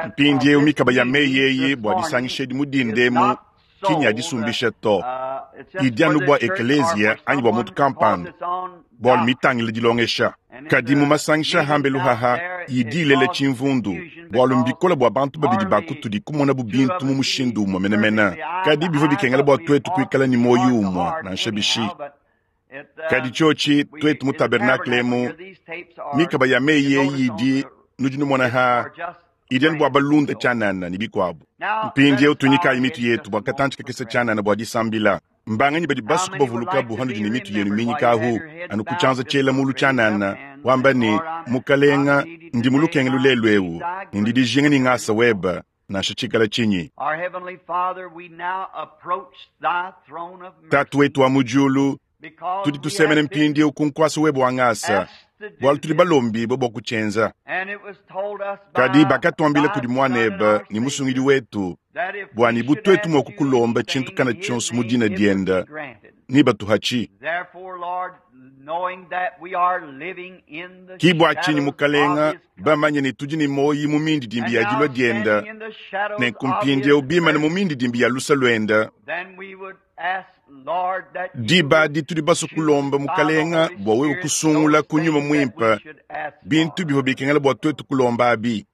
Mpindieu mikaba ya meyi eyi bua disangisha edi mu dinda emu ki nya disumbisha to. Idi anu bua ekeleziya anyi bua muntu kampanda, bualu mitangila dilongesha. Kadi mu masangisha a hambelu haha idi ilela tshimvundu, bualu mbikole bua bantu babidi ba kutudi kumonabu bintu mu mushindu umue menemene. Kadi bivua bikengela bua tuetu kuikala ne muoyo umue nansha bishi. Kadi tshiotshi tuetu mu tabernakle emu, mikaba ya meyi eyi idi nudi numona ha idi anu bua balunda tshianana ne bikuabu. Mpindieu tunyikayi mitu yetu bua katantshi kakese tshianana bua disambila. Mbanganyi badi basue kubavuluka bu hanudi ne mitu yenu minyikahu anu ku tshianza tshiela mulu tshianana, wamba ne, Mukalenga, ndi mu lukengelu lelu eu, ne ndi dijinga ne ngasa weba, nansha tshikala tshinyi. Tatu wetu wa mu diulu, tudi tusemena mpindieu ku nkuasa webe wa ngasa, bualu tudi balombibue bua kutshienza. Kadi bakatuambila kudi Muanebe ne Musungidi wetu bua ne bu tuetu mua kukulomba tshintu kana tshionso mu dina diende, nebatuhatshi. Ki bua tshinyi, Mukalenga, bamanye ne tudi ne muoyo mu mindidimbi ya dilua diende, nenku mpindieu bimane mu mindidimbi ya lusa luende, diba adi tudi basue kulomba Mukalenga bua wewe kusungula ku Nyuma Muimpe bintu bivua bikengela bua tuetu kulomba abi.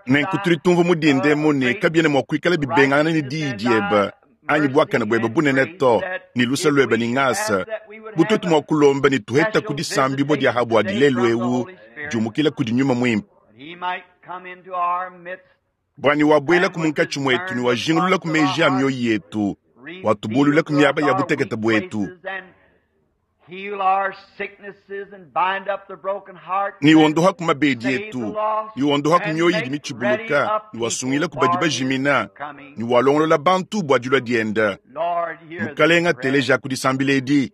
Nenku tudi tumvua mu dinda emu ne kabiena mua kuikala bibengangana ne diyi diebe anyi buakane buebe bunene to, ne luse luebe ne ngasa, bu tuetu mua kulomba ne tuheta ku disambibua dia ha buadi lelu eu diumukila kudi Nyuma Muimpe, bua ne wabuelaku munkatshi muetu ne wajingululaku meji a mioyo yetu, watubululaku miaba ya butekete buetu, ne wondohaku mabedi etu, ne wondohaku mioyo idi mitshibuluka, ne wasungilaku badi bajimina, ne walongolola bantu bua dilua diende. Mukalenga, telejaku disambila edi.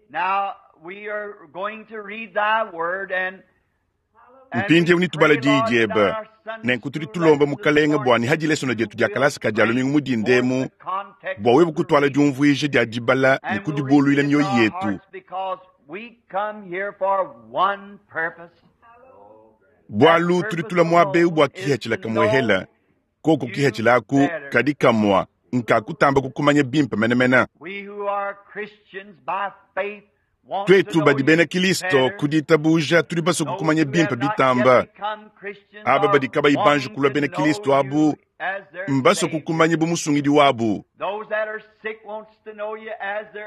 Mpindieu netubala diyi diebe. Nenku tudi tulomba Mukalenga bua ne ha dilesona dietu dia kalasa ka dia lumingu mu dinda emu, bua wewe kutuala diumvuija dia dibala ne kudibuluila mioyo yetu. Bualu tudi tula muaba eu bua kihatshila kamuehela, koku kihatshila aku kadi kamua nka kutamba kukumanya bimpe menemene. Tuetu badi bena Kilisto ku ditabuja tudi basue kukumanya bimpe bitamba. Aba badi kabayi banji kulua bena Kilisto abu mbasue kukumanya bu musungidi wabu.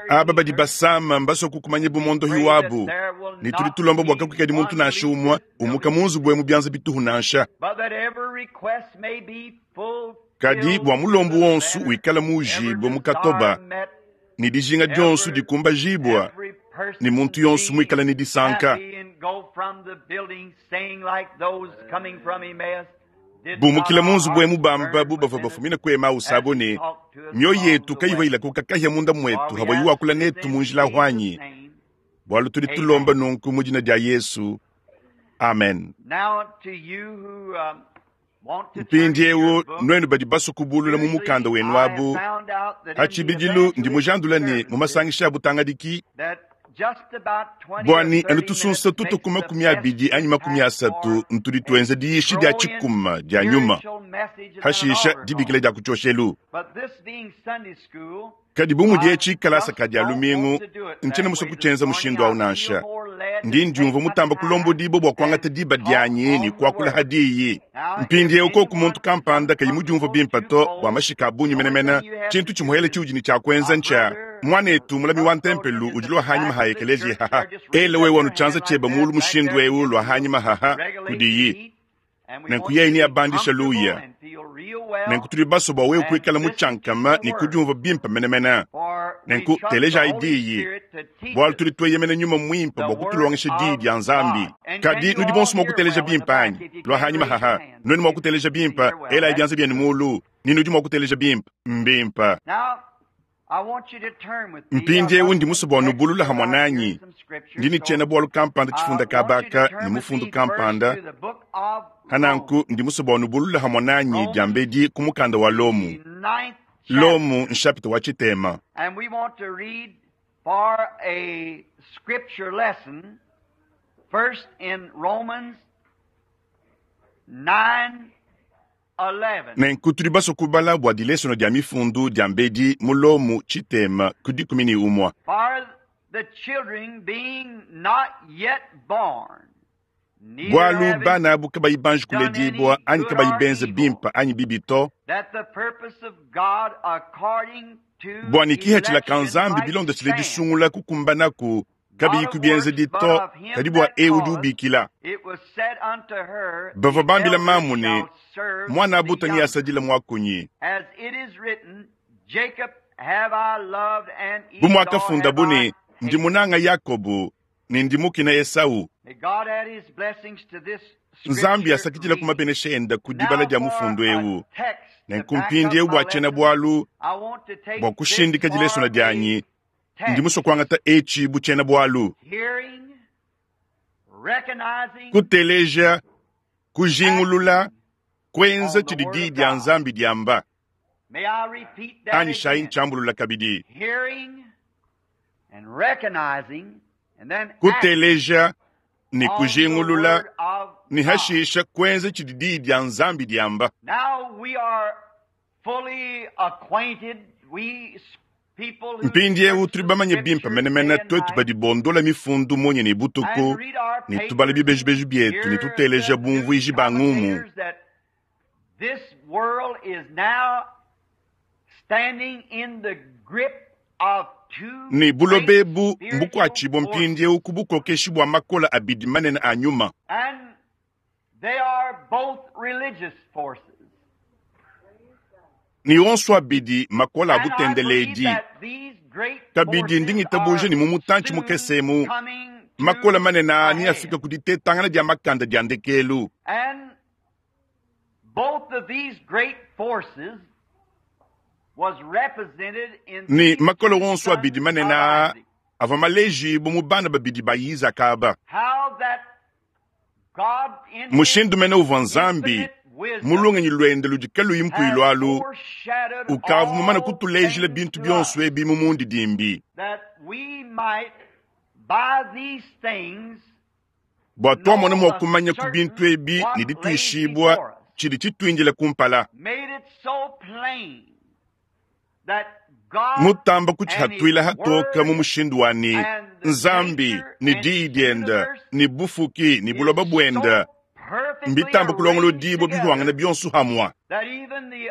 Aba badi basama mbasue kukumanya bu mondohi wabu. Ne tudi tulomba bua kakuikadi muntu nansha umue umuka mu nzubu emu bianza bituhu nansha. Kadi bua mulombu wonso wikala muujibue mu katoba ne dijinga dionso dikumbajibua ne muntu yonso muikale ne disanka. Bumukila mu nzubu emu bamba bu bavua bafumina ku Emausa abo ne, mioyo yetu kayivua ilakuka kahia munda muetu havua wakula netu mu njila huanyi. Bualu tudi tulomba nunku mu dina dia Yesu. Amen. Mpindieu nuenu badi basue kubulula mu mukanda wenu abu, pa tshibidilu ndi mujandula ne mu masangisha a butangadiki bua ne anu tusunsa tutu ku 20 anyi 30 ntudi tuenza diyishi dia tshikuma dia nyuma, hashisha dibikila dia ku tshioshelu. Kadi bu mudi etshi kalasa ka dia lumingu, ntshiena musue kutshienza mushindu au nansha. Ndi ndiumvua mutamba kulombodibua bua kuangata diba dianyi ne kuakula ha diyi. Mpindieu koku muntu kampanda kayi mudiumvue bimpe to bua mashika a bungi menemene, tshintu tshimuele tshiudi ne tshia kuenza ntshia muanetu mulami wa ntempelu udi lua hanyima ha ekeleziya haha. Ela wewe anu tshianza tshiebe mulu mushindu eu lua hanyima haha kudiyi. Nenku yeye neabandisha luya. Nenku tudi basue bua wewe kuikala mutshiankama ne kudiumvua bimpe menemene. Nenku telejayi diyi, bualu tudi tueyemena Nyuma Muimpe bua kutulongesha diyi dia Nzambi. Kadi nudi bonso mua kuteleja bimpe anyi? Lua hanyima haha. Nuenu mua kuteleja bimpe, elayi bianza bienu mulu, ne nudi mua kuteleja bimpe. Mbimpe. Mpindieu ndi musue bua nubulula hamue nanyi. Ndi ne tshiena-bualu kampanda tshifunda kabaka ne mufundu kampanda. Hananku ndi musue bua nubulula hamue nanyi diambedi ku mukanda wa Lomu. Lomu nshapita wa tshitema. For a scripture lesson, first in Romans 9:11. Nenku tudi basue kubala bua dilesono dia mifundu dia mbedi mu Lomo tshitema ku 11. For the children being not yet born, neither Bualu having bana abu kabayi banji kuledibua anyi kabayi benze bimpe anyi bibi to, that the purpose of God according to bua ne kihethela ka election Nzambi might bilondeshile stand. disungula kukumbanaku kabiyi ku bienzedi to, kadi bua ewu udi ubikila. It was said unto her, Bavua the bambila elder mamu ne, shall serve mwana the abuta younger. asadila mwakunyi. As it is written, Jacob have I loved and Bu Esau muakafunda have bu I ne, ndi hated. munanga Yakobo ne ndi mukina Esau. May God add his blessings to this Nzambi scripture asakidila ku reading. mabenesha enda ku dibala Now dia for mufundu a ewu. text to Nenku back up mpindieu my bua lesson, tshiena-bualu I want to take bua this kushindika dilesona for a dianyi, ndi text. musue kuangata etshi bu tshiena-bualu. Hearing, recognizing, Kuteleja, kujingulula, acting kuenza on the tshidi Word diyi of dia God. Nzambi diamba. May I repeat that Anyi shayi again? ntshiambulula kabidi. Hearing and recognizing and then acting Kuteleja ne on the kujingulula Word of ne God. hashisha kuenza tshidi diyi dia Nzambi diamba. Now we are fully acquainted, we people who Mpindieu search tudi the bamanye bimpe scriptures menemene day and twetu night badi bondola mifundu munya ne butuku and read our ne tubala papers and bibejibeji bietu ne hear tuteleja the news bumvuiji ba ngumu. commentators that this world is now standing in the grip of two Ne great buloba ebu spiritual mbukuatshibua forces. mpindieu ku bukokeshi bua makola abidi manene a nyuma. And they are both religious forces. Ne onso abidi makola a And I believe butendeledi. that these great Kabidi forces ndingitabuja are ne mu mutantshi soon mukese emu, coming makola to manene a aa ne head. afika ku ditetangana dia makanda dia ndekelu. And both of these great forces was represented in Ne these makola two onso abidi sons manene of aa Isaac. avua malejibu mu bana babidi ba Izaka aba. How that God in his Mushindu mene uvua Nzambi infinite mu wisdom lungenyi luende ludi kaluyi has mpuilu alu, foreshadowed ukavua mumane all kutulejila things bintu to us, bionso ebi mu mundidimbi. that we might by these things Bua tuamona know mua a kumanya ku bintu certain ebi ne what lays dituishibua before us. tshidi tshituindila kumpala. Made it so plain that God Mutamba and His kutshihatuila hatoka mu Word mushindu wa ne and the Nzambi nature ne and diyi His dienda universe ne bufuki ne is buloba so buenda perfectly mbitamba arranged kulongolodibua bihuangana together bionso hamwa. that even the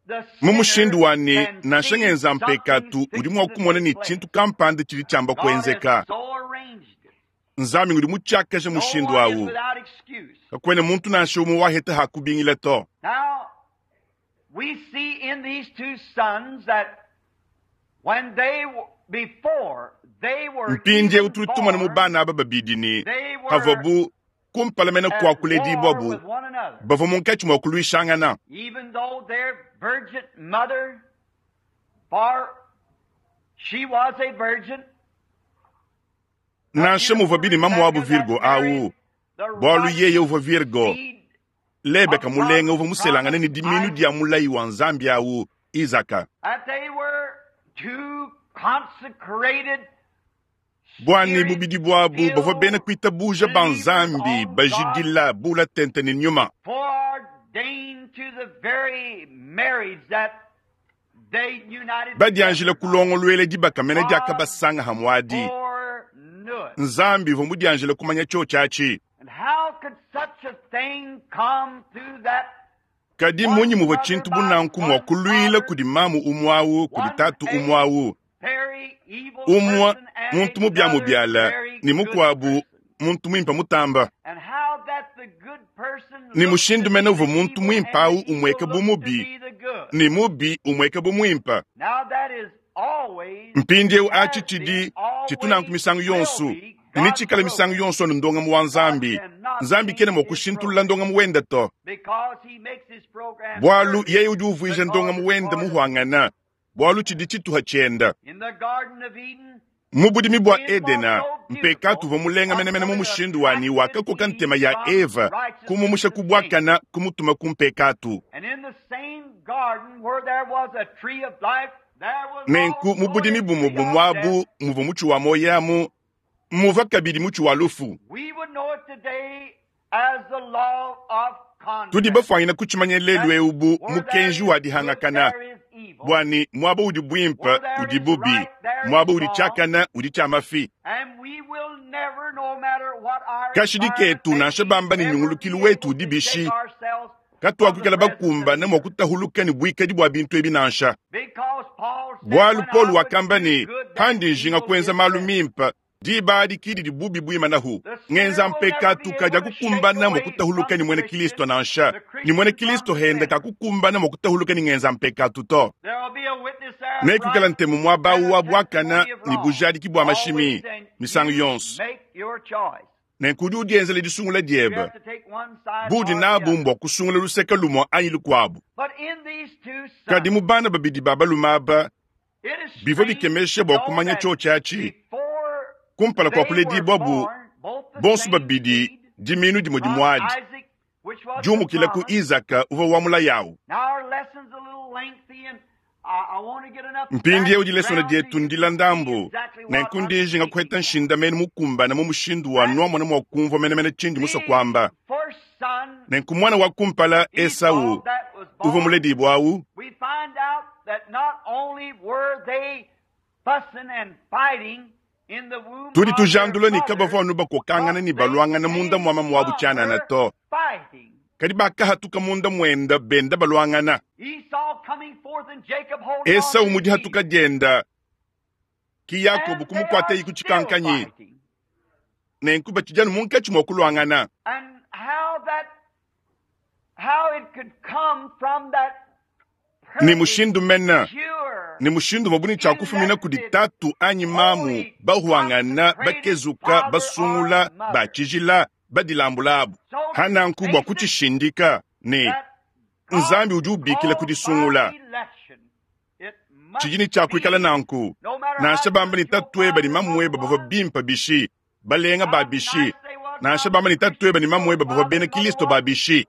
Mu sinner mushindu wa ne can nansha see ngenza something mpekatu udi fixing mua to kumona take ne place. tshintu kampanda tshidi tshiamba God has kuenzeka. so arranged it. Nzambi ngudi mutshiakaja No mushindu one is awu. without excuse. Kakuena muntu nansha umue waheta hakubingila to. Now, we see in these two sons that when they before they were Mpindieu even tudi tumona mu born, bana aba babidi ne they were havuabu kumpala mene at kua kuledibua war bu with one another. bavua munkatshi mua kuluishangana. Even though their virgin mother, for she was a virgin, the Nansha muvua beautiful bini mamu wabu Rebecca that Virgo married awu, the bualu yeye righteous uvua Virgo, seed Lebeka of mulenga God's uvua muselangane promise, ne diminu Isaac, dia mulayi wa Nzambi awu, Izaka. that they were two consecrated, Bwani bubidi bwabu bavua bena spirit-filled kuitabuja ba believers Nzambi on God's bajidila bula tente ne nyuma. foreordained to the very marriage that they united Badianjila together. kulongoluela dibaka mene God diakabasanga hamwadi. foreknew it. Nzambi uvua mudianjila kumanya tshiotshi. And how could such a thing come through that Kadi one munyi muvua mother tshintu bu by nanku mua one kuluila father, kudi mamu umue awu, kudi one tatu a umue awu, very evil umue person and muntu another mubiamubiala very ne good mukuabu person? muntu muimpe mutamba. And how that the good person Ne looked to mushindu mene be uvua the muntu evil muimpe and awu the evil umueka bu looked to mubi be the good. ne mubi umueka bu muimpe. Now that is always, Mpindieu atshi has been, tshidi tshitu nanku always misangu will yonso be ne God's tshikala misangu program. yonso anu ndongamu wa God Nzambi. cannot Nzambi kena change mua his kushintulula program ndongamu wende to. because he makes his program Bualu perfect yeye udi uvuija because ndongamu it's wende part of it. muhuangana, bualu tshidi tshituha tshienda. In the Garden of Eden, Mu budimi bua sin was Edena, so mpekatu beautiful uvua mulenga menemene mu until it mushindu wani attracted wakakoka Eve ntema ya from Eva, kumumusha righteousness to sin. ku bwakana kumutuma ku mpekatu. And in the same garden where there was a tree of life Nenku mu budimi bumue bumue abu muvua mutshi wa muoyo amu, muvua kabidi mutshi wa lufu. Tudi bafuanyine kutshimanya lelu eu bu mukenji wa dihangakana, bua ne muaba udi buimpe udi bubi, muaba udi tshiakane udi tshia mafi. Kashidi ketu nansha bamba ne nyungulukilu wetu udi bishi, katuakuikala bakumbane mua kutahuluka ne buikadi bua bintu ebi nansha. Bualu Paulo wakamba ne, pandi njinga kuenza malu mimpe, diba adi ki didi bubi buimanahu. Ngenza mpekatu kadiakukumbana mua kutahuluka ne muena Kristo nansha, ne muena Kristo henda kakukumbana mua kutahuluka ne ngenza mpekatu to. Nekuikala ntemu muaba awu wa buakana ne bujadiki bua mashimi misangu yonso. Nenku udi udienzela disungula diebe, budi nabu mbua kusungula luseke lumue anyi lukuabu. Kadi mu bana babidi ba balume aba, bivua bikemesha bua kumanya tshiotshi atshi. Kumpala kua kuledibuabu, bonso babidi diminu dimue dimue adi, diumukila ku Izaka uvua wa mulayi awu. Mpindieu dilesona dietu ndila ndambu, nenku ndi njinga kuheta nshindamenu mukumbane mu mushindu wa nuamona mua kumvua menemene tshindi musue kuamba. Nenku muana wa kumpala Esau uvua muledibue awu, tudi tujandula ne kabavua anu bakokangana ne baluangana munda mua mamu wabu tshianana to, kadi bakahatuka munda muenda benda baluangana. Esau mu dihatuka dienda, ki Yakobo kumukuatayi ku tshikankanyi, nenku batshidi anu munkatshi mua kuluangana. Ne mushindu mene, ne mushindu uvua bu ne tshia kufumina kudi tatu anyi mamu bahuangana, bakezuka, basungula, ba tshijila, badilambulabu. Hananku bua kutshishindika ne Nzambi udi ubikila ku disungula, tshidi ne tshia kuikala nanku, nansha bamba ne tatueba ne mamueba bavua bimpe bishi, balenga ba bishi, nansha bamba ne tatueba ne mamueba bavua bena Kristo ba bishi,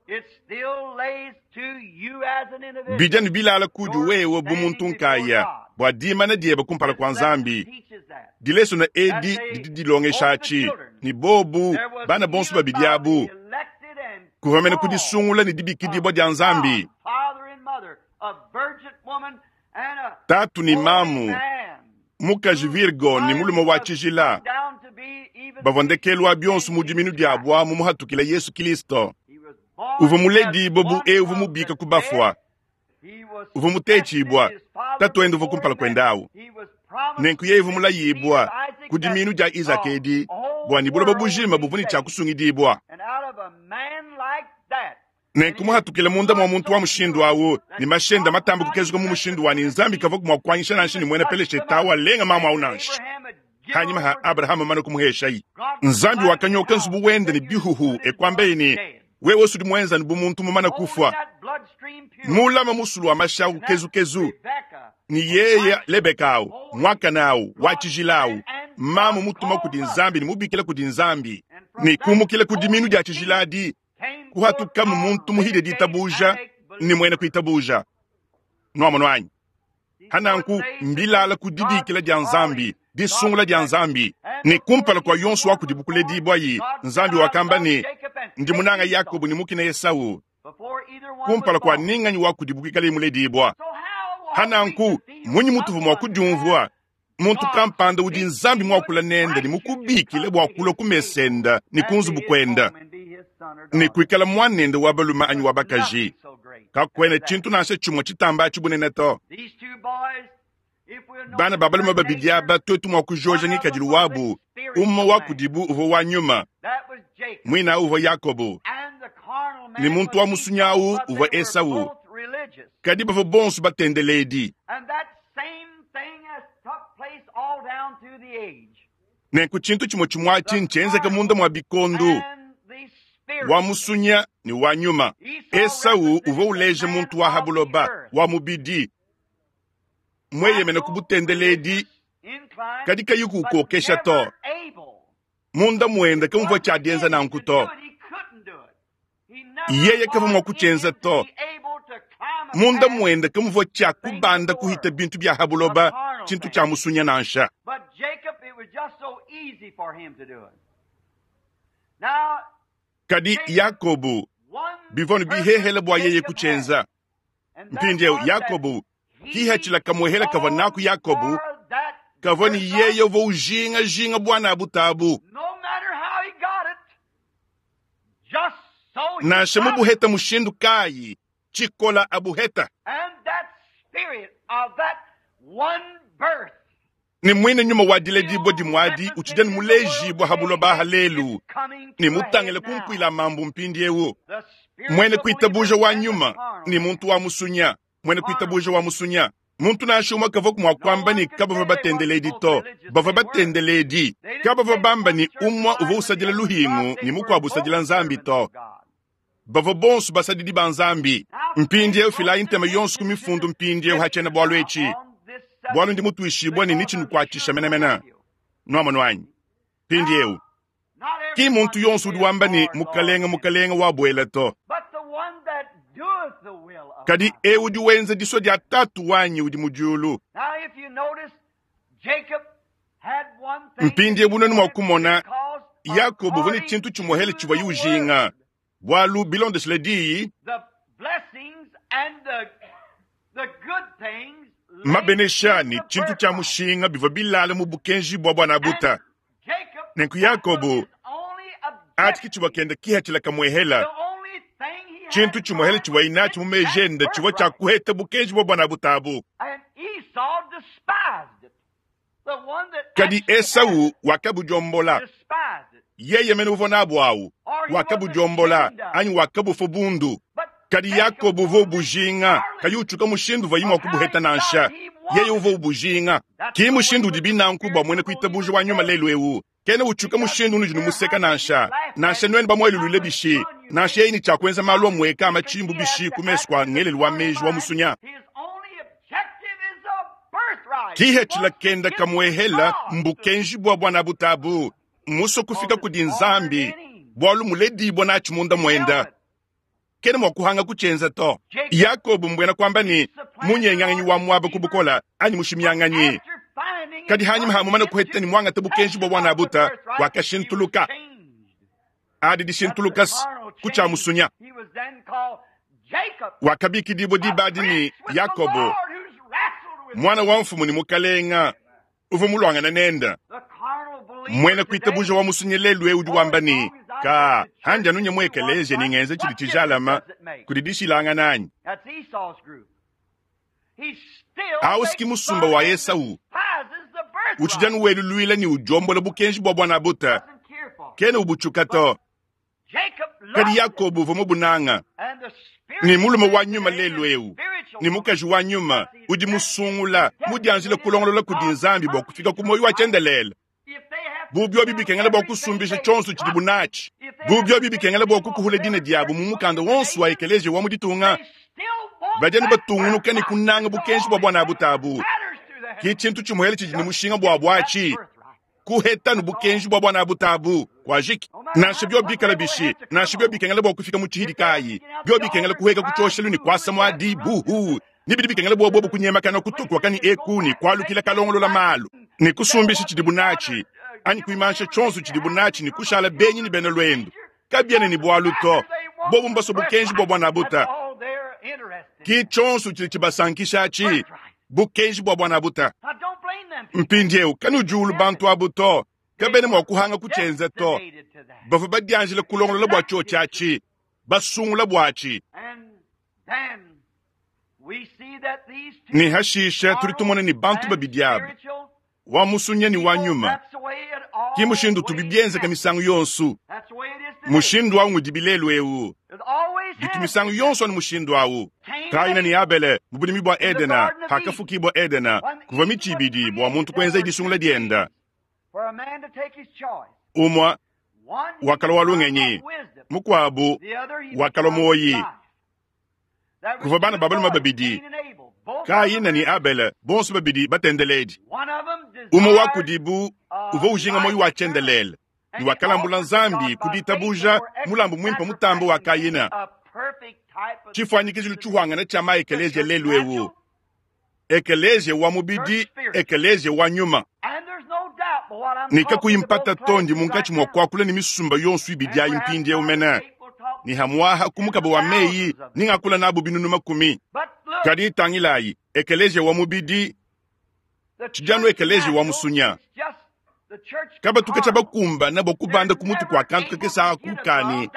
bidi anu bilala kudi wewe bu muntu nkaya bua dimana diebe kumpala kua Nzambi. Dilesona edi didi dilongesha atshi ne bobu bana bonso babidi abu kuvua mene ku disungula ne dibikidibua dia Nzambi, tatu ne mamu, mukaji Virgo ne mulume wa tshijila bavua ndekelu wa bionso mu diminu diabu amu muhatukila Yesu Kristo. Uvua muledibue bu eu uvua mubika ku bafua, uvua mutetshibua, tatuende uvua kumpala kuende awu. Nenku yeye uvua mulayibua ku diminu dia Izaka edi bua ne buloba bujima buvua ne tshia kusungidibua. Nenku muhatukila munda mua muntu wa mushindu awu ne mashenda matambe kukezuka mu mushindu wa ne Nzambi kavua mua kuanyisha nansha ne muena Peleshete awu alenga mamu awu nansha. Hanyima ha Abrahama mane kumuheshayi, Nzambi wakanyoka nzubu wende ne bihuhu e kuambaye ne, wewe usudi muenzani bu muntu mumane kufua, mulama musulu wa mashi awu kezukezu, ne yeye Lebeka awu, muakane awu, wa tshijila awu, mamu mutuma kudi Nzambi ne mubikila kudi Nzambi, ne kumukila ku diminu dia tshijila adi, kuhatukamu muntu muhile ditabuja ne muena kuitabuja. Nuamono anyi? Hananku mbilala ku dibikila dia Nzambi, disungula dia Nzambi, ne kumpala kua yonso wa kudibu kuledibuayi, Nzambi wakamba ne, ndi munanga Yakobo ne mukina Esau, kumpala kua ninganyi wa kudibu kuikalaye muledibua. Hananku munyi mutuvua mua kudiumvua muntu kampanda udi Nzambi muakula nende ne mukubikile bua kulua ku mesenda ne ku nzubu kuenda ne kuikala muanende wa balume anyi wa bakaji? Kakuena tshintu nansha tshimue tshitamba atshi bunene to. Bana ba balume babidi aba tuetu mua kujoja ngikadilu wabu, umue wa kudibu uvua wa nyuma, muina uvua Yakobo, ne muntu wa musunyi awu uvua Esau, kadi bavua bonso batendeledi. Nenku tshintu tshimue tshimue atshi ntshienzeke munda mua bikondo, wa musunya ne wa nyuma. Esau uvua uleja muntu wa ha buloba, wa mubidi, mueyemene ku butendeledi, kadi kayi kukokesha to. Munda muende kamuvua tshiadienza nanku to. Yeye kavua mua kutshienza to. Munda muende kamuvua tshia kubanda kuhita bintu bia ha buloba, tshintu tshia musunya nansha. Kadi Yakobo, bivua ne bihehele bua yeye kutshienza. Mpindieu Yakobo, kihatshila kamuehela kavua naku Yakobo, kavua ne yeye uvua ujingajinga buana butabu. Nansha mubuheta mushindu kayi, tshikola abuheta. Ne muine nyuma wa diledibua dimuadi utshidi anu mulejibua ha buloba ha lelu, ne mutangile kumpuila mambu mpindieu. Muene kuitabuja wa nyuma ne muntu wa musunya, muene kuitabuja wa musunya. Muntu nansha umue kavua mua kuamba ne kabavua batendeledi to, bavua batendeledi. Kabavua bamba ne umue uvua usadila luhingu ne mukuabu usadila Nzambi to. Bavua bonso basadidi ba Nzambi. Mpindieu filayi ntema yonso ku mifundu mpindieu ha tshiena-bualu etshi, bualu ndi mutuishibue ne netshinukuatshisha menemene. Nuamonu anyi? Mpindieu, ki muntu yonso udi wamba ne Mukalenge, Mukalenge wabuela to. Kadi eu udi wenza disua dia Tatu wanyi udi mu diulu. Mpindieu nuenu mua kumona, Yakobo uvua ne tshintu tshimuehele tshivuaye ujinga, bualu bilondeshile diyi, mabenesha ne tshintu tshia mushinga bivua bilala mu bukenji bua buana buta. Nenku Yakobo atshi tshivua kenda kihatshila kamuehela, tshintu tshimuehela tshivuaye natshi mu meji ende tshivua tshia kuheta bukenji bua buana butabu. Kadi Esau wakabudiombola, yeye mene uvua nabu awu, wakabudiombola anyi wakabufua bundu. Kadi Yakobo uvua ubujinga, kayi utshuka mushindu uvuaye mua kubuheta nansha. Yeye uvua ubujinga. Ki mushindu udibi nanku bua muena kuitabuja wa nyuma lelu eu. Kena utshuka mushindu unudi numuseka nansha, nansha nuenu bamuelulule bishi, nansha yeye ne tshia kuenza malu amueka a matshimbu bishi ku mesu kua ngelelu wa meji wa musunya. Kihetshila kenda kamuehela mbukenji bua buana butabu, musue kufika kudi Nzambi, bualu muledibua natshi munda muenda. Kena mua kuhanga kutshienza to. Yakobo mbuena kuamba ne munyenganganyi wa muaba ku bukola anyi mushimianganyi. Kadi hanyima ha mumane kuheta ne muangata bukenji bua buana buta, wakashintuluka. Adi dishintuluka ku tshia musunya. Wakabikidibua diba adi ne Yakobo, mwana wa mfumu ne mukalenga uvua muluangana nende. Muena kuitabuja wa musunya lelu eu udi wamba ne, ka handi anunya mu ekeleziya ne ngenza tshidi tshijalama kudi dishilangana anyi. Awu siki musumba wa Esau utshidi anu weluluila ne udiombola bukenji bua buana buta, kena ubutshuka to. Kadi Yakobo uvua mubunanga ne mulume wa nyuma lelu eu ne mukaji wa nyuma udi musungula mudianjile kulongolola kudi Nzambi bua kufika ku muoyo wa tshiendelele. Bu biobi bikengela bua kusumbisha tshionso tshidibu natshi, bu biobi bikengela bua kukuhula dina diabu mu mukanda wonso wa ekeleziya wa mu ditunga, badi anu batungunuka ne kunanga bukenji bua buana butabu. Ki tshintu tshimuele tshidi ne mushinga buabu atshi, kuheta nu bukenji bua buana butabu kuajiki. Nansha bio bikala bishi, nansha bio bikengela bua kufika mu tshihidi kayi, bio bikengela kuheka ku tshioshelu ne kuasa muadi buhu, ne bidi bikengela bua bobu kunyemakana kutukuaka ne eku ne kualukila kalongolola malu ne kusumbisha tshidibu natshi anyi kuimansha tshionso tshidibu natshi ne kushala benyi ne bena luendu, kabiena ne bualu to. Bobu mbasue bukenji bua buana buta, ki tshionso tshidi tshibasankisha atshi, bukenji bua buana buta. Mpindieu kanudiulu bantu abu to, kabena mua kuhanga kutshienza to. Bavua badianjila kulongolola bua tshiotshi atshi, basungula buatshi. Ne hashisha tudi tumona ne bantu babidi aba, wa musunya ne wa nyuma, ki mushindu utubi bienzeka misangu yonso. Mushindu awu ngudibi lelu eu, bitu misangu yonso anu mushindu awu. Kaina ne Abele mu budimi bua Edena, hakafukibua Edena, kuvua mitshi ibidi bua muntu kuenza disungula dienda. Umua wakalua wa lungenyi, mukuabu wakalua muoyi. Kuvua bana ba balume babidi, Kaina ne Abele, bonso babidi batendeledi. Umue wa kudibu uvua ujinga muoyo wa tshiendelele ne wakalambula Nzambi ku ditabuja mulambu muimpe mutambe wa Kaina. Tshifuanyikijilu tshihuangana tshia ma ekeleziya lelu eu, ekeleziya wa mubidi, ekeleziya wa nyuma. Ne kakuyi mpata to, ndi munkatshi mua kuakula ne misumba yonso ibidi ayi mpindieu mene, ne hamuaha ku mukaba wa meyi ningakula nabu binunu makumi. Kadi tangilayi, ekeleziya wa mubidi tshidi anu ekeleziya wa musunya. Kabatuka tshia bakumbana bua kubanda ku mutu kua kantu kakese aku kani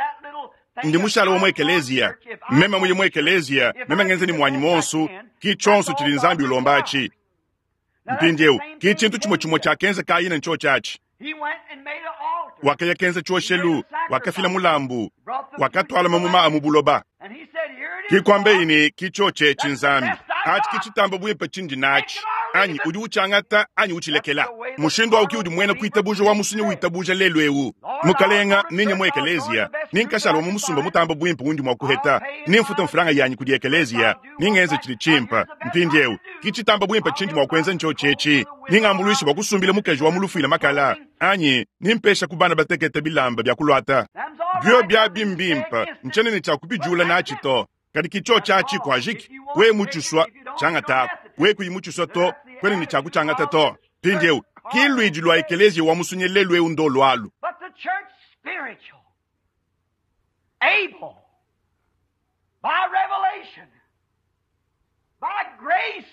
ndi mushala wa mu ekeleziya. Meme muye mu ekeleziya, meme ngenza ne muanyi muonso, ki tshionso tshidi Nzambi ulomba atshi. Mpindieu ki tshintu tshimue tshimue tshiakenza Kayina ntshiotshi atshi. Wakaya kenza tshioshelu, wakafila mulambu, wakatuala mamuma a mu buloba. Ki kuambeyi ne ki tshiotshi etshi Nzambi, atshi ki tshitamba buimpe tshindi natshi, anyi udi utshiangata anyi utshilekela. Mushindu au ki udi muena kuitabuja wa musunyi witabuja lelu eu. Mukalenga, ninye mu ekeleziya, ninkashala wa mu musumba mutamba buimpe undi mua kuheta, nimfuta mfranga yanyi kudi ekeleziya, ningenze tshidi tshimpe. Mpindieu ki tshitamba buimpe tshindi mua kuenza ntshiotshi etshi, ningambuluishe bua kusumbila mukaji wa mu lufuila makala, anyi nimpesha ku bana batekete bilamba bia kuluata. Bio biabi mbimpe, ntshiena ne tshia kubijula natshi to. Kadi ki tshiotshi atshi kuajiki, we mutshisua tshiangataku, we kuyi mutshisua to, kuena ne tshia kutshiangata to. Mpindieu ki luidi lua ekeleziya wa musunyi lelu eu ndo lualu. But the church spiritual, able, by revelation, by grace,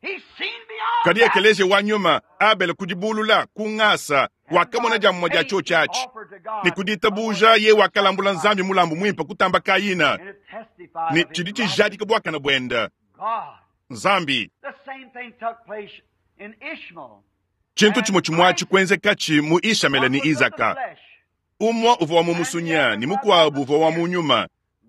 he's seen beyond Kadi that. ekeleziya wa nyuma, Abele kudibulula ku ngasa, wakamona dia mumue dia tshiotshi atshi, ne ku ditabuja ye wakalambula Nzambi mulambu muimpe kutamba Kayina, And it testified ne of his tshidi righteous tshijadika buakane buende God. Nzambi. The same thing took place in Ishmael. Tshintu tshimue tshimue atshi kuenzekatshi mu Ishamele ne One was of the Izaka. flesh, Umue uvua wa mu musunya ne mukuabu uvua wa mu nyuma,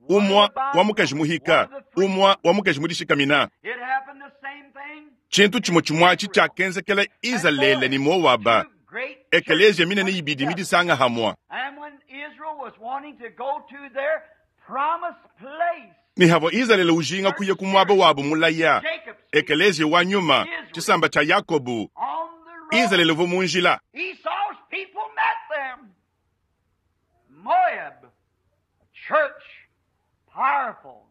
umue wa mukaji muhika, umue wa mukaji mudishikamina. It happened the same thing. Tshintu tshimue tshimue atshi tshiakenzekela Izalele ne Moaba, Two great ekeleziya churches minene coming ibidi together. midisanga hamua. And when Israel was wanting to go to their promised place, Ne havua Izalele ujinga kuya ku muaba wabu mulaya, Jacob speaking, ekeleziya wa nyuma, tshisamba tshia Yakobu, on the road, Izalele uvua mu njila. Esau's people met them. Moab, a church, powerful.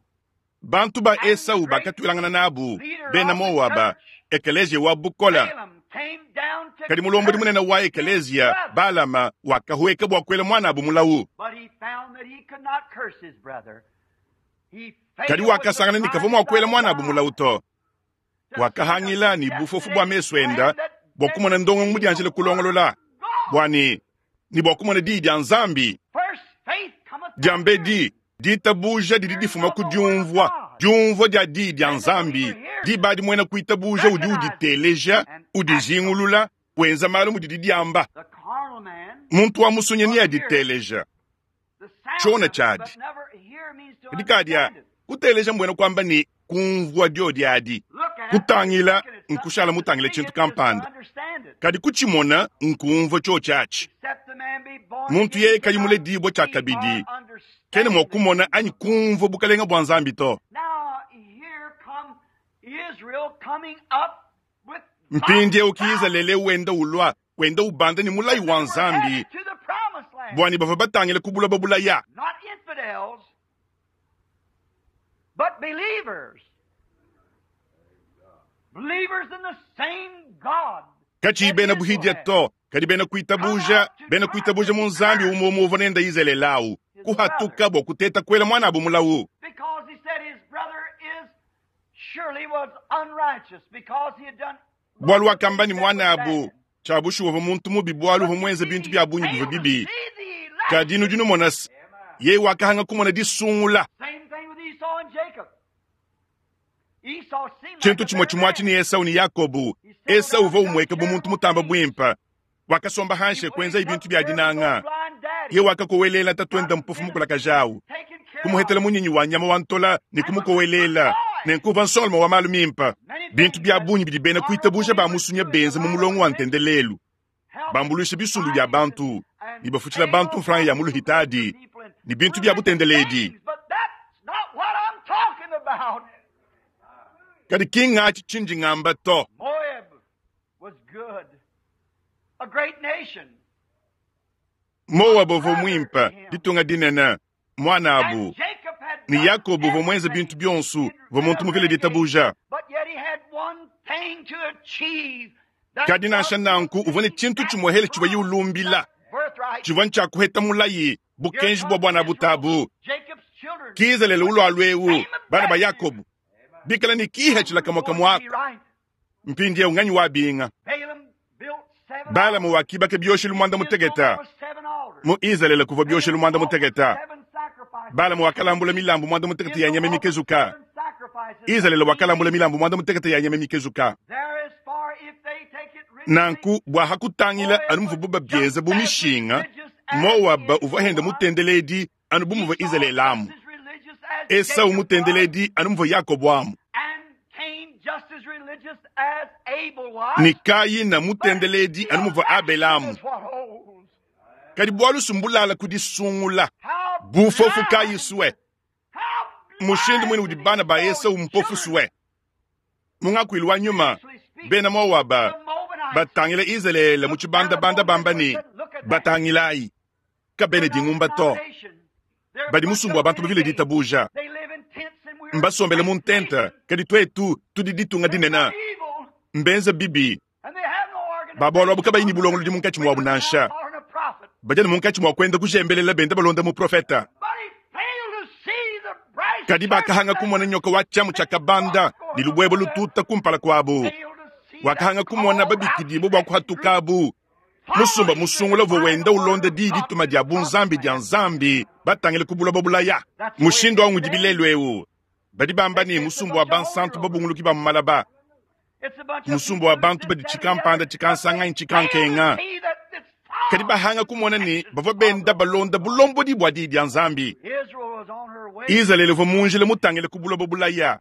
Bantu ba Esau bakatuilangana nabu, Leader bena of the Moaba, church, ekeleziya wa bukola. Balaam came down to Kadi mulombodi curse munene wa his ekeleziya brother. Balama wakahueka bua kuela muanabu mulawu. But he found that he could not curse his brother. He Kadi failed with the wakasangana ne kavua mua blindness kuela of muanabu his mulawu eyes to. to see the Wakahangila ne bufofu bua mesu destinated enda plan that bua kumona ndongo mudianjile destinated the word kulongolola of God. bua ne bua kumona diyi dia Nzambi. First faith cometh by Diambedi hearing, ditabuja didi hearing difuma of ku the word of diumvua, God. diumvua dia diyi dia Then the believer Nzambi. hears it, Diba adi muena kuitabuja udi recognizes it, uditeleja, and acts on it. udijingulula, wenza malu mudidi diamba. The carnal man Muntu wa musunyi will hear it, neaditeleja the sound tshiona of it, tshiadi. but never hear means to Kadi kadia understand it. kuteleja mbuena kuamba ne kumvua diodi adi. Look at is Kutangila looking at something, nkushala to mutangile see tshintu it is to kampanda. understand it. Kadi kutshimona nkumvua tshiotshi atshi. Except the man be born Muntu again, yeye he kayi cannot muledibue tshia see or kabidi, kena mua understand the kumona kingdom anyi of God. kumvua bukalenga bua Nzambi to. Now here come Israel coming up with God's Mpindieu ki promise Izalele wenda ulua, wenda ubanda ne mulayi that wa they were Nzambi, headed to the promised land. bua ne bavua batangile ku buloba bulaya. Not infidels, but believers. Believers in the same God Katshiyi that bena Israel buhidia had. to, kadi bena Come kuitabuja, out to bena try kuitabuja to mu Nzambi curse umue umue uvua nenda Izalele awu, his brother kuhatuka bua kuteta kuela muanabu mulawu. because he said his brother is surely was unrighteous because he had done Bualu much of wakamba things ne that was muanabu, bad. tshia bushuwa uvua muntu mubi bualu But uvua you muenze see, bintu he bia bungi bivua failed to bibi. see the Kadi nudi election. numona se, yeye wakahanga kumona disungula. Same thing with Esau and Jacob. Esau seemed like Tshintu a tshimue better tshimue atshi man. ne Esau ne Yakobu. He settled Esau down uvua and took umueka bu care of muntu the mutamba things. buimpe. Wakasomba He, hanshi he kuenza took bintu bia care of his old dinanga. blind Ye daddy, wakakowelela got tatuenda him mpofu dinner, mukulakajawu. taken care Kumuhetela of, munyinyi wa nyama wa ntola ne and was a good kumukowelela. boy. Nenkuva nsoloma wa malu mimpe. Many Bintu things bia that bungi bidi bena carnal kuitabuja ba believers musunya do in the benza mu line of mulongo wa religion, ntendelelu. helping Bambuluisha bisumbu bia societies and, bantu, ne and bafutshila paying bantu off mfranga ya hospitals for muluhitadi, people and ne bintu bia religious butendeledi. things. But that's not what I'm talking about. Kadi ki ngatshi tshindi ngamba to. Moab was good, a great nation, a Moaba uvua brother to muimpe, him. ditunga dinene, muanabu. And Jacob had Ne Yakobo uvua muenze bintu bionso, uvua muntu muvile ditabuja. Kadi nansha nanku uvua ne tshintu tshimuehele tshivuaye ulumbila, tshivua ntshia kuheta mulayi, bukenji bua buana butabu. Ki Izalele ulualu eu, bana ba Yakobo, bikala ne kihatshila kamue kamue aku. Mpindieu nganyi wabinga? Balama wakibaka bioshelu muanda muteketa. Mu Izalele kuvua bioshelu muanda muteketa. Balama wakalambula milambu muanda muteketa ya nyama mikezuka. Izalele wakalambula milambu muanda muteketa ya nyama mikezuka. Nanku bua hakutangila anu muvuabu babienza bu mishinga, Moaba uvua henda mutendeledi anu bu muvua Izalele amu, Esau mutendeledi anu muvua Yakobo amu, ne Kayina mutendeledi anu muvua Abele amu. Kadi bualu sumbulala ku disungula bufofu kayi sue, mushindu muine udi bana ba Esau mpofu sue. Mu ngakuilu wa nyuma, bena Moaba batangila Izalele mu tshibandabanda bamba ne, Batangilayi, kabena dingumba to, badi musumba wa bantu bavile ditabuja, mbasombele mu ntenta, kadi tuetu tudi ditunga dinene. Mbenze bibi ba bualu abu kabayi ne bulongolodi munkatshi muabu nansha, badi anu munkatshi mua kuenda kujembelela benda balonda muprofeta. Kadi bakahanga kumona nyoka wa tshiamu tshia kabanda ne lubuebue lututa kumpala kuabu. Wakahanga kumona babikidibue bua kuhatukabu. Musumba musungula uvua wenda ulonda diyi dituma dia bunzambi dia Nzambi batangile ku buloba bulaya. Mushindu au ngudi bilelu eu. Badi bamba ne, musumba wa bansantu babunguluki ba mu malaba, musumba wa bantu badi tshikampanda tshikansanga anyi tshikankenga, kadi bahanga kumona ne bavua benda balonda bulombodi bua diyi dia Nzambi. Izalele uvua mu njila mutangile ku buloba bulaya.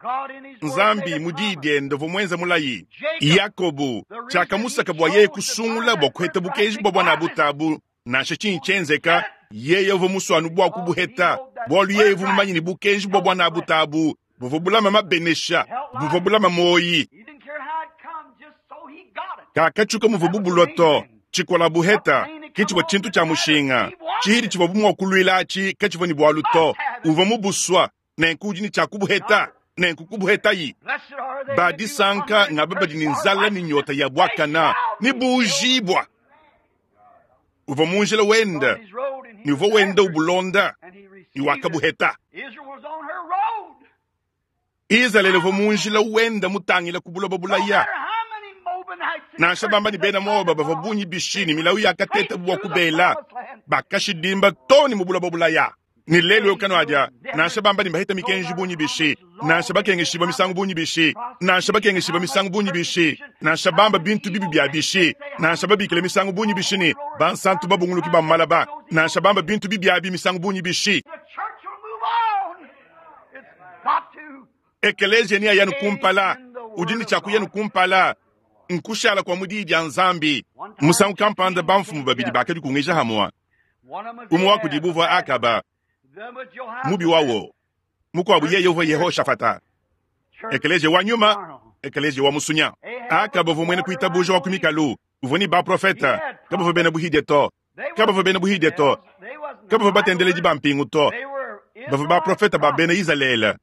Nzambi mu diyi diende uvua muenze mulayi. Yakobo, tshiakamusaka bua yeye kusungula bua kuheta bukenji bua buanabute nansha tshinyi tshienzeka, yeye uvua musue anu bua kubuheta, bualu yeye uvua mumanye ne bukenji bua buanabute abu buvua bulama mabenesha, buvua bulama muoyi. Kakatshuka muvua bubulua to. Tshikola buheta ke tshivua tshintu tshia mushinga. Tshihidi tshivua bu mua kuluila atshi katshivua ne bualu to. Uvua mubusua, nenku udi ne tshia kubuheta, nenku kubuhetayi. Ba disanka ngaba badi ne nzala ne nyota ya buakana ne buujibua. Uvua mu njila wenda ne uvua wenda ubulonda ne wakabuheta. Izalele uvua mu njila wenda mutangila ku buloba bulaya. Nansha bamba ne bena Moaba bavua bungi bishi ne milawu yakatetabu bua kubela, bakashidimba too ne mu buloba bulaya. Ne lelu eu kanuadia, nansha bamba ne baheta mikenji bungi bishi, nansha bakengeshibua misangu bungi bishi, nansha bakengeshibua misangu bungi bishi, nansha bamba bintu bibi bia bishi, nansha babikila misangu bungi bishi ne bansantu babunguluki ba mu malaba, nansha bamba bintu bibi abi misangu bungi bishi. Ekeleziya neaye anu kumpala, udi ne tshia kuya anu kumpala, nkushala kua mu diyi dia Nzambi. Musangu kampanda bamfumu babidi bakadikungisha hamue, umue wa kudibu uvua Akaba, mubi wawo, mukuabu yeye uvua Yehoshafata. Ekeleziya wa nyuma, ekeleziya wa musunya. Akaba uvua muena kuitabuja wa ku mikalu, uvua ne baprofete, kabavua bena buhidie to. Kabavua bena buhidie to, kabavua batendeledi ba mpingu to, bavua baprofete ba bena Izalele.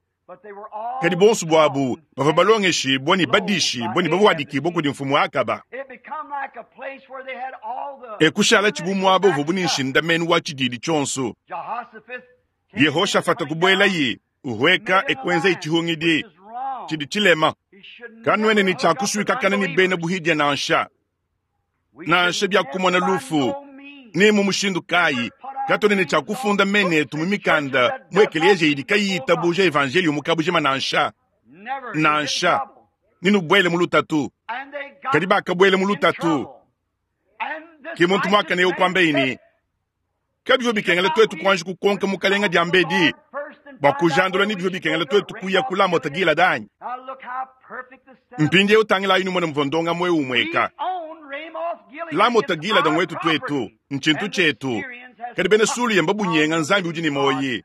Kadi bonso buabu bavua balongeshibua ne badishibua ne bavuadikibua kudi mfumu Akaba. E kushala bu muaba uvuabu ne nshindamenu wa tshididi tshionso. Yehoshafata kubuelayi uhueka e kuenzayi tshihungidi tshidi tshilema. Kanuena ne tshia kusuikakana ne bena buhidie nansha. Nansha bia kumona lufu ne mu mushindu kayi, katuena ne tshia kufunda mena etu mu mikanda mu ekeleziya idi kayiyi itabuja evanjeliyo mu kabujima nansha. Nansha, nenubuele mu lutatu. Kadi bakabuela mu lutatu. Ke muntu muakane eu kuambaye ne, Kabivua bikengela tuetu kuanji kukonka mukalenga diambedi bua kujandula ne bivua bikengela tuetu kuya ku Lamota Gilada anyi? Mpindieu tangilayi numone muvua ndongamu eu umueka. Lamota Gilada nguetu tuetu, ntshintu tshietu. Kadi bena Sulia mbabunyenga Nzambi udi ne muoyi.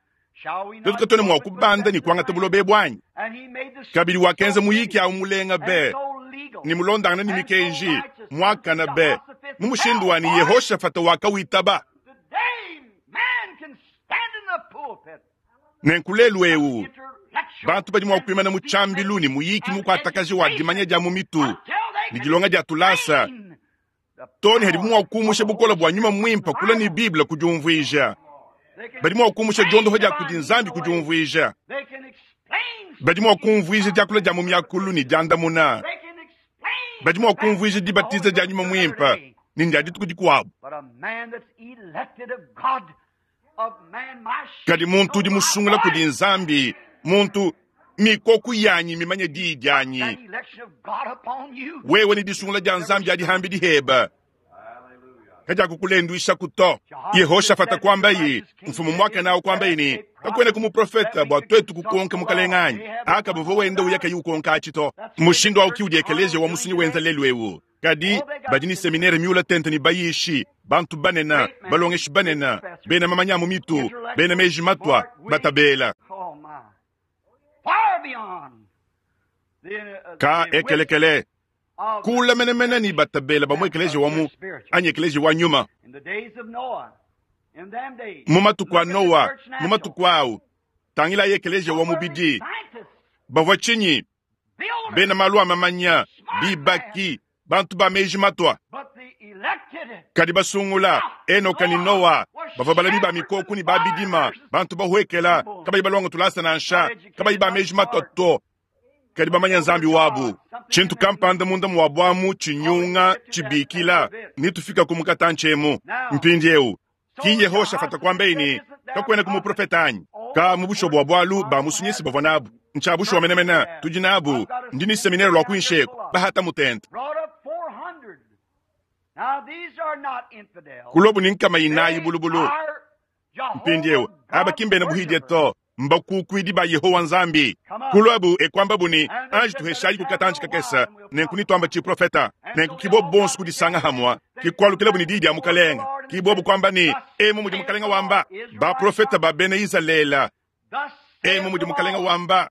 Tuetu katuena mua kubanda ne kuangata buloba ebu anyi? Kabidi wakenza muyiki au mulenga be ne mulondangana ne mikenji, muakana be, mu mushindu wa ne Yehoshafata wakawitaba. Nenku lelu eu, intellectual bantu badi mua kuimana mu tshiambilu ne muyiki mukuatakaji wa dimanya dia mu mitu ne dilonga dia tulasa too ne hadibu mua kumusha bukole bua nyuma muimpe kula ne Bible ku diumvuija. Badi mua kumusha diondopa dia kudi Nzambi ku diumvuija. They can explain. Badi mua kumvuija diakula dia mu miakulu ne diandamuna. They can explain. Badi mua kumvuija dibatiza dia nyuma muimpe ne ndia dituku dikuabu. But a man that's elected of God, of man, my sheep Kadi muntu udi know my musungula kudi voice. Nzambi, muntu mikoku yanyi mimanye diyi dianyi. That election of God upon you. Wewe ni disungula dia Nzambi adi hambi diheba. Kajakukulenduisha kuto. Yehoshafata kwambayi, mfumu mwaka nawo kwambayi ni kakwena kumuprofeta bua twetu kukonka mukalenganyi. Aka buvua wenda uya kayi ukonka achito. Mushindu au kiudi ekeleziya wa musunyi wenza lelu ewu. Kadi badi ni seminere miula tente ni bayishi, bantu banena, balongeshi banena, bena mamanya mu mitu, bena meji matwa, batabela. Oh my. Far beyond the, Ka the width ekelekele of kula menemene ni batabela ba mu ekeleziya wa mu anyi ekeleziya wa nyuma. in the days of Noah. In them days. Mu matuku a Look at the Noa, church mu natural. matuku awu, tangila ekeleziya wa mubidi, Scientists, bavua tshinyi builders, bena malu a mamanya, bibaki, bantu ba meji matwa. but the elected Kadi basungula Enoka ni Noa bavua balami ba mikoku ni babidima, bantu bahwekela kabayi balonga tulasa nansha, kabayi ba meji matwa to, kadi bamanya Nzambi wabu. Tshintu kampanda munda muwabu tshinyunga tshibikila nitufika ku mukatanchemu mpindiewu ki Yehoshafata kwambayi ni kakwena kumuprofeta anyi ka mu busho bwa bwalu ba musunyisi bavua nabu ntsha busho menemene tudi nabu ndi ni seminere lwa kuinsheko bahata mutente brought up 400. Now these are not infidels. kulobu ni nkama inayi They bulubulu are Jehovah mpindiewu aba God's kimbene buhidye worshipers. to mbakukwidi ba Yehowa Nzambi kulwabu ekwamba buni anji tuheshayi kukatanji kakesa nenku nitwamba tshiprofeta nenku kibo bonso kudisanga hamwa kikwalukila buni diyi dia mukalenga kibobu kwamba ni emu mudi mukalenga wamba baprofeta ba bena Izalela Thus saith emu mudi the mukalenga Lord, wamba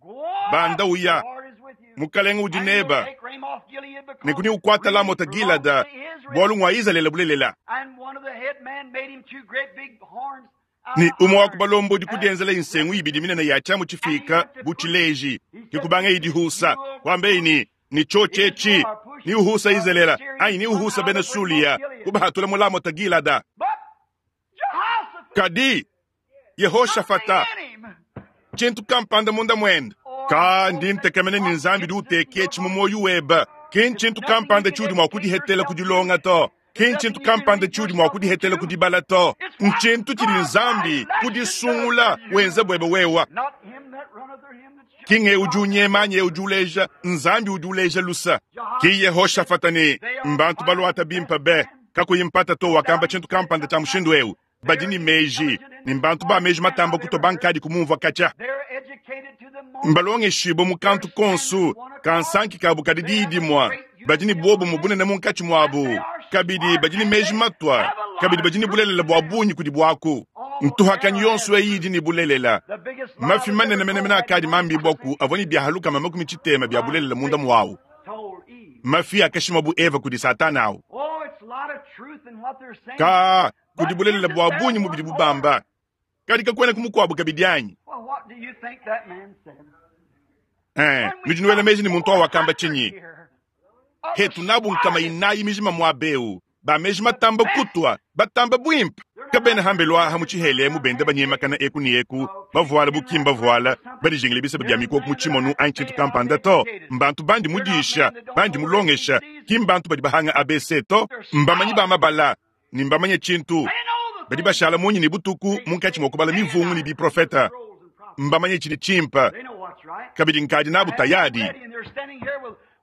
Go up, banda uya the Lord is with you. mukalenga udi And you'll neba take Ramoth Gilead because nenku ni ukwata Lamota really Gilada belongs to Israel. bwalu ngwa Izalele bulelela And one of the head men made him two great big horns out ni of umwe wa iron. kubalombodi And kudienzela insengu ibidi minene ya chamu chifika buchileji kikubanga idihusa kwambe ini ni chochechi ni uhusa izelela ayi ni uhusa bena sulia kubahatula mulamota Gilada But Jehoshaphat, kadi Yehoshafata something in him. tshintu kampanda munda mwenda ka ndi ntekemene ni Nzambi di uteke tshi mu weba ki ntshintu kampanda tshiudi mua kudihetela kudilonga to ki ntshintu kampanda tshiudi mua kudihetela kudibala to ntshintu tshidi Nzambi kudisungula wenza bwebe wewa Not him that runneth or him that kinge udi unyema anye udi uleja Nzambi udi uleja lusa ki Yehoshafata ni mbantu balwata bimpa be kakuyi mpata to wakamba tshintu kampanda tshia mushindu ewu badi ni meji ni mbantu ba meji matamba kuto bankadi kumumvua katya They're educated to the moment. mbalongeshibo mu kantu konsu kansanki kabu kadi diidimwa badi ni bobu mu bunene munkatshi muabu kabidi badi ni meji matwa kabidi badi ni bulelela bua bungi kudi buaku ntuhakanyi yonso eyi idi ni bulelela The biggest lie mafi that manene ever menemene told akadi mambi bwaku avua ni biahaluka makumi tshitema bia bulelela munda muawu told Eve. mafi akashima bu Eva kudi Satana awu Oh, it's a lot of truth in what they're saying. ka kudi bulelela bua bungi mu bidi bubamba kadi kakwena kumukuabu kabidi anyi Well, what do you think that man said? eh nudi nuela meji ni muntu awu wakamba tshinyi hetu nabu nkama inayi mijima muabeu bameji matamba kutwa batamba bwimpe kabena hambelwa mu tshihelemu bende banyemakana eku ni eku bavuala bukimba vuala badijingile biseba bia mikoku mu tshimonu anyi tshintu kampanda to mbantu bandi mudisha bandi mulongesha ki mbantu badi bahanga abc to mbamanyi ba mabala ni mbamanye tshintu badi bashala munyi ni butuku munkatshi mua kubala mivungu ni biprofeta mbamanye tshidi tshimpa They know what's right. kabidi nkadi nabu tayadi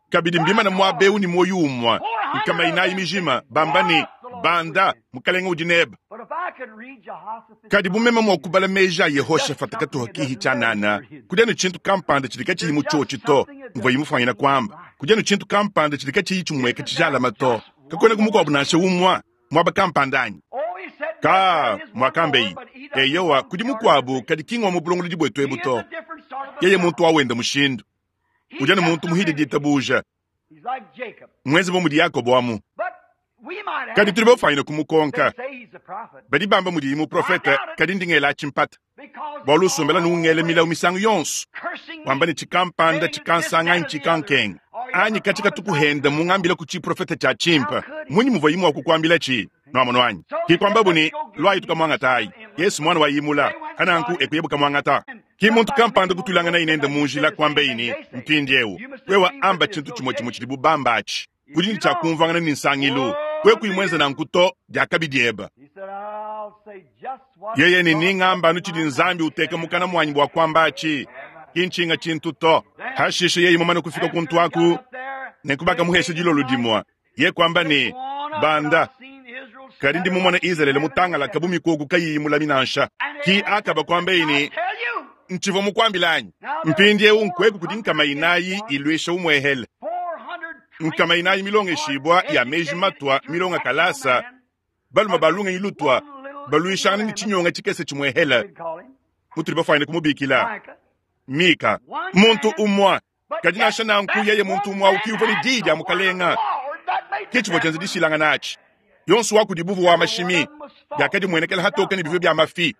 kabidi mbimana muabeu ni moyo umwa nkama inayi mijima bamba ni banda mukalenga udi neba But if I could read Jehoshaphat's kadi bumema mua kubala meji a Yehoshafata katuha kihi tshianana kudia ni tshintu kampanda tshidi katshiyi mu tshotshi to mvua imufwanyina kwamba kudia ni tshintu kampanda tshidi katshiyi tshimweka tshijalama to kakwena kumukuabu nansha umwa mwaba kampanda anyi Oh, he said, ka "There is one mwakambeyi more, but he doesn't eyowa come kudi to the mukuabu organization." kadi kingwa mu bulongolodi bwetu He ebu is to a different sort of a yeye fellow. muntu awenda mushindu He udia ni just muntu a muhidi minute. ditabuja He's like Jacob. mwezi bo mudi Yakobo amu But we might kadi ask tuli him. bafwanyina kumukonka They say he's Badi bamba mudiyi muprofete, kadi ndi ngela atshi mpata, bualu usombela ne ungela milawu misangu yonso, wamba ne, tshikampanda tshikansanga anyi tshikankenga, anyi katshi katuku henda mungambila ku tshiprofete tshia tshimpe. Mmunyi muvuayi mua kukuambilatshi? Nuamonu anyi? Ke kuambabu ne, Luayi tukamuangatayi. Yesu muana wa Imula. Pananku e kuyabu kamuangata. Ke muntu kampanda kutuilanganaye nende mu njila, kuambaye ne, Mpindieu, wewe amba tshintu tshimue tshimue tshidibu bamba atshi. Udi ne tshia kumvuangana ne nsangilu. Wewe kuyi muenze nanku to, diakabi diebe. Yeye ne, Ningamba anu tshidi Nzambi uteka mukana muanyi bua kuamba atshi, ki ntshinga tshintu to. Pashishe yeye mumane kufika kuntu aku, nenku bakamuhesha dilolo dimue. Ye kuamba ne, Banda, kadi ndi mumone Izalele mutangalake bu mikoko kayiyi mulami nansha. Ki Akaba kuambaye ne, Ntshivua mukuambile anyi? Mpindieu nkueku kudi nkama inayi iluisha umuehele, nkama inayi milongeshibua ya meji matua milonga kalasa, balume ba lungenyi lutua baluishangana ne tshinyonga tshikese tshimuehele, mutudi bafuanyine kumubikila Mika, muntu umue. Kadi nansha nanku, yeye muntu umue au ki uvua ne diyi dia mukalenga. Ke tshivua tshienza dishilangana atshi. Yonso wa kudibu uvua wa mashimi, biakadimuenekela hatoke ne bivua bia mafi.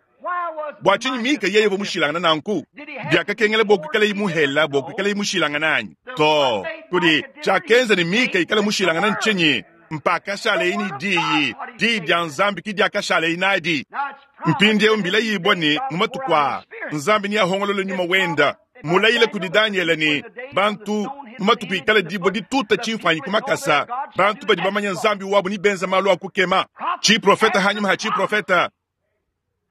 Bua tshinyi Mika yeye uvua mushilangane nanku? Biakakengela bua kuikalaye muhela bua kuikalaye mushilangane anyi? Too. Kudi tshiakenza ne Mika ikale mushilangane ntshinyi? Mpakashaleye ne diyi. Diyi dia Nzambi ke diakashaleye nadi. Mpindieu mbilayibua ne, mu matuku aa Nzambi neahongolole nyuma wenda. Mulayile kudi Danyele ne, bantu mu matuku ikala dibue dituta tshimfuanyi ku makasa, bantu badi bamanya Nzambi wabu ne benza malu a kukema. Tshiprofete hanyima ha tshiprofete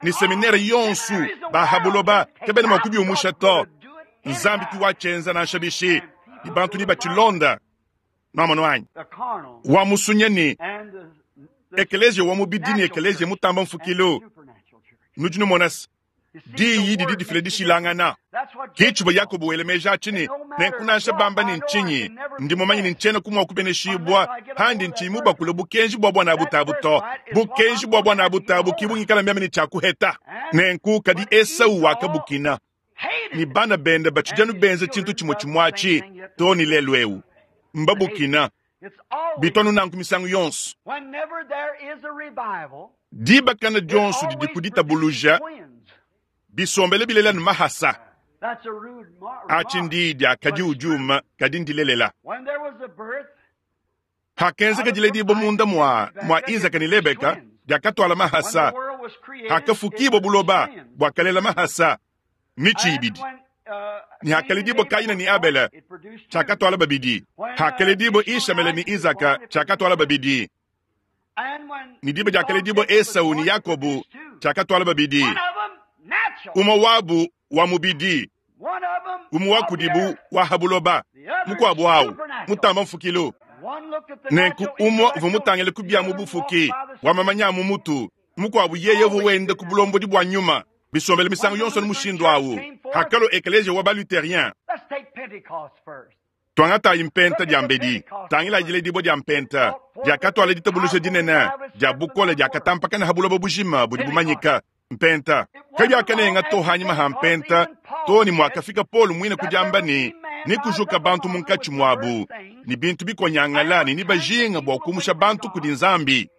ne seminere yonso ba ha buloba kabena mua kubiumusha to. Nzambi ki watshienza nansha bishi, ne bantu ne batshilonda. Nuamonu anyi? Wa musunya ne ekeleziya wa mubidi ne ekeleziya mutamba mfukilu. Nudi numona se, diyi didi difila dishilangana. Ke tshivua Yakobo wela meji atshi ne, Nenku nansha bamba ne ntshinyi, ndi mumanye ne ntshiena mua kubeneshibua pandi ntshiyi mubakule bukenji bua buanabute to. Bukenji bua buanabute abu ki bungikala meme ne tshia kuheta. Nenku kadi Esau wakabukina, ne bana bende batshidi anu benza tshintu tshimue tshimue atshi too ne lelu eu. Mbabukina. Bitu anu nanku misangu yonso. Dibakana dionso didi ku ditabuluja bisombele bilela ne mahasa. Atshi ndiyi dia kadi udiuma, kadi ndilelela. Hakenzeka diledibua munda mua mua Izaka ne Lebeka, diakatuala mahasa. Hakafukibua buloba, buakalela mahasa mitshi ibidi. Ne hakaledibua Kaina ne Abele, tshiakatuala babidi. Hakaledibua Ishamele ne Izaka, tshiakatuala babidi. Ne diba diakaledibua Esau ne Yakobo, tshiakatuala babidi. Umue wabu wa mubidi, umue wa kudibu wa ha buloba, mukuabu au mutamba mfukilu. Nenku umue uvua mutangile ku bia mu bufuki, wa mamanya a mu mutu, mukuabu yeye uvua wenda ku bulombodi bua nyuma. Bisombele misangu yonso anu mushindu au. Hakalua ekeleziya wa ba-Lutherien, tuangatayi mpenta diambedi. Tangilayi diledibua dia mpenta diakatuala ditabuluja dinene dia bukole diakatampakana ha buloba bujima budi bumanyika. Mpenta kabiakanenga to hanyima ha mpenta to ne muakafika Paulo muine ku diamba ne, nekujuka bantu munkatshi muabu ne bintu bikonyangala ne nebajinga bua kumusha bantu kudi Nzambi.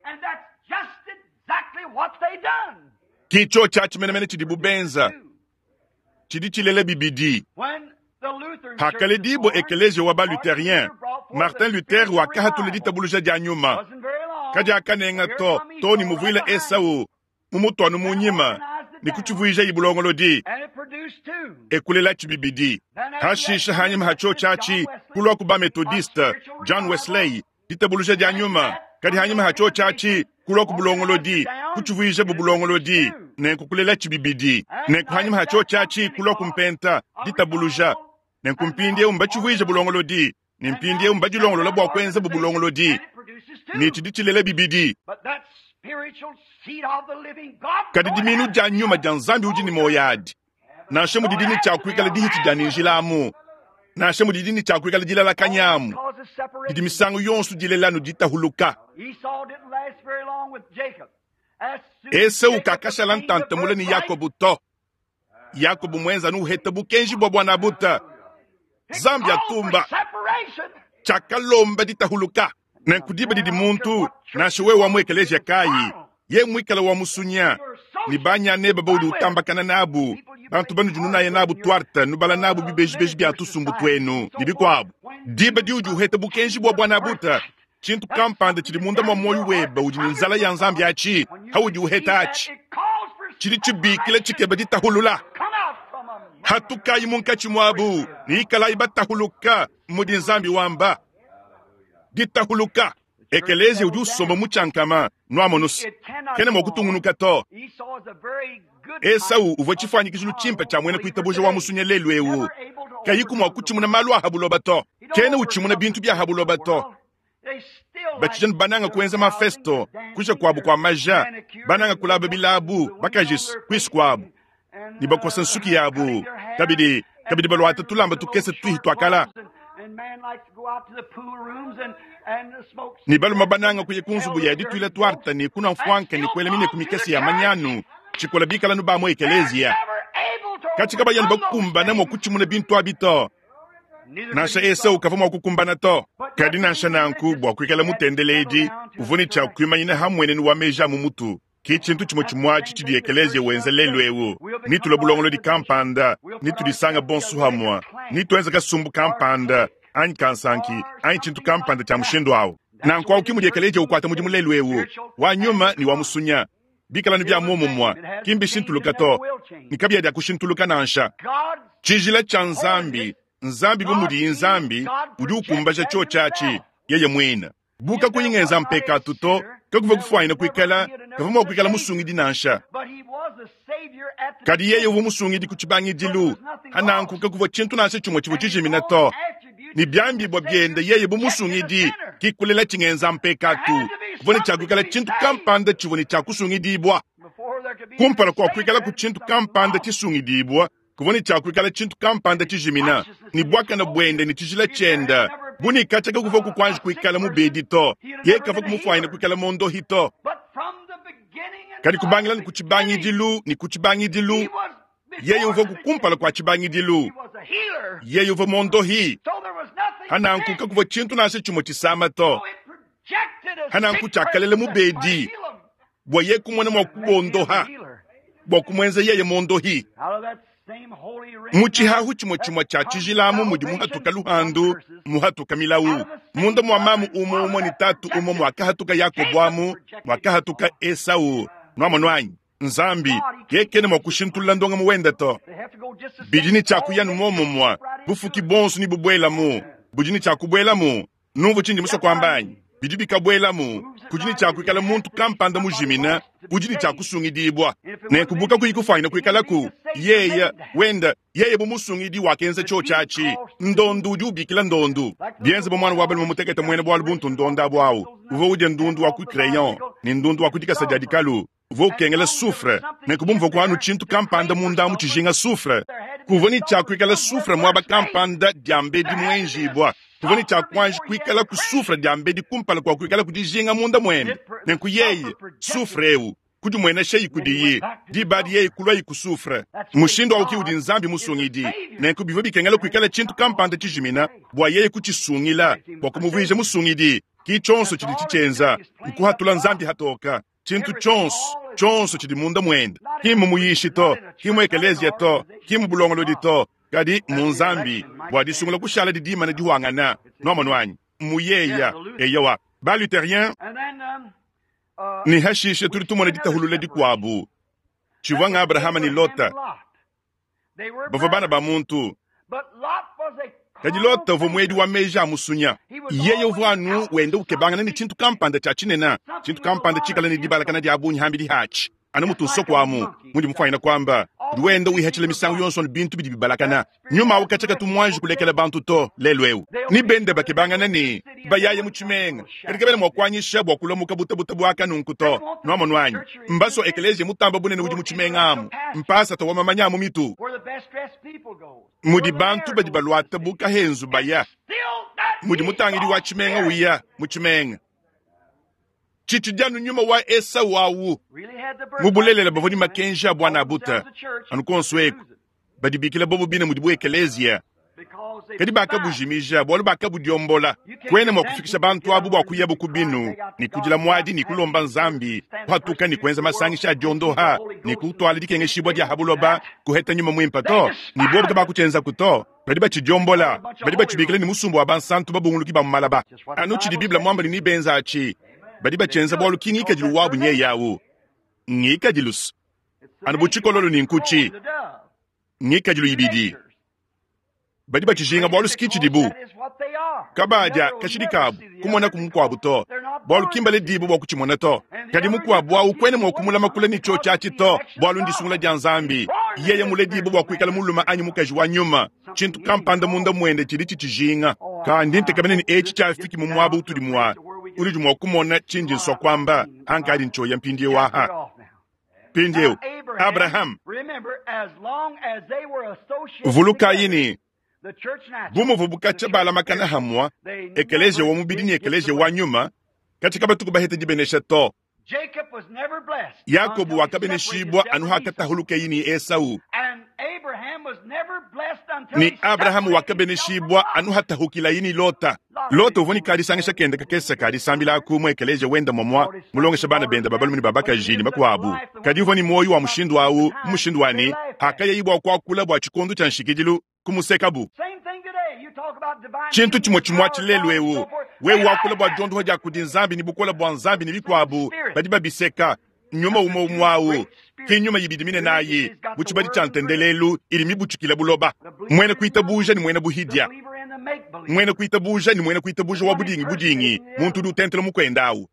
Ki tshiotshi atshi menemene tshidibu benza, tshidi tshilela bibidi. Hakaledibua ekeleziya wa ba-Lutherien, Martin Luther wakahatula ditabuluja dia nyuma. Kadiakanenga to, to ne muvuila Esau mumutuanu mu nyima ne kutshivuijayi bulongolodi, e kulelatshi bibidi. Hashishe hanyima ha tshiotshi atshi, kulua ku ba-Methodiste, John Wesley, ditabuluja dia nyuma, kadi hanyima ha tshiotshi atshi, kulua ku bulongolodi, kutshivuijabu bulongolodi, nenku kulelatshi bibidi. Nenku hanyima ha tshiotshi atshi, kulua ku mpenta, ditabuluja, nenku mpindieu mbatshivuije bulongolodi, ne mpindieu mbadilongolola bua kuenzabu bulongolodi, ne tshidi tshilela bibidi. Kadi diminu dia nyuma dia Nzambi udi ne muoyo adi, nansha mudidi ne tshia kuikala dihitshi dia ne njila amu, nansha mudidi ne tshia kuikala dilalakanya amu, didi misangu yonso dilela anu ditahuluka. Esau kakashala ntanta mule ne Yakobo to. Yakobo muenza anu uheta bukenji bua buanabuta. Nzambi atumba tshiakalomba ditahuluka. Nenku diba didi muntu, nansha wewe wa mu ekeleziya kayi, Ye muikala wa musunya ne banyaneba baudi utambakana nabu, bantu banudi nunaya nabu tuarte, nubala nabu bibejibeji bia tusumbu tuenu ne bikuabu. Diba diudi uheta bukenji bua buanabuta, tshintu kampanda tshidi munda mua muoyo webe udi ne nzala ya Nzambi atshi, haudi uheta atshi, tshidi tshibikila tshikeba ditahulula. Hatukayi munkatshi muabu ne ikalayi batahuluka, mudi Nzambi wamba. Ditahuluka. Ekeleziya udi usomba mu tshiankama, nuamonu's, kena mua kutungunuka to. Esau uvua tshifuanyikijilu tshimpe tshia muena kuitabuja wa musunya lelu eu, kayiku mua kutshimuna malu a ha buloba to. Kena utshimuna bintu bia ha buloba to. Batshidi bananga kuenza mafesto, kuja kuabu kua maja, bananga kulaba bilabu, bakajis kuisu kuabu, ne bakosa nsuki yabu, kabidi kabidi baluata tulamba tukese tuihi tuakala. Ne balume bananga kuya ku nzubu ya dituila tuarte ne kunua mfuanka ne kuela mineku mikese ya manyanu tshikola bikala nu ba mu ekeleziya. Katshi kabayanu bakumbana mua kutshimuna bintu abi to. Nansha Esau kavua mua kukumbana to. Kadi nansha nanku, bua kuikala mutendeledi, uvua ne tshia kuimanyina ha mmuenenu wa meji a mu mutu. Ke tshintu tshimue tshimue atshi tshidi ekeleziya wenza lelu eu. Netulue bulongolodi kampanda, netudisanga bonso hamue, netuenze kasumbu kampanda, anyi kansanki, anyi tshintu kampanda tshia mushindu au. Nanku au ke mudi ekeleziya ukuata mudimu lelu eu, wa nyuma ne wa musunya. Bikala anu bia muomumue, ki mbishintuluka to, ne kabiya dia kushintuluka nansha. Tshijila tshia Nzambi, Nzambi bu mudiyi Nzambi, udi ukumbaja tshiotshi atshi yeye muine. Bu kakuyi ngenza mpekatu to, kakuvua kufuanyina kuikala, kavua mua kuikala musungidi nansha. Kadi yeye uvua musungidi ku tshibangidilu, hananku kakuvua tshintu nansha tshimue tshivua tshijimina to. Ne biambibua biende yeye bu musungidi, ki kulela tshingenza mpekatu, kuvua ne tshia kuikala tshintu kampanda tshivua ne tshia kusungidibua. Kumpala kua kuikalaku tshintu kampanda tshisungidibua, kuvua ne tshia kuikala tshintu kampanda tshijimina, ne buakane buende ne tshijila tshiende bu ne katshia kakuvua kuanji kuikala mubedi to, yeye kavua kumufuanyina kuikala mondohi to. Kadi kubangila ne ku tshibangidilu ne ku tshibangidilu, yeye uvua kumpala kua tshibangidilu, yeye uvua mondohi. Hananku kakuvua tshintu nansha tshimue tshisama to. Hananku tshiakalela mubedi bua yeye kumona mua kubondoha, bua kumuenza yeye mondohi. Mu tshihahu tshimue tshimue tshia tshijila amu mudi muhatuka luhandu, muhatuka milawu. Munda mua mamu umue umue ne tatu umue muakahatuka Yakobo amu muakahatuka Esau. Nuamonu anyi? Nzambi yeye kena mua kushintulula ndongamu wende to. Bidi ne tshia kuya nu muomumue, bufuki buonso ne bubuelamu, budi ne tshia kubuelamu. Numvue tshindi musue kuamba anyi? Bidi bikabuelamu, kudi ne tshia kuikala muntu kampanda mujimina udi ne tshia kusungidibua. Nenku bu kakuyi kufuanyina kuikalaku, yeye wenda yeye bu musungidi wakenza tshiotshi atshi. Ndondu udi ubikila ndondu. Bienze bu muana wa balume mutekete muena bualu buntu ndonda abu au uvua udia ndundu wa ku crayon ne ndundu wa ku dikasa dia dikalu, uvua ukengela soufre. Nenku bu muvua kuanu tshintu kampanda munda amu tshijinga soufre, kuvua ne tshia kuikala soufre muaba kampanda diambedi muenjibua. Kuvua ne tshia kuanji kuikala ku soufre diambedi kumpala kua kuikala ku dijinga munda muende. Nenku yeye, soufre eu, kudimueneshayi kudiyi, diba adi yeye kuluayi ku soufre. Mushindu au ki udi Nzambi musungidi. Nenku bivua bikengela kuikala tshintu kampanda tshijimina bua yeye kutshisungila, bua kumuvuija musungidi. Ki tshionso tshidi tshitshienza, nkuhatula Nzambi hatoka. Tshintu tshionso, tshionso tshidi munda muende, ki mmu muyishi to, ki mu ekeleziya to, ki mu bulongolodi to, kadi mu Nzambi, bua disungula kushala didimana dihuangana. Nuamonu anyi? Mu yeya. Eyowa, ba Lutherien ne hashishe tudi tumona ditahulula dikuabu tshivua nga Abrahama ne Lota bavua bana ba muntu. Kadi Lota uvua muedi wa meji a musunya. Yeye uvua anu wenda ukebangana ne tshintu kampanda tshia tshinene, tshintu kampanda tshikala ne dibalakana dia bungi hambidi hatshi, anu mutu nsoko amu mundi mufuanyina kuamba, udi wenda wihatshila misangu yonso ne bintu bidi bibalakana. Nyuma au katshia katu muanji kulekela bantu to lelu eu. Ni bende bakebangana ne bayaye mu tshimenga, kadi kabena mua kuanyisha bua kulamuka butabuta buaka nunku to. Nuamonu anyi? Mbaso ekeleziya mutamba bunene udi mu tshimenga amu, mpasata wa mamanya amu mitu mudi bantu badi baluata bu kahenzu baya, mudi mutangidi wa tshimenga uya mu tshimenga. Tshitshidi anu nyuma wa Esau awu. Mu bulelela bavua ne makenji a buana buta anu konso eku badibikila bobo bine mudibu ekeleziya. Kadi bakabujimija bualu bakabudiombola. Kuena mua kufikisha bantu abu bua kuyabu ku binu ne kudila muadi ne kulomba Nzambi kuhatuka ne kuenza masangisha a diondoha ne kutuala dikengeshibua dia ha buloba kuheta nyuma muimpe to, ne bobu kabakutshienzaku to. Badi batshidiombola, badi batshibikila ne musumba wa bansantu babunguluki ba mu malaba. Anu tshidi Bible muambe ne nebenza atshi, badi batshienza bualu ki ngikadilu wabu nyeye au. Ngikadilu anu bu tshikololo ne nkutshi, ngikadilu ibidi. Badi batshijinga bualu ski tshidibu. Kabadia kashidi kabu kumonaku mukuabu to, bualu ki mbaledibue bua kutshimona to. Kadi mukuabu au kuena mua kumulama kule ne tshiotshi atshi to, bualu ndisungula dia Nzambi. Yeye muledibue bua kuikala mulume anyi mukaji wa nyuma, tshintu kampanda munda muende tshidi tshitshijinga. Kandi ntekemena ne etshi tshiafiki mu muaba utudi mua unudi mua kumona tshindi nsua kuamba, ankadi ntshioya mpindieu aha. Mpindieu, Abraham, vulukayi ne, bu muvuabu katshia balamakana hamua, ekeleziya wa mubidi ne ekeleziya wa nyuma, katshia kabatuku baheta dibenesha to. Yakobo wakabeneshibua anu hakatahulukeye ne Esau, ne Abrahama wakabeneshibua anu hatahukilaye ne Lota. Lota uvua ne kadisangisha kende kakese ka disambila aku mu ekeleziya wende muamua, mulongesha bana bende ba balume ne ba bakaji ne bakuabu. Kadi uvua ne muoyo wa mushindu au mu mushindu wa ne, hakayayi bua kuakula bua tshikondo tshia nshikidilu, kumusekabu. Tshintu tshimue tshimue atshi lelu eu, wewe wakula bua diondoha dia kudi Nzambi ne bukole bua Nzambi ne bikuabu, badi babiseka. Nyuma umue umue au, ki nyuma ibidi minene ayi mu tshibadi tshia ntendelelu idi mibutshikile buloba. Muena kuitabuja ne muena buhidia, muena kuitabuja ne muena kuitabuja wa budingi budingi, muntu udi utentela mukuende au.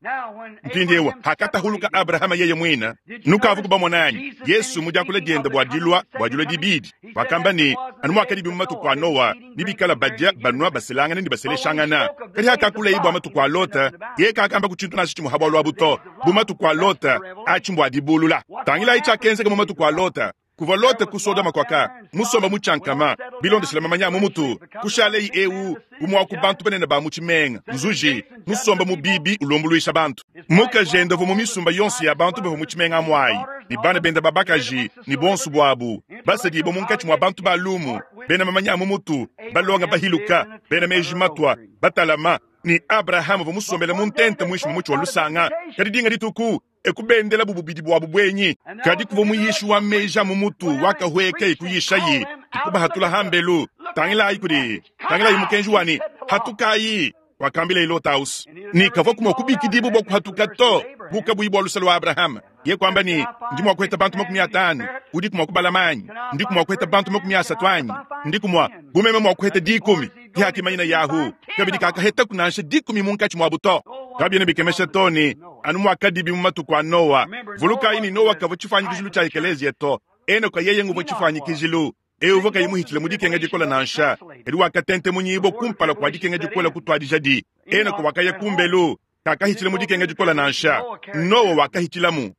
Mpindieu hakatahuluka Abrahama yeye muine, nukavu kubamona anyi? Yesu mu diakula diende bua dilua bua dilua dibidi wakamba ne, anu muakadibi mu matuku a Noa, ne bikala badia, banua, baselangana ne baseleshangana. Kadi hakakuleye bua matuku a Lota, yeye kakamba ku tshintu nansha tshimue ha bualu abu to. Bu matuku a Lota, atshi mbua dibulula. Tangilayi tshiakenzeka mu matuku a Lota. Kuvua Lota ku Sodoma kuaka musomba mu tshiankama, bilondeshile mamanya a mu mutu, kushaleyi eu umue wa ku bantu banene ba mu tshimenga, nzuji, musomba mu bibi ulumbuluisha bantu. Mukajende uvua mu misumba yonso ya bantu bavua mu tshimenga amu ayi, ne bana bende ba bakaji ne buonso buabu, basedibue munkatshi mua bantu ba lumu, bena mamanya a mu mutu, balonga bahiluka, bena meji matua, batalama, ne Abrahama uvua musombele mu ntenta muinshi mua mutshi wa lusanga. Kadi dinga dituku, e kubendelabu bubidi buabu buenyi. Kadi kuvua muyishi wa meji a mu mutu wakahueka e kuyishaye, e kubahatula hambelu. Tangilayi kudi, tangilayi mukenji wa ne, hatukayi, wakambila Lota-House ne kavua mua kubikidibua bua kuhatuka to, bu kabuyi bua lusa lua Abrahama. Ye kuamba ne, ndi mua kuheta bantu 50, udiku mua kubalama anyi? Ndiku mua kuheta bantu 30 anyi? Ndiku mua, bu meme mua kuheta 10. Ke hakimanyina Yahu, kabidi kakahetaku nansha 10 munkatshi muabu to. Kabiena bikemesha to ne, anu muakadibi mu matuku a Noa. Vulukayi ne Noa kavua tshifuanyikijilu tshia ekeleziya to. Enoka yeye nguvua tshifuanyikijilu. Eu uvua kayi muhitshile mu dikenga dikole nansha, kadi wakatentemunyibua kumpala kua dikenga dikole kutuadijadi. Enoka wakaya kumbelu, kakahitshile mu dikenga dikole nansha. Noa wakahitshilamu.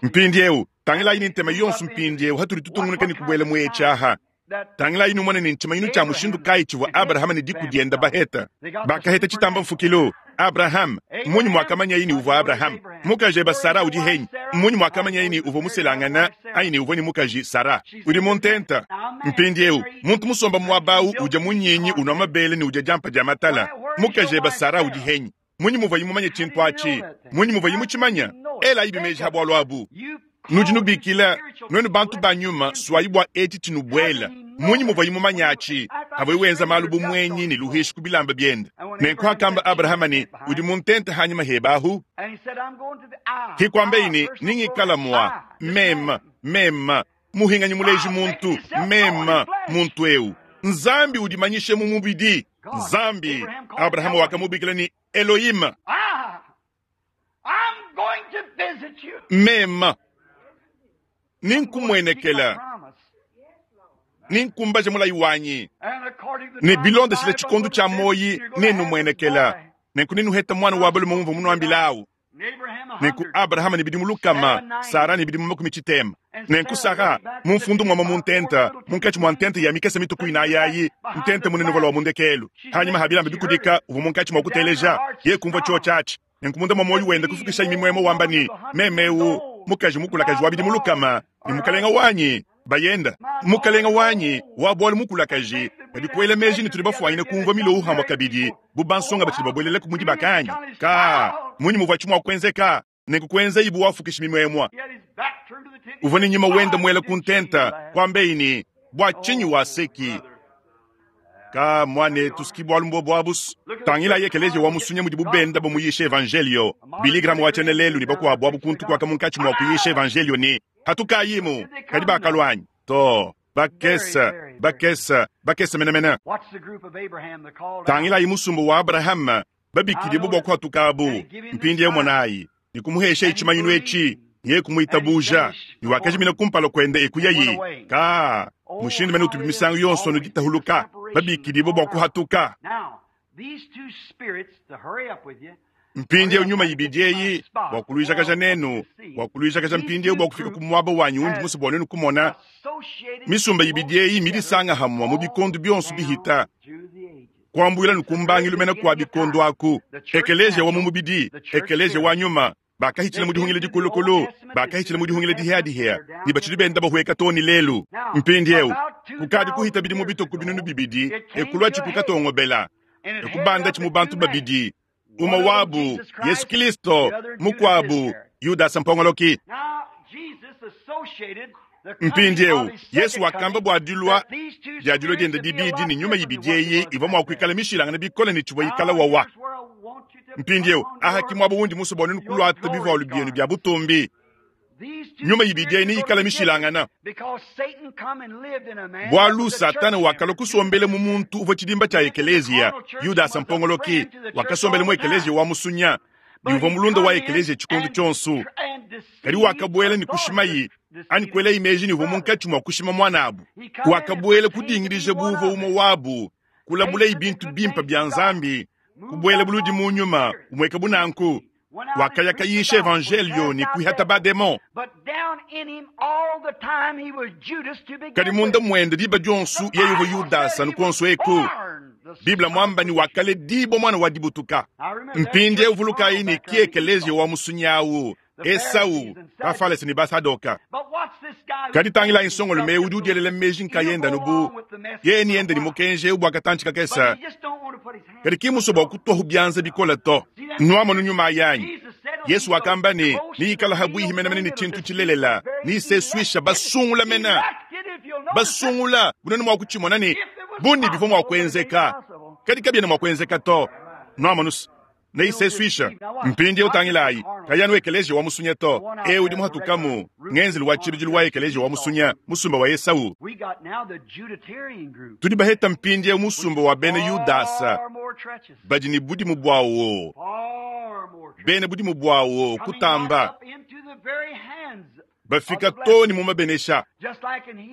Mpindieu, tangilayi ne ntema yonso mpindieu hatudi tutungunuka ne kubuela mu etshi aha. Tangilayi numone ne ntshimanyinu tshia mushindu kayi tshivua Abrahama ne diku diende baheta. Bakaheta tshitamba mfukilu. Abraham, mmunyi muakamanyaye ne uvua Abraham? Mukaji eba Sara udi henyi? Mmunyi muakamanyaye ne uvua muselangana anyi ne uvua ne mukaji Sara? Udi mu ntenta. Mpindieu, muntu musomba muaba au udia munyinyi, unua mabele ne udia diampa dia matala. Mukaji eba Sara udi henyi? Mmunyi muvuaye mumanye tshintu atshi? Mmunyi muvuaye mutshimanye? Elayi bimeji ha bualu abu. Nudi nubikila nuenu bantu ba nyuma, suayi bua etshi tshinubuela. Mmunyi muvuaye mumanye atshi? Avuaye wenza malu bu muenyi ne luhishi ku bilamba biende. Nenku hakamba Abrahama ne, udi mu ntenta hanyima heba ahu. Hikuambeyi ne, ningikala mua meme, meme, muhinganyi muleji muntu, meme, muntu eu. Nzambi udimanyishe mu mubidi. Nzambi, Abrahama wakamubikila ne Elohim. Meme, ninkumuenekela, ninkumbaje mulayi wanyi, ne bilondeshile tshikondo tshia muoyi nenumuenekela, nenku nenuheta muana wa balume mumvua munuambilawu. Nenku Abrahama ne bidimu 100, Sara ne bidimu 90. Nenku Sara mumfundu muama mu ntenta, munkatshi mua ntenta ya mikese mituku inayi ayi, ntenta munene uvua lua mundekelu. Hanyima ha bilamba bikudika uvua munkatshi mua kuteleja, ye kumvua tshiotshi atshi. Nenku munda mua muoyo wende kufukishayi mimuemue wamba ne, meme eu, mukaji mukulakaji wa bidimu 100, ne mukalenga wanyi. Bayenda, Mukalenga wanyi wa bualu mukulakaji, kadi kuela meji ne tudi bafuanyine kumvua milowu hamua kabidi bu bansonga batshidi babuelelaku mu dibaka anyi? Ka, munyi muvuatshi mua kuenzeka? Nenku kuenzayi bu wafukishi mimuemua. Uvua ne nyima wenda muela ku ntenta, kuambeyi ne, Bua tshinyi waseki? Ka, muanetu, ski bualu mbuobu abu's. Tangilayi ekeleziya wa musunya mudibu benda bamuyisha evanjeliyo. Billy Graham wa tshiena lelu ne bakuabu abu kuntu kuaka munkatshi mua kuyisha evanjeliyo ne, Hatukayimu! Kadi bakalua anyi? Too, bakese, bakese, bakese menemene. Tangilayi musumba wa Abrahama, babikidibue bua kuhatukabu. Mpindieu monayi, ne kumuheshayi tshimanyinu etshi, yeye kumuitabuja, ne wakajimina kumpala kuende e kuyayi. Ka, mushindu mene utubi misangu yonso anu ditahuluka, babikidibue bua kuhatuka. Mpindieu nyuma ibidi eyi, bua kuluijakaja nenu, bua kuluijakaja mpindieu bua kufika ku muaba wanyi undi musue bua nuenu kumona, misumba ibidi eyi midisanga hamua mu bikondo bionso bihita, kuambuila ne ku mbangilu mene kua bikondo aku, ekeleziya wa mu mubidi, ekeleziya wa nyuma, bakahitshila mu dihungila dikulukulu, bakahitshila mu dihungila dihia-dihia, ne batshidi benda bahueka to ne lelu. Mpindieu kukadi kuhita bidimu bitue ku 2000, ekuluatshi ku katongobela, ekubandatshi mu bantu babidi, umue wabu Yesu Kilisto, mukuabu Yudasa mpongoloki. Mpindieu Yesu wakamba bua dilua dia dilua diende dibidi ne nyuma ibidi eyi ivua mua kuikala mishilangane bikole ne tshivua ikala wawa. Mpindieu aha ki muaba wundi musue bua nuenu kuluata bivualu bienu bia butumbi. Nyuma ibidi eyi neyikale mishilangana, bualu Satana wakalua kusombela mu muntu uvua tshidimba tshia ekeleziya. Yudasa mpongoloki wakasombela mu ekeleziya wa musunya ne uvua mulunda wa ekeleziya tshikondo tshionso. Kadi wakabuela ne kushimayi anyi kuelayi meji ne uvua munkatshi mua kushima muanabu. Wakabuela kudingidija bu uvua umue wabu, kulabulayi bintu bimpe bia Nzambi, kubuela buludi mu nyuma umueka bu nanku. Wakaya kayisha evanjelio ne kuihata bademon. Kadi munda muende diba dionso yeye uvua Yudasa anu kuonso eku. Bible muamba ne wakaledibua muana wa dibutuka. Mpindieu vulukayi ne ki ekeleziya wa musunyi awu, Esau, Bafalese ne Basadoka. Kadi tangilayi nsongolume eu udi udielela meji nkayende anu bu yeye ne ende ne mukenji eu bua katantshi kakese, kadi ki musue bua kutuahu bianza bikole to. Nuamonu nyuma ayi anyi? Yesu wakamba ne, neyikala habuihi menemene ne tshintu tshilelela, neyisesuisha basungula mene. Basungula, bunene mua kutshimona ne bunni bivua mua kuenzeka, kadi kabiena mua kuenzeka to. Nuamonu? Neyisesuisha. Mpindieu tangilayi, kayi anu ekeleziya wa musunya to, eu udi muhatukamu, ngenzelu wa tshibidilu wa ekeleziya wa musunya, musumba wa Esau. Tudi baheta mpindieu musumba wa bena Yudasa, badi ne budimu buawo, bena budimu buawo kutamba, bafika to ne mu mabenesha,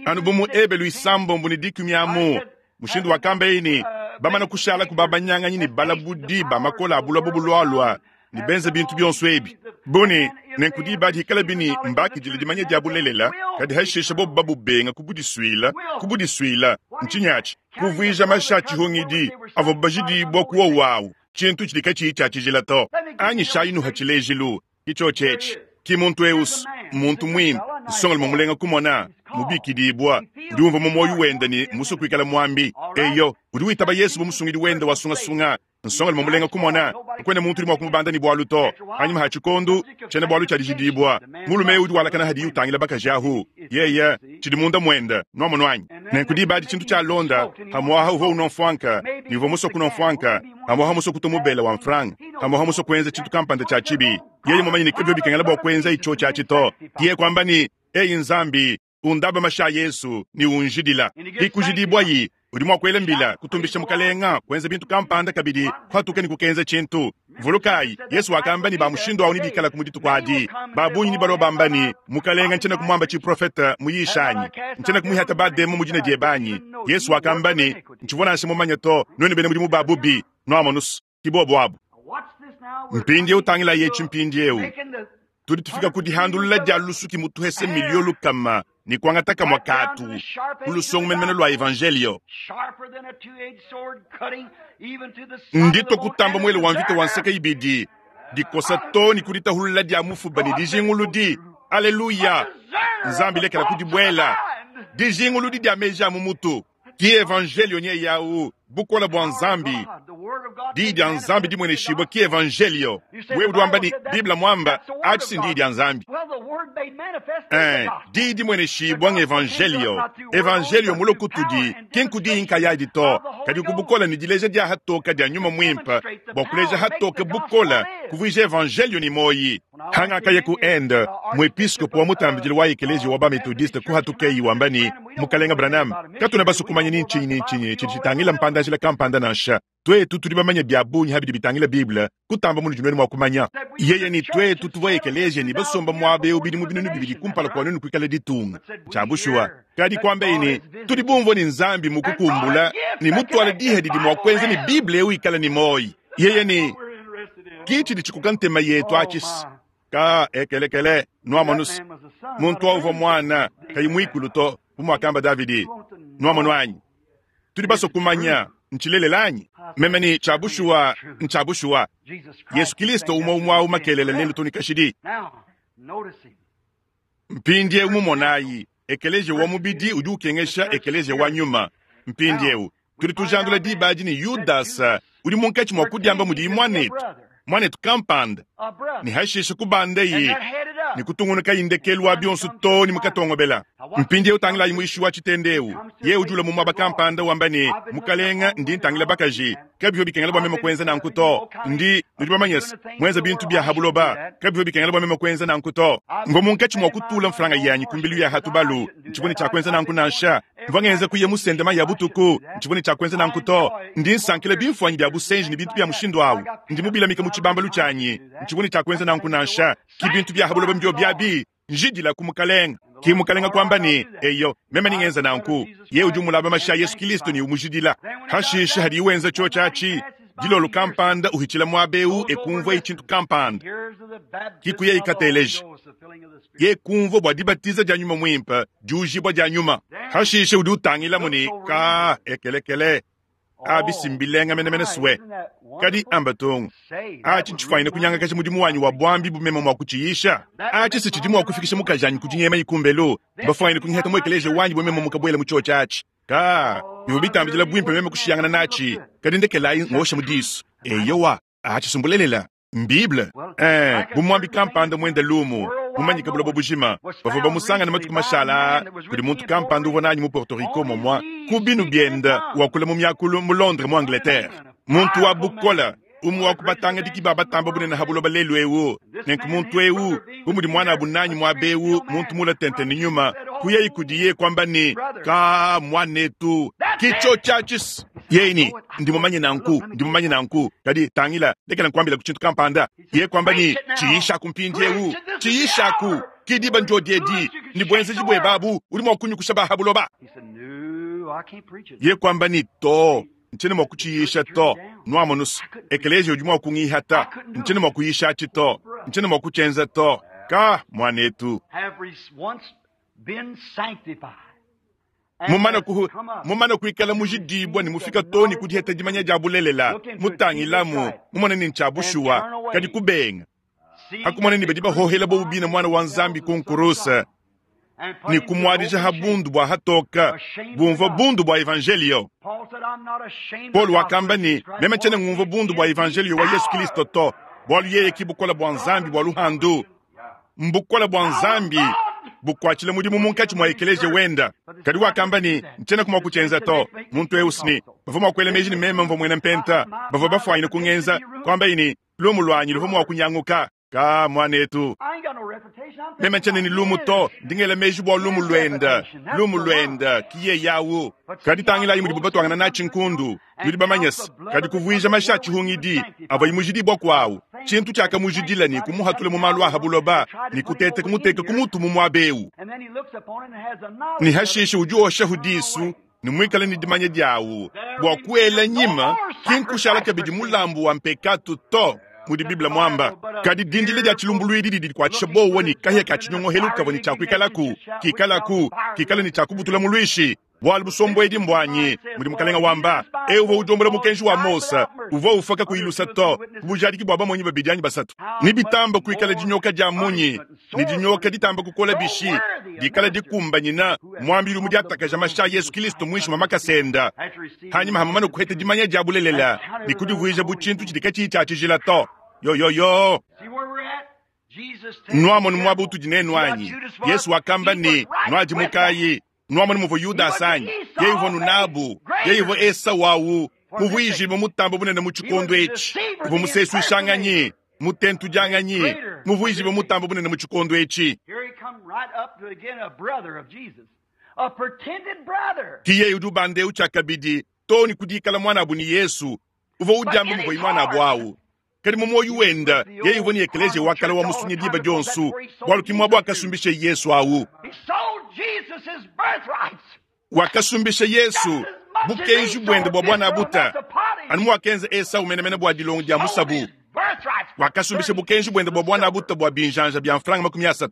anu bu mu Ebelu 10 ne 10 amu, mushindu wakambaye ne, bamana kushala ku babanyanganyi ne balabudi ba makola a buloba bulualua ne benza bintu bionso ebi bune. Nenku diba dikalabi ne mbakidile dimanya dia bulelela, kadi hashishe bobu babubenga kubudisuila, kubudisuila ntshinyi atshi? Kuvuija mashi a tshihungidi avua bajidibua ku wowu awu tshintu tshidi katshiyi tshia tshijila to. Anyishayi nuha tshilejilu. Ki tshiotshi etshi. Ki muntu eu mmuntu muimpe, nsongalume mulenga kumona, mubikidibua, udi umvua mu muoyo wende ne mmusue kuikala muambi. Eyo, udi witaba Yesu bu musungidi wende wa sungasunga. Nsongalume mulenga kumona, kakuena muntu udi mua kumubanda ne bualu to. Panyima ha tshikondu, tshiena-bualu tshia dijidibua, mulume eu udi walakana hadiye utangila bakaji ahu. Yeye, tshidi munda muende, nuamonu anyi? Nenku diba adi tshintu tshialonda, pamu'aha uvua unua mfuanka, ne uvua musue kunua mfuanka, pamu'aha musue kutua mubela wa mfranga, pamu'aha musue kuenza tshintu kampanda tshia tshibi. Yeye mumanye ne kabivua bikengela bua kuenza tshiotshi atshi to. Yeye kuamba ne, Eyi Nzambi, undaba mashi a Yesu ne unjidila. Hikujidibuayi, udi mua kuela mbila, kutumbisha Mukalenga, kuenza bintu kampanda kabidi, kuhatuka ne kukenza tshintu. Vulukayi, Yesu wakamba ne ba mushindu awu nebikalaku mu dituku adi. Ba bungi nebalua bamba ne, Mukalenga, ntshiena kumuamba tshiprofete muyisha anyi? Ntshiena kumuihata bademon mu dina diebe anyi? Yesu wakamba ne, Ntshivua nansha mumanye to, nuenu bena mudimu ba bubi. Nuamonus, ki bobu abu. Mpindieu tangilayi etshi mpindieu. Tudi tufika ku dihandulula dia lusuki mutuhese miliyo lukama ne kuangata kamua katu ku lusongo menemene lua evanjelio. Nditua kutamba muele wa mvita wa nseke ibidi, dikosa to ne ku ditahulula dia mufuba ne dijinguludi. Aleluya! Nzambi lekela kudibuela. Dijinguludi dia meji a mu mutu. Ki evanjelio nye yawu, bukole bua Nzambi. Diyi dia Nzambi dimueneshibue ki evanjelio. Wewe udi wamba ne, Bible muamba, atshi si ndiyi dia Nzambi. Diyi dimueneshibua ng'evanjelio. Evanjelio mulue kutudi, ki nku diyi nkayadi to, kadi ku bukole ne dileja dia hatoke dia Nyuma Muimpe, bua kuleja hatoke bukole, kuvuija evanjelio ne muoyi. Hangakaya ku Inde, muepiskopo wa mutambidile wa ekeleziya wa ba-Methodiste kuhatukeyi wamba ne, Mukalenge Branham, katuena basue kumanya ni ntshinyi ni ntshinyi tshidi tshitangila mpanda-njila kampanda nansha. Tuetu tudi bamanye bia bungi ha bidi bitangila Bible kutamba munudi nuenu mua kumanya. Yeye ne tuetu tuvua ekeleziya ne basomba muaba eu bidimu 2000 kumpala kua nuenu kuikala ditunga. Ntshia bushuwa. Kadi kuambaye ne, tudi bumvue ne Nzambi mukukumbula ne mutuale diha didi mua kuenza ne Bible eu ikala ne muoyo. Yeye ne, ki tshidi tshikoka ntema yetu atshi. Ka ekelekele, nuamonu se, muntu au uvua muana, kayi muikulu to, bu muakamba Davidi. Nuamonu anyi? Tudi basue kumanya, ntshilelela anyi? Meme ne, tshia bushuwa, ntshia bushuwa. Yesu Kilisto umue umue au makelela lelu too ne kashidi. Mpindieu mumonayi, ekeleziya wa mubidi udi ukengesha ekeleziya wa nyuma. Mpindieu tudi tujandula diba adi ne Yudasa udi munkatshi mua kudiamba mudiyi muanetu, muanetu kampanda, ne hashishe kubandaye ne kutungunukaye ndekelu wa bionso too ne mukatongobela. Mpindieu tangilayi muishi wa tshitende eu. Yeye udi ulua mu muaba kampanda wamba ne, Mukalenge, ndi ntangila bakaji. Kabivua bikengela bua meme kuenza nanku to. Ndi, nudi bamanye se, muenza bintu bia ha buloba. Kabivua bikengela bua meme kuenza nanku to. Mvua munkatshi mua kutula mfranga yanyi ku mbilu ya ha tubalu. Ntshivua ne tshia kuenza nanku nansha. Mvua ngenza kuya musende mayi a butuku. Ntshivua ne tshia kuenza nanku to. Ndi nsankila bimfuanyi bia busenji ne bintu bia mushindu au. Ndi mubilamike mu tshibambalu tshianyi. Ntshivua ne tshia kuenza nanku nansha. Ki bintu bia ha buloba mbiobi abi. Njidilaku Mukalenge. Ki Mukalenge kuamba ne, Eyo, meme ningenza nanku. Yeye udi umulaba mashi a Yesu Kilisto ne umujidila. Hashishe hadiye wenza tshiotshi atshi, dilolo kampanda uhitshila muaba eu e kumvuaye tshintu kampanda. Ki kuyaye kateleja. Ye kumvua bua dibatiza dia Nyuma Muimpe, diujibua dia Nyuma. Hashishe udi utangilamu ne, Ka, ekelekele. Abi si mbilenga menemene swe. Kadi amba tung, atshi ntshifuanyine kunyangakaja mudimu wanyi wa buambi bu meme mua kutshiyisha. Atshi si tshidi mua kufikisha mukajanyi ku dinyema kumbelu. Mbafuanyine kungihata mu ekeleziya wanyi bu meme mukabuela mu tshiotshi atshi. Ka, bivua bitambidila buimpe meme kushiyangana natshi. Kadi ndekelayi ngosha mu disu. Eyowa, atshi si mbulelela. Mbible. Ee, bu muambi kampanda muende lumu, mumanyike buloba bujima, bavua bamusangane matuku mashala aa kudi muntu kampanda uvua nanyi mu Porto Rico momua ku binu biende wakula mu miakulu mu Londres mu Angleterre. Muntu wa bukole, umue wa ku batangadiki ba batamba bunene ha buloba lelu eu. Nenku muntu eu, bu mudi muanabu nanyi muaba eu, muntu mule tente ne nyuma, kuyayi kudiye kuamba ne, Ka, muanetu, ki tshiotshi atshi. Yeye ne, Ndi mumanye nanku, ndi mumanye nanku. Kadi tangila, lekela nkuambilaku tshintu kampanda. Yeye kuamba ne, Tshiyishaku mpindiewu, tshiyishaku. Ki diba ndiodi edi, ne buenzeji buebe abu, udi mua kunyukusha ba ha buloba. Yeye kuamba ne, To, ntshiena mua kutshiyisha to. Nuamonus, ekeleziya udi mua kungihata. Ntshiena mua kuyishatshi to. Ntshiena mua kutshienza to. Ka, muanetu. Mumane ku, mumane kuikala mujidibua ne mufika too ne ku diheta dimanya dia bulelela, mutangilamu, mumone ne ntshia bushuwa, kadi kubenga. Hakumona ne badi bahohela bobu bine Muana wa Nzambi ku nkuruse ne kumuadija ha bundu bua hatoka, bumvua bundu bua evanjelio. Paulo wakamba ne, meme tshiena ngumvua bundu bua evanjelio wa Yesu Kilisto to, bualu yeye ki bukole bua Nzambi bua luhandu. Mbukole bua Nzambi bukuatshila mudimu munkatshi mua ekeleziya wenda. Kadi wakamba ne, Ntshiena mua kutshienza to. Muntu eu sni bavua mua kuela meji ne meme mvua muena mpenta, bavua bafuanyine kungenza, kuambaye ne, lumu luanyi luvua mua kunyanguka. Ka muanetu, meme ntshiena ne lumu to, ndi ngela meji bua lumu luenda, lumu luenda ki yeye awu. Kadi tangilayi mudibu batuangana natshi nkundu. Nudi bamanye se, kadi kuvuija mashi a tshihungidi avua imujidibua kuawu, tshintu tshiakamujidila ne kumuhatula mu malu a ha buloba ne kuteta kumuteka ku mutu mu muaba eu. Ne hashishe udi woshahu disu ne muikale ne dimanya diawu bua kuela nyima, ki nkushala kabidi mulambu wa mpekatu to, mudi Bible muamba. Kadi dindila dia tshilumbuluidi didi dikuatshisha buowa ne kahia ka tshinyongohelu kavua ne tshia kuikalaku, kikalaku, kikale ne tshia kubutula muluishi. Bualu busombuedi mbuanyi, mudi Mukalenga wamba. Eu uvua udiombola mukenji wa Mose, uvua ufua kakuyi lusa to, ku bujadiki bua bamonyi babidi anyi basatu. Ne bitamba kuikala dinyoka dia munyi, ne dinyoka ditamba kukola bishi, dikala dikumbanyina muambi udi mudiatakaja mashi a Yesu Kilisto muinshi mua makasa enda, hanyima ha mumane kuheta dimanya dia bulelela ne kudivuija bu tshintu tshidi katshiyi tshia tshijila to. Yo yo yo! Nuamonu muaba utudi nenu anyi? Yesu wakamba ne, Nuadimukayi. Nuamonu muvua Yudasa anyi? Yeye uvua nunabu. Yeye uvua Esau awu, muvuijibue mutambe bunene mu tshikondo etshi. Uvua musesuishanganyi, mutentudianganyi, muvuijibue mutambe bunene mu tshikondo etshi. Ki yeye udi ubanda eu tshiakabidi too ne ku dikala muanabu ne Yesu. Uvua udiamba muvuaye muanabu awu. Kadi mu muoyo wenda, yeye uvua ne ekeleziya wa kale wa musunyi diba dionso, bualu ki muaba wakasumbisha Yesu awu. Wakasumbisha Yesu bukenji buende bua buanabuta, anu muakenza Esau menemene bua dilongo dia musabu. Wakasumbisha bukenji buende bua buanabuta bua binjanja bia mfranga 30.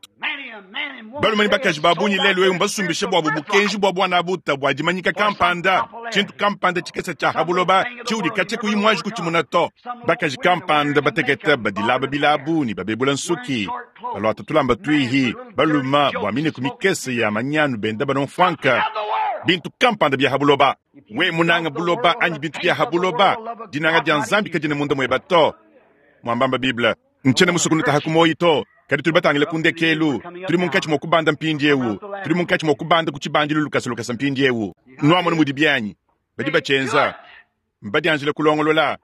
Balume ne bakaji ba bungi lelu eu mbasumbishe buabu bukenji bua buanabuta bua dimanyika kampanda, tshintu kampanda tshikese tshia ha buloba tshiudi katshia kuyi muanji kutshimuna to. Bakaji kampanda batekete badilaba bilabu ne babebula nsuki, baluata tulamba tuihi, balume bua mineku mikese ya manyanu benda banua mfuanka, bintu kampanda bia ha buloba. We munanga buloba anyi bintu bia ha buloba, dinanga dia Nzambi kadiena munda mueba to. Muambamba Bible. Ntshiena musue kunutaha ku muoyo to, kadi tudi batangile ku ndekelu. Tudi munkatshi mua kubanda mpindieu. Tudi munkatshi mua kubanda ku tshibandilu lukasa lukasa mpindieu. Nuamona mudi bianyi badi batshienza, mbadianjile kulongolola.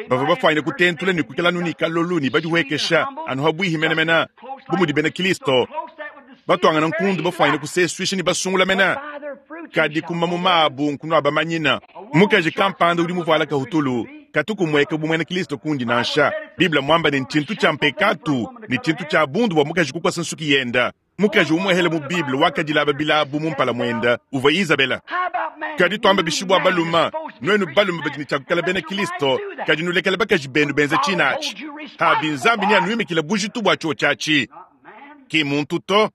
Bavua bafuanyine kutentula ne kuikala anu ne kalolu ne badihuekesha anu habuihi menemene, bu mudi bena Kristo batuangana nkundu bafuanyine kusesuisha ne basungula mene. Kadi ku mamuma abu nkunuabamanyina. Mukaji kampanda udi muvuala kahutulu katu kumueka bu muena Kristo kundi nansha. Bible muamba ne ntshintu tshia mpekatu ne tshintu tshia bundu bua mukaji kukosa nsuki yenda. Mukaji umuehele mu Bible wakadilaba bilabu mu mpala muenda uvua Izabela. Kadi tuamba bishi bua balume? Nuenu balume badi ne tshia kuikala bena Kristo, kadi nulekele bakaji benu benza tshina atshi. Abi Nzambi neanuimikile bujitu bua tshiotshi atshi. Ki muntu to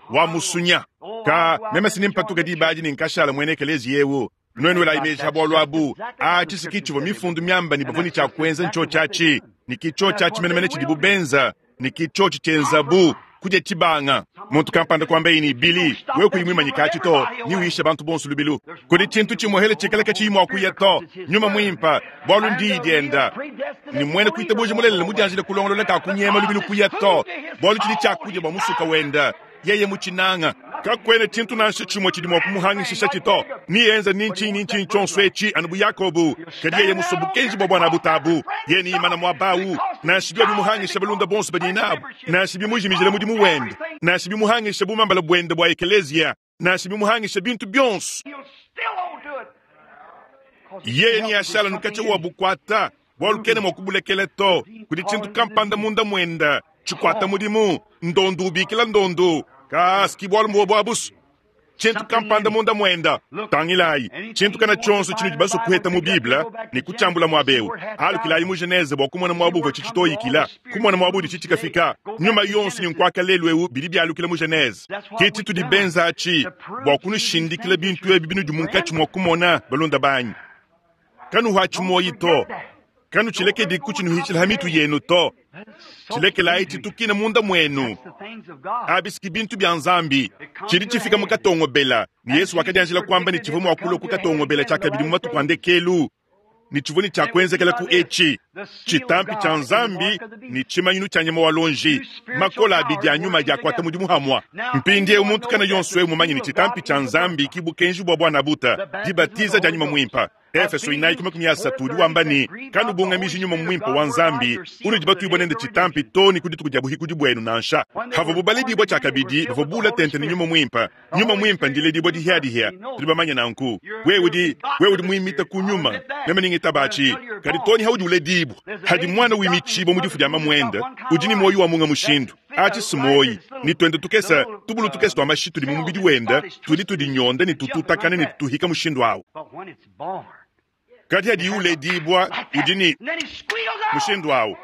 wa musunya. Ka meme si nimpatuka diba adi ne nkashala muena ekeleziya eu. Nuenu elayi meji ha bualu abu. Atshi si ki tshivua mifundu miamba ne bavua ne tshia kuenza ntshiotshi atshi, ne ki tshiotshi atshi menemene tshidibu benza, ne ki tshiotshi tshienzabu kudia tshibanga. Muntu kampanda kuambaye ne, Billy, wewe kuyi muimanyika atshi to, ne uyisha bantu bonso lubilu. Kudi tshintu tshimuehele tshikala katshiyi mua kuya to, Nyuma Muimpe, bualu ndiyi dienda. Ne muena kuitabuja mulelela mudianjile kulongolola kakunyema lubilu kuya to, bualu tshidi tshiakudia bua musuka wenda, yeye mutshinanga. Kakuena tshintu nansha tshimue tshidi mua kumuhangishishatshi to. Nienza ni ntshinyi ni ntshinyi tshionso etshi anu bu Yakobo, kadi yeye musue bukenji bua buana butabu, yeye neimana muaba au, nansha biobi bimuhangisha balunda bonso badiye nabu, nansha bimujimijila mudimu wende, nansha bimuhangisha bumambala buende bua ekeleziya, nansha bimuhangisha bintu bionso. Yeye neashala nukatshia wa bukuata, bualu kena mua kubulekela to. Kudi tshintu kampanda munda muenda tshikuata mudimu, ndondu ubikila ndondu, kasi bualu mbuobu abusu. Tshintu kampanda munda muenda. Tangilayi, tshintu kana tshionso tshinudi basue kuheta mu Bible ne kutshiambula muaba eu. Alukilayi mu Genese bua kumona muaba uvua tshitshitoyikila, kumona muaba udi tshitshikafika. Nyuma yonso ne nkuaka lelu eu bidi bialukila mu Genese. Ke tshitudi benza atshi bua kunushindikila bintu ebi binudi munkatshi mua kumona, balunda banyi. Kanuhuatshi muoyi to, kanutshilekedi kutshinuhitshila ha mitu yenu to. Tshilekelayi tshitukina munda muenu. Abi si bintu bia Nzambi. Tshidi tshifika mu katongobela, ne Yesu wakadianjila kuamba ne tshivua mua kulua ku katongobela tshiakabidi mu matuku a ndekelu, ne tshivua ne tshia kuenzekela ku etshi tshitampi tshia Nzambi ne tshimanyinu tshia nyama wa luonji, makola abidi a nyuma adi akuata mudimu hamua. Mpindieu muntu kana yonso eu mumanye ne tshitampi tshia Nzambi ki bukenji bua buanabuta, dibatiza dia nyuma muimpe. Efeso 4:30 udi wamba ne, kanubungamiji nyuma muimpe wa Nzambi unudi batuibue nende tshitampi to ne ku dituku dia buhikudi buenu nansha. Havuabu baledibua tshiakabidi, bavua bula tente ne nyuma muimpe. Nyuma muimpe ndiledibua dihiadihia, tudi bamanye nanku. Wewe udi wewe udi muimita ku nyuma, meme ningitabatshi, kadi to ne haudi uledibua, hadi muana wimitshibua mu difu dia mamuende, udi ne muoyo wa munga mushindu. Atshi si muoyi, ne tuende tukese tubulu tukese tua mashi tudi mu mubidi wende, tudi tudinyonda ne tututakana ne tutuhika mushindu awu. Kadi hadi uledibua, udi ne mushindu awu,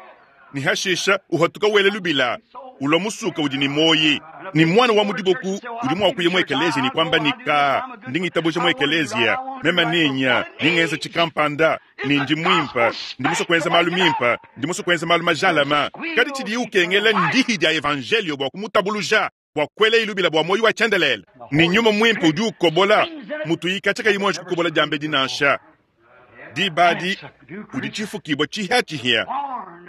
ne hashisha uhatuka wela lubila. Ulwa musuka udi ne muoyi. Ne mwana wa mu diboku udi mwa kuya mu ekeleziya ne kwamba ne, Kaa, ndi ngitabuja mu ekeleziya. Meme nenya, ndi ngenza tshikampanda, ne ndi mwimpe. Ndi muswe kwenza malu mimpe. Ndi muswe kwenza malu majalama. Kadi tshidiye ukengela ndihi dia Evanjelio bwa kumutabuluja, bwa kwela ilubila bwa muoyi wa tshiendelele. Ne Nyuma Mwimpe udi ukobola, mutuyika tshikayi mwanji kukobola diambedi nansha. Diba adi udi tshifukibua tshihiatshihia,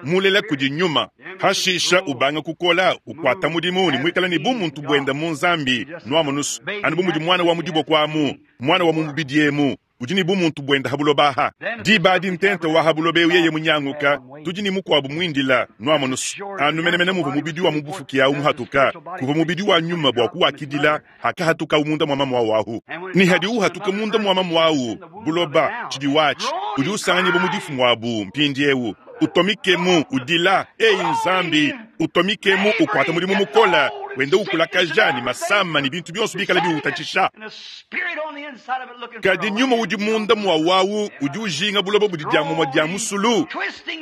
mulela kudi Nyuma. Hashisha ubanga kukola, ukwata mudimu ne muikala ne bumuntu buenda mu Nzambi. Nuamonusu, anu bu mudi mwana wa mu diboko amu, mwana wa mu mubidi emu, udi ne bumuntu buenda ha buloba aha. Diba adi ntenta wa ha buloba eu yeye munyanguka, tudi ne mukuabu muindila. Nuamonusu, anu menemene muvua mubidi wa mu bufuki au muhatuka, kuvua mubidi wa nyuma bua kuwakidila hakahatukawu munda mua mamu au ahu. Ne hadi uhatuka munda mua mamu au, buloba, tshidi watshi, udi usanganyibua mu difu muabu mpindieu. Utomikemu, udila, Eyi Nzambi, utomikemu, ukuata mudimu mukola, wenda ukulakaja ne masama ne bintu bionso bikala biwutatshisha. Kadi nyuma udi munda mua wawu udi ujinga buloba budi dia mumua dia musulu,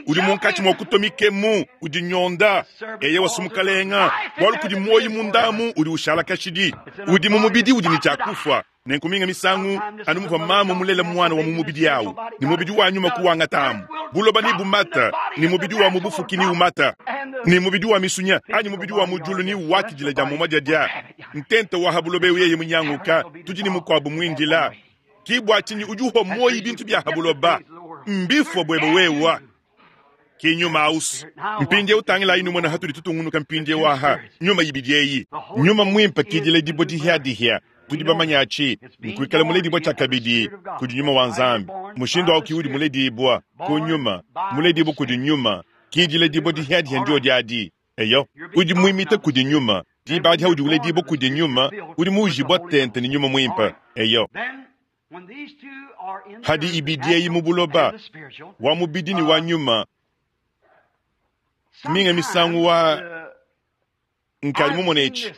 udi munkatshi mua kutomikemu, udi nyonda. Eyewa sumukalenga, bualu kudi muoyi mundamu udi ushala kashidi, udi mu mubidi udi ne tshia kufua. Nenku minga misangu, anu muvua mamu mulela muana wa mu mubidi awu, ne mubidi wa nyuma kuwangata amu, buloba nebumata, ne mubidi wa mu bufuki neumata, ne mubidi wa misunya anyi mubidi wa mu diulu newakidila dia mumua diadia. Ntenta wa ha buloba eu yeye munyanguka, tudi ne mukuabu muindila. Ki bua tshinyi udi uhua muoyi bintu bia ha buloba? Mbifua buebe wewa. Ki nyuma aus. Mpindieu tangilayi numona hatudi tutungunuka mpindieu aha, nyuma ibidi eyi. Nyuma muimpe ki diledibua dihiadihia. Tudi bamanye atshi, nkuikala muledibua tshiakabidi kudi Nyuma wa Nzambi. Mushindu au ki udi muledibua ku Nyuma, muledibua kudi Nyuma, ki diledibua dihiadihia ndiodi adi. Eyo, udi muimita kudi Nyuma. Diba adi haudi uledibua kudi Nyuma, udi muujibua tente ne Nyuma Muimpe. Eyo. Hadi ibidi eyi mu buloba, wa mubidi ne wa nyuma, minga misangu wa nkadi mumone etshi.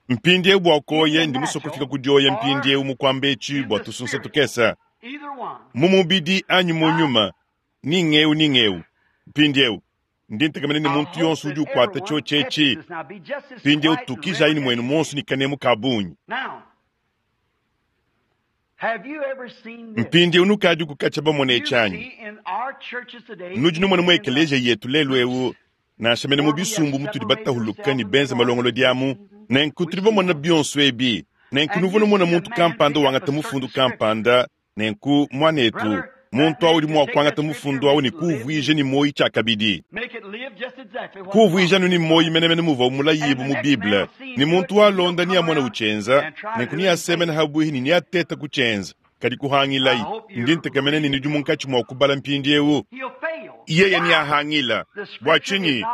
Mpindieu bua kuoya, ndi musue kufika ku dioya mpindieu mu kuamba etshi bua tusunsa tukese, mu mubidi anyi mu nyuma, ni ng'eu ni ng'eu. Mpindieu, Ndi ntekemena ne muntu yonso udi ukwata tshiotshi etshi. Mpindieu tukijayi ne muenu muonso ne kanemu ka bungi. Mpindieu nukadiku katshia bamone etshi anyi? Nudi numona mu ekeleziya yetu lelu eu, nansha mene mu bisumbu mutudi batahuluka ne benze malongolodi amu. Nenku tudi bamona bionso ebi. Nenku nuvua numona muntu kampanda wangata mufundu kampanda. Nenku, muanetu, muntu awu udi mua kuangata mufundu awu ne kuwuvuija ne muoyi tshiakabidi, kuwuvuija anu ne muoyi menemene muvuawu mulayibue mu Bible. Ne muntu walonda neamone utshienza, nenku neasemene habuihi ne neatete kutshienza. Kadi kuhangilayi. Ndi ntekemena ne nudi munkatshi mua kubala mpindieu. Yeye neahangila. Bua tshinyi?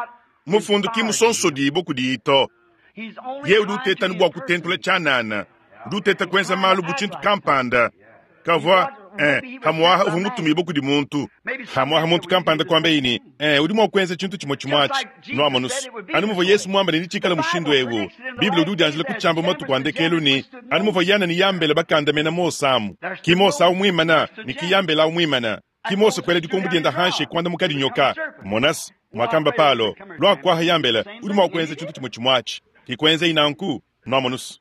Mufundu ki musonsodibue kudiyi to. Yeye udi uteta anu bua kutentula tshianana, udi uteta kuenza malu bu tshintu kampanda. Kavua, eh, pamu'aha uvua mutumibue kudi muntu. Pamu'aha muntu kampanda kuambaye ne, eh, udi mua kuenza tshintu tshimue tshimue atshi. Nuamonu's, anu muvua Yesu muambe ne netshikale mushindu eu. Bible udi udianjila kutshiamba mu matuku a ndekelu ne, anu muvua Yane ne Yambele bakandamena Mose amu, ki Mose au muimana ne ki Yambele au muimana. Ki Mose kuela dikombo dienda hanshi kuandamukadi nyoka. Mona's, muakamba Palo, lua kuaha Yambele, udi mua kuenza tshintu tshimue tshimue atshi. Ki kuenzayi nanku. Nuamonu's.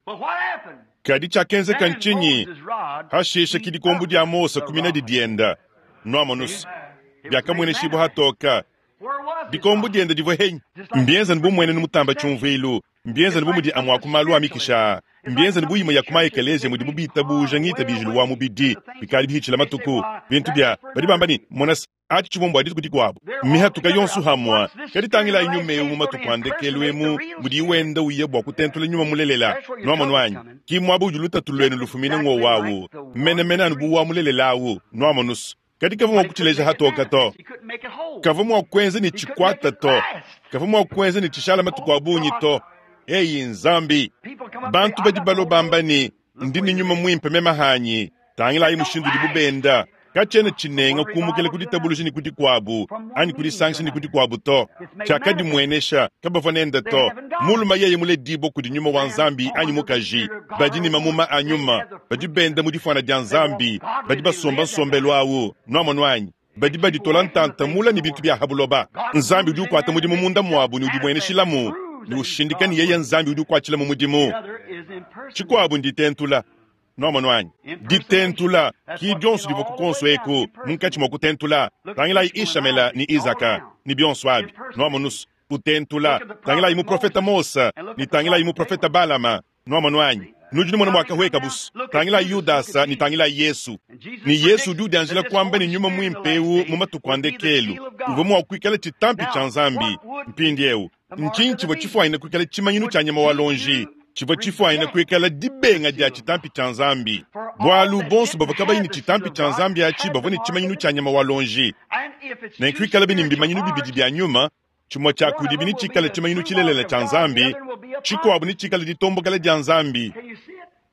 Kadi tshiakenzeka ntshinyi? Hashishe ki dikombo dia Mose kuminadi dienda. Nuamonu's. Biakamueneshibua hatoka. Dikombo diende divua henyi? Mbienzane bu muenenu mutamba tshiumvuilu. Mbienzane bu mudi amue a ku malu a mikisha aa. Mbienzane bu imue ya ku ma-ekeleziya mudibu bitabuja ngitabijilu wa mubidi bikadi bihitshila matuku. Bintu bia badi bamba ne, Mona se, atshi tshivua mbua dituku dikuabu. Mmihatuka yonso hamue. Kadi tangilayi nyuma eu mu matuku a ndekelu emu mudiyi wenda uya bua kutentula nyuma mulelela. Nuamonu anyi? Ki muaba udi lutatu luenu lufumina ng'wowu au menemene anu bu wa mulelela au. Nuamonu's. Kadi kavua mua kutshileja hatoka to. Kavua mua kuenza ne tshikuata to. Kavua mua kuenza ne tshishala matuku a bungi to. Eyi Nzambi! Bantu badi balua bamba ne, Ndi ne nyuma muimpe meme hanyi. Tangilayi mushindu udibu benda. Katshiena tshinenga kumukila ku ditabuluja ne ku dikuabu, anyi kudisangisha ne ku dikuabu to. Tshiakadimuenesha, kabavua nende to. Mulume yeye muledibue kudi nyuma wa Nzambi anyi mukaji, badi ne mamuma a nyuma, badi benda mu difuana dia Nzambi, badi basomba nsombelu au. Nuamonu anyi? Badi baditola ntanta mula ne bintu bia ha buloba. Nzambi udi ukuata mudimu munda muabu ne udimueneshilamu ne ushindika ne yeye Nzambi udi ukuatshilamu mudimu. Tshikuabu nditentula. Nuamonu anyi? Ditentula ki dionso divua ku kuonso eku munkatshi mua kutentula. Tangilayi Ishamela ne Izaka ne bionso abi. Nuamonus, kutentula. Tangilayi muprofeta Mose ne tangilayi muprofeta Balama. Nuamonu anyi? Nudi numona muakahueka busu. Tangilayi Yudasa ne tangilayi Yesu. Ne Yesu udi udianjila kuamba ne Nyuma Muimpe eu mu matuku a ndekelu uvua mua kuikala tshitampi tshia Nzambi. Mpindieu, ntshinyi tshivua tshifuanyine kuikala tshimanyinu tshia nyama wa luonji? Tshivua tshifuanyine kuikala dibenga dia tshitampi tshia Nzambi, bualu bonso bavua kabayi ne tshitampi tshia Nzambi atshi bavua ne tshimanyinu tshia nyama wa luonji. Nenku ikalabi ne mbimanyinu bibidi bia nyuma, tshimue tshia kudibi netshikale tshimanyinu tshilelela tshia Nzambi, tshikuabu netshikale ditombokela dia Nzambi.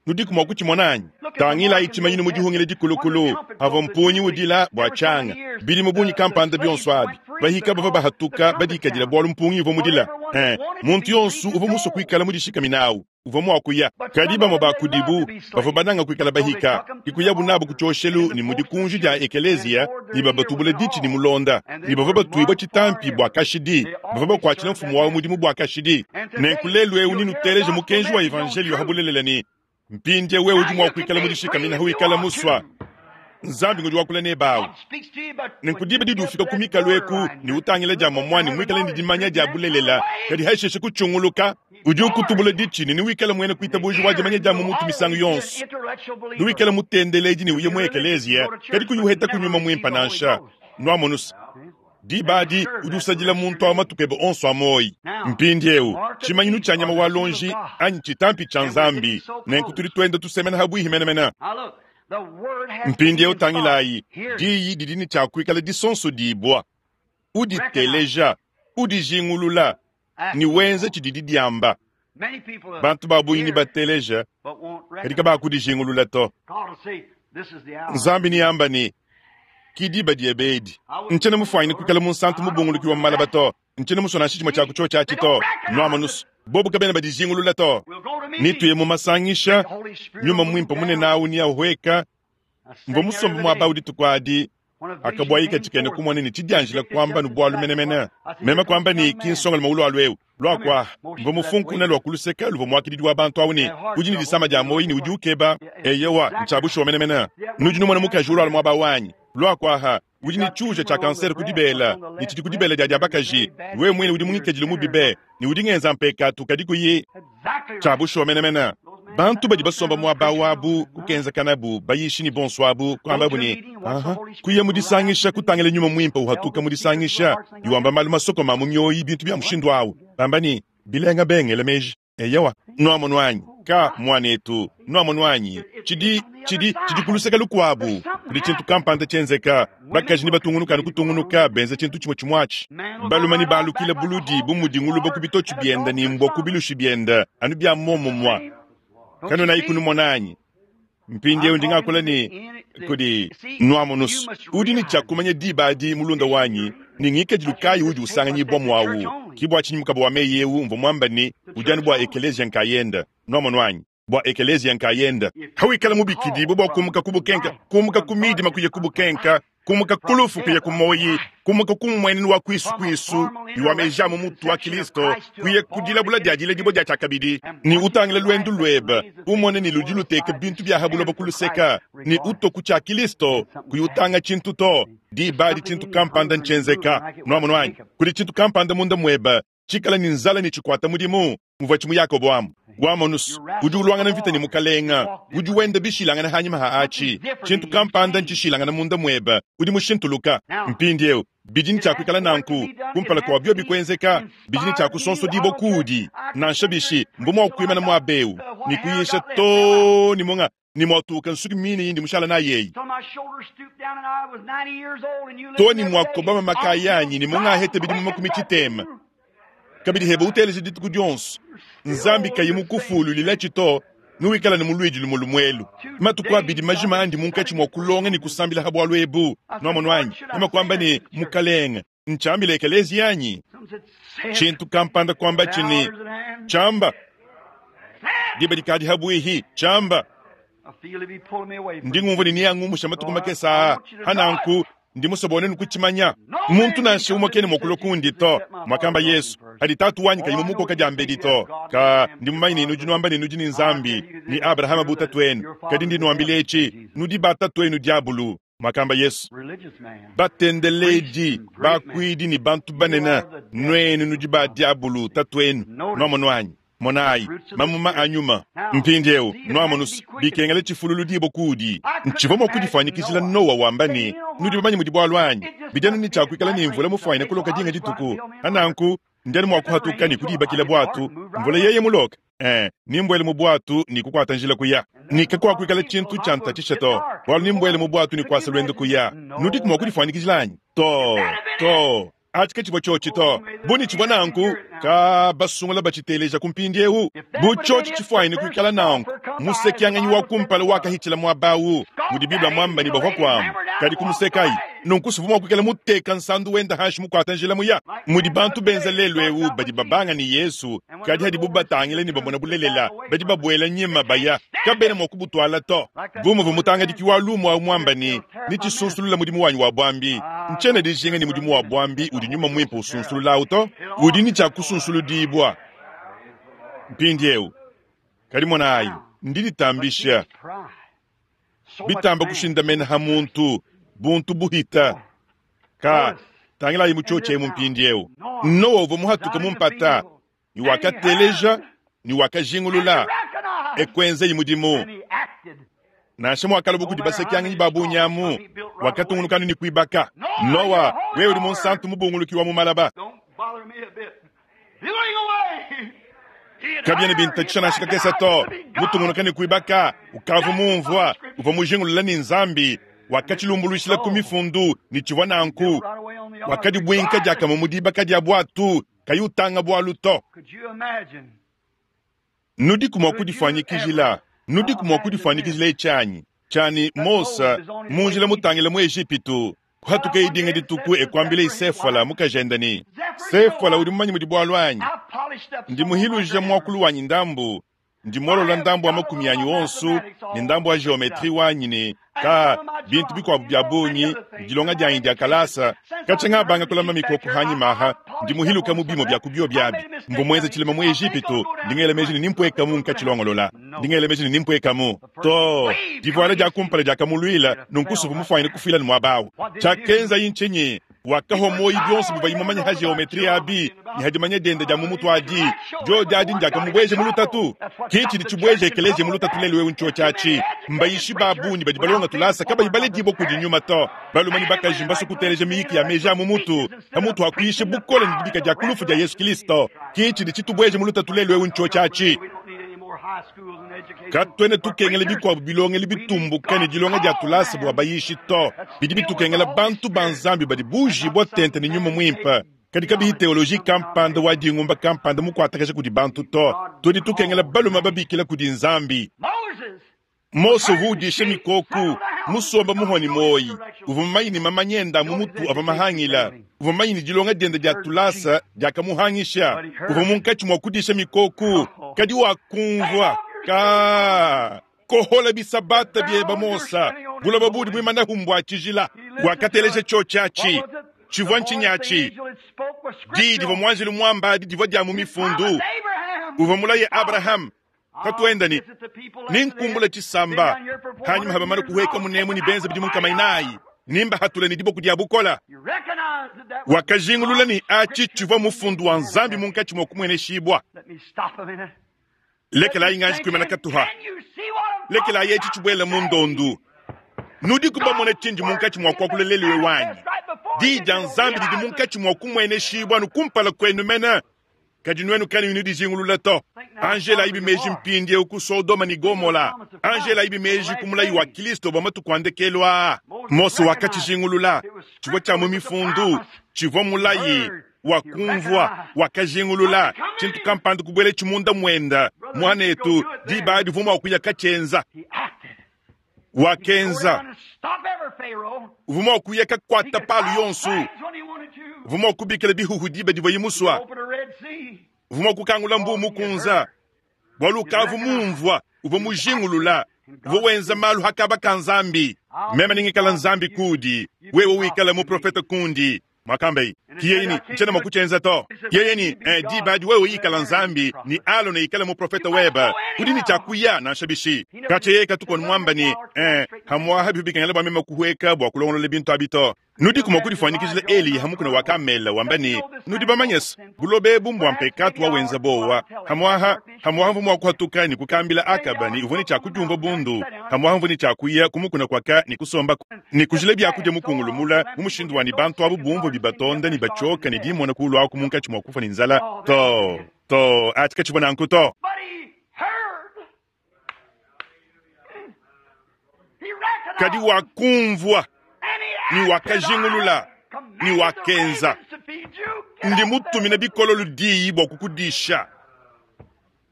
Nudiku mua kutshimona anyi? Tangilayi tshimanyinu mu dihungila dikulukulu, pavua mpungi udila bua tshianga. Bidimu bungi kampanda bionso abi, bahika bavua bahatuka badikadila bualu mpungi uvua mudila. Eh, muntu yonso uvua musue kuikala mudishikamine au uvua mua kuya. Kadi bamue ba kudibu bavua bananga kuikala bahika, ke kuyabu nabu ku tshioshelu ne mu dikunji dia ekeleziya ne babatubula ditshi ne mulonda, ne bavua batuibua tshitampi bua kashidi, bavua bakuatshila mfumu wabu mudimu bua kashidi. Nenku lelu eu nenuteleje mukenji wa evanjeliyo ha bulelela ne mpindieu wewe udi mua kuikala mudishikamine hawikala musua. Nzambi ngudi wakula nebe awu. Nenku diba didi ufika ku mikalu eku ne utangila dia muamua ne muikale ne dimanya dia bulelela, kadi hashishe kutshunguluka, udi ukutubula ditshi ne newikale muena kuitabuja wa dimanya dia mu mutu misangu yonso. Newikale mutendeledi ne uye mu ekeleziya, kadi kuyi uheta ku Nyuma Muimpe nansha. Nuamonus? Diba adi udi usadila muntu awu matuku ebe onso a muoyi. Mpindiewu, tshimanyinu tshia nyama wa luonji anyi tshitampi tshia Nzambi, nenku tudi tuenda tusemena habuihi menemene. Mpindiewu tangilayi, diyi didi ne tshia kuikala disonsodibua. Uditeleja, udijingulula, ne wenza tshididi diamba. Bantu ba bungi nebateleja, kadi kabakudijingulula to. Nzambi neamba ne, Ki diba diebe edi. Ntshiena mufuanyine kuikala munsantu mubunguluki wa mu malaba to. Ntshiena musue nansha tshimue tshia ku tshiotshi atshi to. Nuamonus, bobu kabena badijingulula to. Netuye mu masangisha, Nyuma Muimpe munene awu neahueka. Mvua musombe muaba awu dituku adi, akabuayika tshikena kumona ne tshidianjila kuamba anu bualu menemene. Meme kuamba ne, Ki nsongalume ulualua eu. Lua kuaha. Mvua mufunkuna lua ku luseke luvua muakididi wa bantu awu ne, udi ne disama dia muoyo ne udi ukeba. Eyowa, ntshia bushuwa menemene. Nudi numona mukaji ulualua muaba awu anyi? Lua kuaha. Udi ne tshiuja tshia kansere ku dibela, ne tshidi ku dibela dia dia bakaji. Wewe muine udi mu ngikadilu mubi be, ne udi ngenza mpekatu, kadi kuyi. Tshia bushuwa menemene. Bantu badi basomba muaba awu abu, kukenzakanabu, bayishi ne bonso abu, kuambabu ne, Aha, kuya mu disangisha, kutangila Nyuma Muimpe uhatuka mu disangisha, ne wamba malu masokoma a mu mioyi, bintu bia mushindu awu, bamba ne, Bilenga be, ngela meji. Eyowa. Nuamonu anyi? Ka, muanetu. Nuamonu anyi? Tshidi, tshidi, tshidi ku luseke lukuabu. Kudi tshintu kampanda tshienzeka. Bakaji nebatungunuke anu kutungunuka, benza tshintu tshimue tshimue atshi. Balume nebalukile buludi bu mudi ngulube ku bitotshi biende ne mbua ku bilushi biende, anu bia muomumue. Kanuenayiku numona anyi? Mpindieu ndi ngakula ne kudi nuamonus. Udi ne tshia kumanya diba adi, mulunda wanyi, ne ngikadilu kayi udi usanganyibua muawu. Ki bua tshinyi mukaba wa meyi eu mvua muamba ne udi anu bua ekeleziya nkayende. Nuamonu anyi? Bua ekeleziya nkayende. Hawikala mubikidibue bua kumuka ku bukenka, kumuka ku midima kuya ku bukenka, kumuka ku lufu kuya ku muoyi, kumuka ku mmuenenu wa kuisu kuisu ne wa meji a mu mutu wa Kilisto kuya ku dilabula dia diledibua dia tshiakabidi, ne utangila luendu luebe, umone ne ludi luteka bintu bia ha buloba ku luseka, ne utua ku tshia Kilisto, kuyi utanga tshintu to. Diba adi tshintu kampanda ntshienzeka. Nuamonu anyi? Kudi tshintu kampanda munda muebe tshikala ne nzala ne tshikuata mudimu muvua tshimu Yakobo amu. Wamonus udi uluangana mvita ne mukalenga, udi wenda bishilangana hanyima ha atshi. Tshintu kampanda ntshishilangana munda muebe, udi mushintuluka. Mpindieu bidi ne tshia kuikala nanku kumpala kua biobi kuenzeka, bidi ne tshia kusonsodibua kuudi. Nansha bishi, mbu mua kuimana muaba eu ne kuyisha too ne munga ne muatuka nsuki mine indi mushala nayi eyi to ne muakobama makaya anyi ne mungaheta bidimu makumi tshitema kabidi heba uteleja dituku dionso Nzambi kayi mukufululilatshi to nuwikala ne muluidi lumue lumuelu matuku abidi majima andi munkatshi mua kulonga ne kusambila ha bualu ebu. Nuamonu anyi? Meme kuamba ne, Mukalenge, ntshiambile ekeleziya anyi? Tshintu kampanda kuambatshi ne, Tshiamba, diba dikadi habuihi, tshiamba. Ndi ngumvua ne neangumusha matuku makese aa. Hananku, Ndi musue bua nuenu kutshimanya. Muntu nansha umue kena mua kulua kundi to, muakamba Yesu, padi Tatu wanyi kayi mumukoka diambedi to. Ka, ndi mumanye ne nudi nuamba ne nudi ne Nzambi, ne Abrahama bu tatuenu. Kadi ndi nuambila etshi, nudi ba tatuenu diabulu, muakamba Yesu. Batendeledi, bakuidi ne bantu banene, nuenu nudi ba diabulu tatuenu. Nuamonu anyi? Monayi, mamuma a nyuma. Mpindieu, nuamonu's, bikengela tshifululu dibue kuudi. Ntshivua mua kudifuanyikijila Nowa wamba ne, Nudi bamanye mudi bualu anyi? Bidi anu ne tshia kuikala ne mvula mufuanyine kuloka dinga dituku. Pa nanku, ndi anu mua kuhatuka ne kudiibakila buatu, mvula yeye muloke. Ee, nembuele mu buatu ne kukuata njila kuya. Ne kakuakuikala tshintu tshiantatshisha to, bualu nembuele mu buatu ne kuasa luendu kuya. Nudiku mua kudifuanyikijila anyi? Too, too. Atshi ke tshivua tshiotshi to. Bu ne tshivua nanku, ka basungula batshiteleja ku mpindieu. Bu tshiotshi tshifuanyine kuikala nanku, musekianganyi wa kumpala wakahitshila muaba au, mudi Bible muamba ne bavua kuamu, kadi kumusekayi. Nunku suvua mua kuikala muteka nsandu wenda hanshi mukuata njila muya. Mudi bantu benza lelu eu, badi babanga ne Yesu, kadi hadibu batangila ne bamona bulelela, badi babuela nyima baya, kabena mua kubutuala to. Bu muvua mutangadiki wa lumu au muamba ne, Netshisunsulula mudimu wanyi wa buambi. Ntshiena dijinga ne mudimu wa buambi udi nyuma muimpe usunsulula au to. Udi ne tshia kusunsuludibua mpindieu. Kadi monayi, ndi ditambisha bitamba kushindamena ha muntu, buntu buhita. Ka, tangilayi mu tshiotshi emu mpindieu. Noa uvua muhatuke mu mpata, ne wakateleja ne wakajingulula, e kuenzaye mudimu. Nansha muakalua kudi basekianganyi ba bungi amu, wakatungunuka anu ne kuibaka. Noa, wewe udi munsantu mubunguluki wa mu malaba. Kabiena bintatshisha nansha kakese to. Mutungunuka ne kuibaka, ukavua mumvua, uvua mujingulula ne Nzambi wakatshilumbuluishila ku mifundu ne tshivua nanku. Wakadibuinka diakamue mu dibaka dia buatu, kayi utanga bualu to. Nudiku mua kudifuanyikijila, nudiku mua kudifuanyikijila etshi anyi? Tshia ne, Mose, mu njila mutangile mu Ejipitu, kuhatukaye dinga dituku e kuambila Sefwala mukajende ne, Sefwala, udi mumanye mudi bualu anyi? Ndi muhiluja muakulu wanyi ndambu, ndi muolola ndambu wa makumi anyi onso ne ndambu wa geometrie wanyi ne ka bintu bikuabu bia bungi, dilonga dianyi dia kalasa. Katshia ngabanga kulama mikoko hanyima aha, ndi muhiluka mu bimue bia ku bio biabi. Mvua muenze tshilema mu Ejipitu, ndi ngela meji ne nimpuekamu nkatshilongolola. Ndi ngela meji ne nimpuekamu. Too, divuala dia kumpala diakamuluila, nunku suvua mufuanyine kufuila ne muaba au. Tshiakenzayi ntshinyi? Wakahua muoyo bionso bivuaye mumanye ha geometrie abi ne ha dimanya diende dia mu mutu adi. Diodi adi ndiakamubueja mu lutatu. Ke tshidi tshibueja ekeleziya mu lutatu lelu eu ntshiotshi atshi. Mbayishi ba bungi badi balonga tulasa kabayi baledibua kudi nyuma to. Balume ne bakaji mbasue kuteleja miyiki ya meji a mu mutu pamutu ha kuyisha bukole ne dibika dia ku lufu dia Yesu Kristo. Ke tshidi tshitubueja mu lutatu lelu eu ntshiotshi atshi. Katuena tukengela bikuabu bilongelu bitumbuka ne dilonga dia tulasa bua bayishi to. Bidi bitukengela bantu ba Nzambi badi buujibua tente ne Nyuma Muimpe, kadi kabiyi teoloji kampanda wa dingumba kampanda mukuatakaja kudi bantu to. Tudi tukengela balume babikila kudi Nzambi. Mose uvua udisha mikoku, musomba muhua ne muoyi. Uvua mumanye ne mamanya ende a mu mutu avua mahangila. Uvua mumanye ne dilonga diende dia tulasa diakamuhangisha. Uvua munkatshi mua kudisha mikoku, kadi wakumvua ka kohola bisabata bieba Mose, buloba buudi muimanahu mbua tshijila. Wakateleja tshiotshi atshi. Tshivua ntshinyi atshi? Diyi divua muanjelu muamba adi divua dia mu mifundu. Uvua mulaye Abrahame Tatuenda ne, Nenkumbule tshisamba, hanyima ha bamane kuhueka munemu ne benze bidimu nkama inai, nembahatule ne diboko dia bukole. Wakajingulula ne atshi tshivua mufundu wa Nzambi munkatshi mua kumueneshibua. Lekelayi nganji kuimana katuha, lekelayi etshi tshibuele mu ndondu. Nudiku bamone tshindi munkatshi mua kuakula lelu eu anyi? Diyi dia Nzambi didi munkatshi mua kumueneshibua anu kumpala kuenu mene. Kadi nuenu kanuyi nudijingulula to. Anjelayibi meji mpindieu ku Sodoma ne Gomola. Anjelayibi meji ku mulayi wa Kristo bua matuku a ndekelu aa. Mose wakatshijingulula. Tshivua tshia mu Mifundu. Tshivua mulayi. Wakumvua. Wakajingulula. Tshintu kampanda kubueletshi munda muende. Muanetu, diba adi uvua mua kuya katshienza. Wakenza. Uvua mua kuya kakuata Palo yonso. Uvua mua kubikila bihuhu diba divuaye musua. Uvua mua kukangula mbuu mukunza, bualu ukavua mumvua, uvua mujingulula. Uvua wenza malu ha kaba ka Nzambi. Meme nengikala Nzambi kuudi, wewe wikala muprofete kundi. Mwakambaye. Ki yeye ne, Ntshiena mua kutshienza to. Yeye ne, Eh, diba adi wewe ikala Nzambi, ne Alona ikale muprofete webe. Udi ne tshia kuya nansha bishi. Katshia yeye katuku anu muamba ne, Eh, hamuaha bivua bikengela bua meme kuhueka bua kulongolola bintu abi to. Nudiku mua kudifuanyikijila Eliya ha mukuna wa Kamele wamba ne, Nudi bamanye se, buloba ebu mbua mpekatu wa wenza bowa. Hamuaha, hamuaha mvua mua kuhatuka ne kukambila Akaba ne uvua ne tshia kudiumvua bundu. Hamuaha mvua ne tshia kuya ku mukuna kuaka ne kusombaku ne kujila biakudia mukungulu mula mu mushindu wa ne bantu abu bumvue bibatonda ne batshioka ne dimona kuulu aku munkatshi mua kufua ne nzala. Too, too, atshi katshivua nanku to. But he heard. He recognized. Kadi wakumvua And he ne acted wakajingulula on it. ne Commanded the wakenza. ravens to feed you. Get Ndi up mutumine there. bikololo diyi bua kukudisha.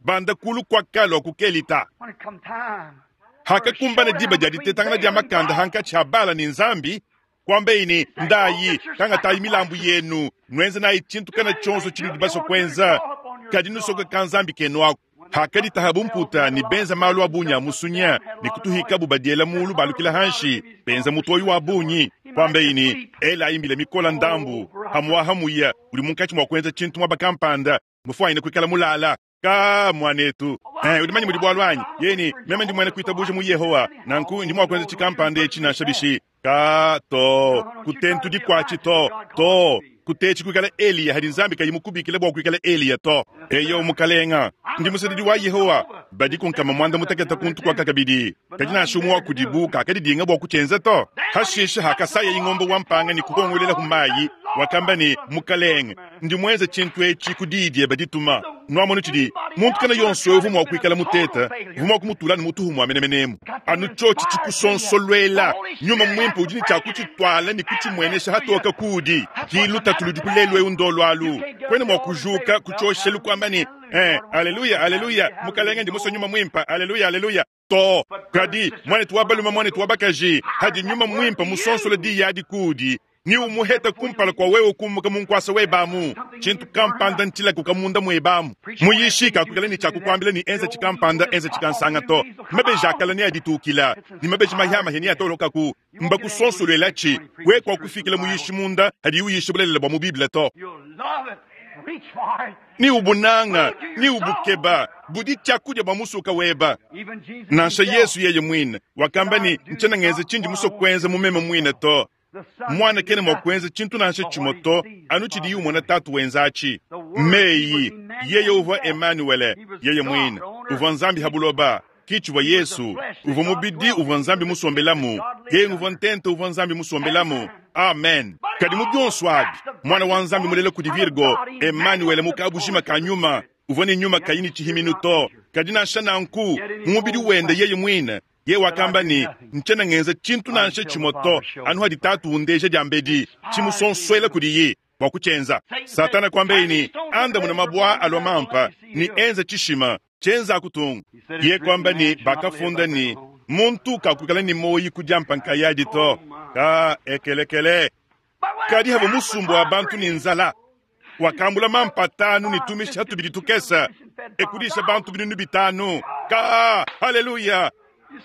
Banda kulu kuakalua kukelita. When it come time, Hakakumbana diba dia ditetangana dia makanda hankatshi ha Bala ne Nzambi, kuambaye ne, ndayi, kangatayi milambu yenu, nuenze nayi tshintu kana tshionso tshinudi basue kuenza, kadi nusoka ka Nzambi kenu aku. Hakaditaha bumputa ne benza malu a bungi a musunya, ne kutuhikabu badiela mulu balukila hanshi, benza mutoyi wa bungi. Kuambaye ne, elayi mbila mikola ndambu, hamuaha muya, udi munkatshi mua kuenza tshintu muaba kampanda, mufuanyine kuikala mulala. Ka muanetu eh, udi manye mudi bualu anyi yeni meme ndi muena kuitabuja mu Yehowa nanku ndi mua kuenza tshikampanda etshi nansha bishi ka to kutentu dikuatshi to to kutetshi kuikala Eliya hadi Nzambi kayi mukubikila bua kuikala Eliya to. Eyo mukalenga, ndi musadidi wa Yehowa badi kunkama muanda mutekete kuntu kuaka kabidi, kadi nansha umue wa kudibu kakadidinga bua kutshienza to. Hashishe hakasaya ingombe wa mpanga ne kukongolela ku mayi, wakamba ne, mukalenge, ndi muenze tshintu etshi ku diyi diebe dituma. Nuamonu tshidi muntu kana yonso uvua mua kuikala muteta, uvua mua kumutula ne mutuhu mua menemenemu. Anu tshiotshi tshikusonsolwela, nyuma muimpe udi ne tshia kutshituala ne kutshimuenesha hatoka kuudi. Ki lutatu ludi kulelu eu ndolo alu. Kwena mua kujuka kutshioshelu kuamba ne, eh, aleluya, aleluya, mukalenge ndi musue nyuma muimpe, aleluya, aleluya. To, kadi mwanetu wa balume, mwanetu wa bakaji, hadi nyuma muimpe musonsola diyi adi kuudi, ni umuheta kumpala kwa wewe kumuka mu nkuasa webamu tshintu kampanda ntshilakuka munda muebamu. Muyishi kakukala ne tshiakukuambila ne enza tshikampanda, enza tshikansanga to. Mabeji akala ne aditukila, ne mabeji mahiamahi ne atolokaku. Mbakusonsolwelatshi, we kuakufikila muyishi munda hadi uyisha bulelela bua mu Bible to. You'll love it. Reach for it. Ni ubunanga, ni ubukeba, budi tshiakudia bua musuka weba. Even Jesus Nansha himself, Yesu yeye mwine wakamba ne, ntshiena ngenza tshindi musue kuenza mu meme mwine to. the Son Mwana kena mua did kuenza tshintu nansha tshimue to, anu tshidiye umona tatu wenza atshi. Meyi, yeye uvua Emanuele, yeye mwine uvua Nzambi ha buloba. Kitshivua Yesu uvua mubidi uvua Nzambi musombelamu, yeye uvua ntente uvua Nzambi musombelamu. Amen. Kadi mu bionso abi, mwana wa Nzambi mulela kudi Virgo, Emanuele mukabujima ka nyuma, uvua ne nyuma kayi ne tshihiminu to. Kadi nansha nanku, mu mubidi wende yeye mwine, ye wakamba ne, ntshiena ngenza tshintu nansha tshimue to, anu hadi tatu undeja diambedi, tshimusonsuela kudiye bua kutshienza. Satana kuambaye ne, andamuna mabua alua mampa ne enza tshishima tshienza akutunga. Ye kuamba ne, bakafunda ne, muntu kakuikala ne moyi kudiampa nkayadi to. Ka ekelekele. But when Kadi the hava crowd was musumbu wa bantu ne hungry, nzala, wakambula mampa atanu ne tumisha tubidi tukesa, ekudisha bantu binunu bitanu. Ka haleluya.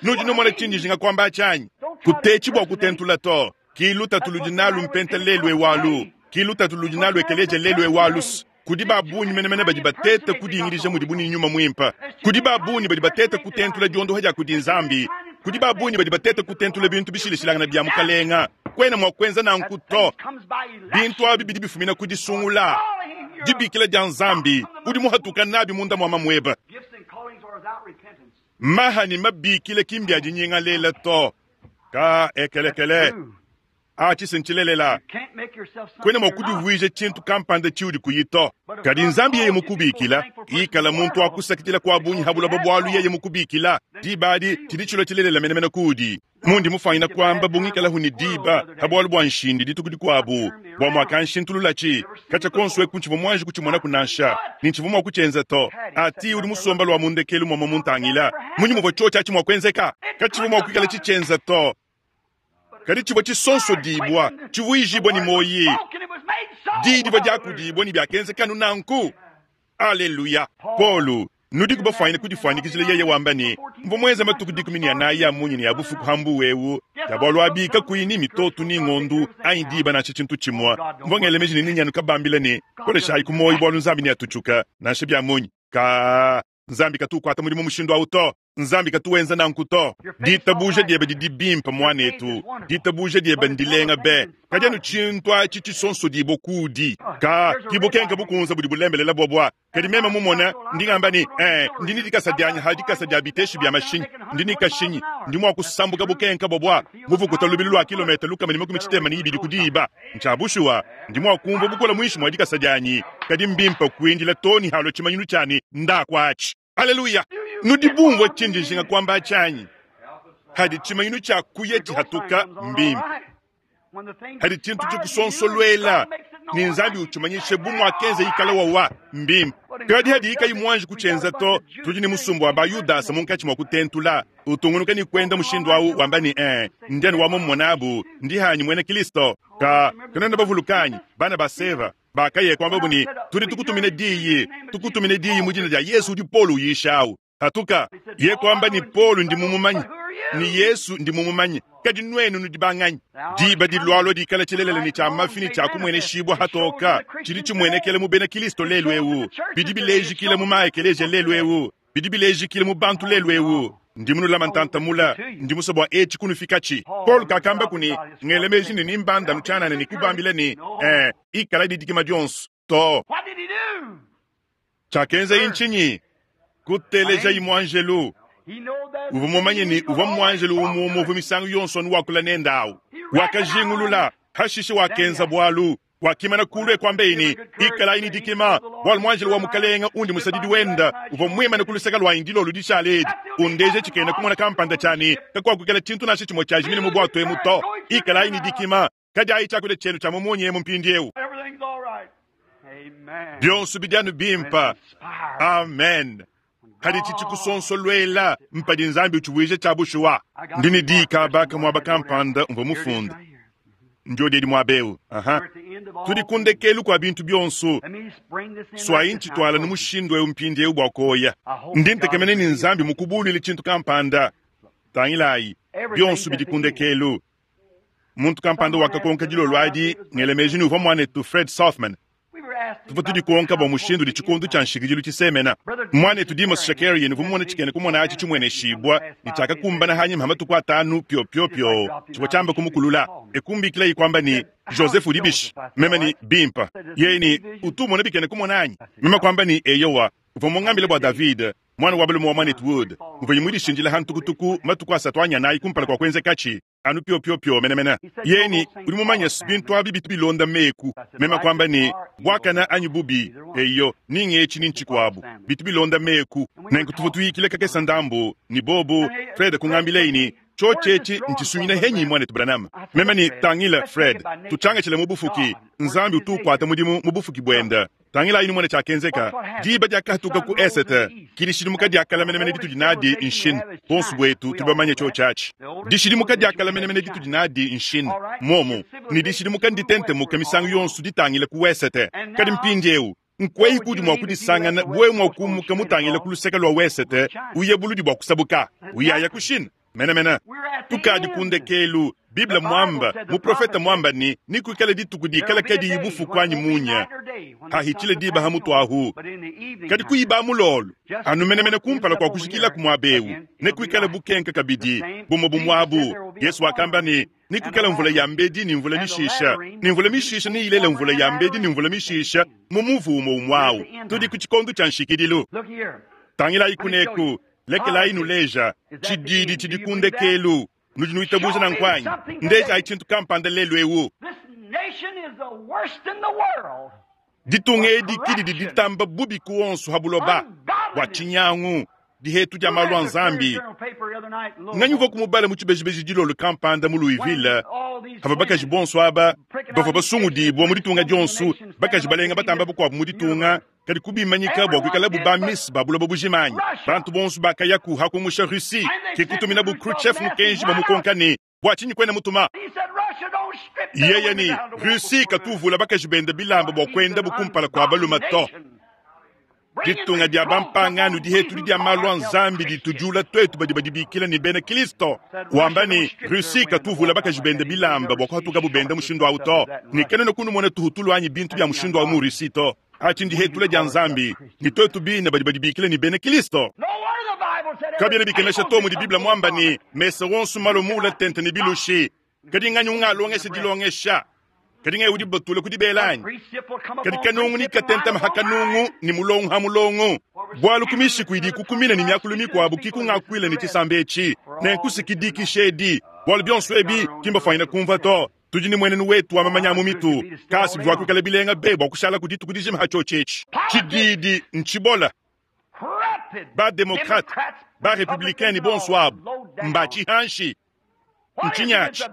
Nudi numona tshindi kuamba tshianyi. Kutetshi bua kutentula to. Ki lutatu ludi nalu mpenta lelu ewalu. Ki lutatu ludi nalu ekeleja lelu ewalu. Kudi babunyi menemene badi bateta kudingidija mudibu ne nyuma muimpe. Kudi babunyi badi bateta kutentula diondoha dia kudi Nzambi. Kudi babunyi badi bateta kutentula bintu bishilashilangana bia mukalenga. Kwena mua kuenza nanku that to. things comes by election. Bintu abi bidi bifumina ku disungula. Calling your Dibikila dia Nzambi udi muhatuka nabi munda mua mamueba. gifts and callings are without repentance. Maha ne mabikile kimbi adinyingalela to. Ka ekelekele. True. Atshi ntshilelela. Can't make yourself something Kwena mua you're not. kudivuija tshintu kampanda tshiudi kuyi to. Kadi Nzambi yeye mukubikila, ikala muntu akusakidila kwa bungi habulaba bualu yeye mukubikila. Diba adi tshidi tshilua tshilelela menemene kuudi. Mundi mufanyina kuamba bungikalahu ne diba ha bualu bua nshindi dituku dikuabu bua muakanshintululatshi katshia konso eku ntshivua muanji kutshimonaku nansha ne ntshivua mua kutshienza to. Ati udi musomba lua mundekelu mua muntangila munyi muvua tshiotshi atshi mua kuenzeka katshivua mua kuikala tshitshienza to. Kadi tshivua tshisonsodibua tshivuijibua ne moyi Spoken, it was made so. diyi divua diakudibua ne biakenzeka anu nanku. Aleluya. Paulo Nudiku bafwanyine kudifwanyikijila yeye wamba ne, Mvwa mwenze matuku 14 a munya ne a bufuku ha mbuwu ewu, ya bwalu abi kakuyi ni mitoto ni ngondu anyi diba nansha tshintu tshimwe. Mvwa ngela meji ne ninyanu kabambila ne, Koleshayi ku muoyo bwalu Nzambi neatutshuka, nansha bya munyi. Kaa, Nzambi katu ukwata mudimu mushindu awu to. Nzambi katu wenza nanku to. Ditabuja dyebe didi bimpe, mwanetu. Ditabuja dyebe ndilenga be. Kadi anu tshintu aci cisonsodibwe kuudi. Kaa, ki bukenke bukunza budi bulembelela bwabwa. Kadi meme mumone, ndi ngamba ne, Ee, ndi ne dikasa dyanyi ha dikasa dya biteshi bya mashinyi. Ndi ne kashinyi. Ndi mwa kusambuka bukenke bwabwa muvukuta lubilu lwa kilometa 162 ku diba. Ncya bushuwa, ndi mwa kumvwa bukole mwinshi mwa dikasa dyanyi. Kadi mbimpe kwindila too ne halua tshimanyinu tshia ne, ndaku atshi. Aleluya! Nudi bumvua tshindi njinga kuamba atshi anyi? Hadi tshimanyinu tshia kuya tshihatuka, mbimpe. Hadi tshintu tshikusonsoluela, ne Nzambi utshimanyishe bu muakenza ikala wawa, mbimpe. Kadi hadiyi kayi muanji kutshienza to, tudi ne musumba wa ba Yudasa munkatshi mua kutentula, utungunuka ne kuenda mushindu au, wamba ne, Ee, ndi anu wa mummonabu, ndi hanyi muena Kilisto. Ka, kanuena bavuluka anyi, bana ba Seva? Bakaya kuambabu ne, Tudi tukutumina diyi, tukutumina diyi mu dina dia Yesu udi Paulo uyisha au. Patuka. Ye kuamba ne, Paulo ndi mumumanye, ne Yesu ndi mumumanye, kadi nuenu nudi banganyi? Diba dilualua dikala tshilelela ne tshia mafi ne tshia kumueneshibua hatoka, tshidi tshimuenekela mu bena Kilisto lelu eu, bidi bilejikila mu ma-ekeleziya lelu eu, bidi bilejikila mu bantu lelu eu. Ndi munulama ntanta mula, ndi musue bua etshi kunufikatshi. Paulo kakambaku ne, Ngela meji ne nimbanda anu tshianana ne kubambila ne, Ee, ikala ne dikima dionso, to. Tshiakenzaye ntshinyi? Kutelejayi muanjelu. Uvua mumanye ne, uvua muanjelu umue umue uvua misangu yonso anu wakula nende au. Wakajingulula, hashishe wakenza bualu. Wakimana kulu e kuambaye ne, Ikalayi ne dikima, bualu muanjelu wa Mukalenge undi musadidi wende uvua muimane ku luseke luanyi dilolo dishale edi, undeja tshikena kumona kampanda tshia ne, kakuakuikala tshintu nansha tshimue tshiajimina mu buatu emu to. Ikalayi ne dikima, kadiayi tshiakudia tshienu tshia mu munya emu mpindieu. Bionso bidi anu bimpe. Amen. Padi tshikusonsoluela, mpadi Nzambi utshivuija tshia bushuwa. Ndi ne diyi kaba ka muaba kampanda umvua mufunde. Ndyodi edi muaba eu. Aha. Tudi ku ndekelu kua bintu bionso. Suayi ntshituala nu mushindu eu mpindieu bua kuoya. Ndi ntekemena ne Nzambi mukubuluile tshintu kampanda. Tangilayi, bionso bidi ku ndekelu. Muntu kampanda wakakonka dilolo adi, ngela meji ne uvua muanetu Fred Sothmann. Tuvua tudikonka bua mushindu udi tshikondo tshia nshikidilu tshisemena. Muanetu Demos Shakarian uvua mumone tshikena kumona atshi tshimueneshibua ne tshiakakumbana anyima ha matuku atanu piopiopio tshivua tshiamba kumukulula. E kumbikilaye kuamba ne, Joseph udi bishi? Meme ne, Bimpe. Yeye ne, Utu umona bikena kumona anyi? Meme kuamba ne, Eyowa. Uvua mungambile bua David, muana wa balume wa muanetu Wood, muvua mudishindile ha ntukutuku matuku asatu anyi anayi kumpala kua kuenzekatshi. Anu piopiopio menemene. Yeye ne, Udi mumanye, bintu abi bitu bilonda meku. Meme kuamba ne, Buakane anyi bubi, eyo, ni ng'etshi ni ntshikuabu, bitu bilonda meku. Nenku tuvua tuyikila kakese ndambu ne bobu. Fred kungambilaye ne, Tshiotshi etshi ntshisunyina henyi, Muanetu Branham? Meme ne, Tangila, Fred, tutshiangatshile mu bufuki. Nzambi utu ukuata mudimu mu bufuki buende. Tangilayi numone tshiakenzeka diba diakahatuka ku esete. Ki dishidimuka dia kale menemene ditudi nadi nshin. Buonso buetu tudi bamanye tshiotshi atshi. Dishidimuka dia kale menemene ditudi nadi nshin. Muomu ne dishidimuka nditentemuke misangu yonso ditangile ku wesete. Kadi mpindieu nkuehi kuudi mua kudisangana bu wewe mua kumuka mutangile ku luseke lua wesete uye buludi bua kusabuka uyaya ku Chine? Menemene, tukadi ku ndekelu. Bible muamba, muprofete muamba ne, nekuikale dituku dikala kadiyi bufuku anyi munya, hahitshile diba ha mutu ahu, kadi kuyiba mulolo anu menemene kumpala kua kujikilaku muaba eu, nekuikale bukenka kabidi bumue bumuabu. Yesu wakamba ne, nekuikale mvula ya mbedi ne mvula mishisha, ne mvula mishisha neyilele mvula ya mbedi ne mvula mishisha mu muvu umue umue au. Tudi ku tshikondo tshia nshikidilu. Tangilayi kuneku. Lekelayi nuleja tshididi tshidi ku ndekelu. Nudi nuitabuja nanku anyi? Ndejayi tshintu kampanda lelu eu. Ditunga edi ki didi ditamba bubi ku onso ha buloba bua tshinyangu, dihetu dia malu a Nzambi. Nganyi uvua kumubala mu tshibejibeji dilolo kampanda mu Louisville, havua bakaji bonso aba bavua basungudibua mu ditunga dionso, bakaji balenga batamba bakuabu mu ditunga, kadi kubimanyika bua kuikalabu ba miss ba buloba bujima anyi? Bantu bonso bakayaku ha kumusha Russie, ke kutuminabu Khrushchev mukenji bamukonka ne, Bua tshinyi kuena mutuma? Yeye ne, Russie katu uvula bakaji bende bilamba bua kuendabu kumpala kua balume to. Ditunga dia bampangano dihetudi dia malu a Nzambi ditujula tuetu badi badibikila ne bena Kristo. Wamba ne, Russie katuvula bakaji bende bilamba bua kuhatukabu benda mushindu au to, ne kanuena kunumona tuhutulu anyi bintu bia mushindu au mu Russie to. Atshi ndihetula dia Nzambi, ne tuetu bine badi badibikila ne bena Kristo. Kabiena bikemesha to mudi Bible muamba ne, mesa wonso malue muule tente ne bilushi. Kadi nganyi ungalongesha dilongesha? Kadi ngai udi batula ku dibela anyi? Kadi kanungu ni katentama ha kanungu ni mulongo ha mulongo, bualu ku mishiku idi ikukumina ne miakulu mikuabu ki kungakuila ne tshisamba etshi, nenku si kidikisha edi, bualu bionso ebi ki mbafuanyine kumvua to. Tudi ne muenenu wetu wa mamanya a mu mitu, kasi bivua kuikala bilenga be bua kushala ku dituku dijima ha tshiotshi etshi. Tshididi ntshibola. Ba-demokrate, ba-republicain ne bonso abu mba tshihanshi. Ntshinyi atshi?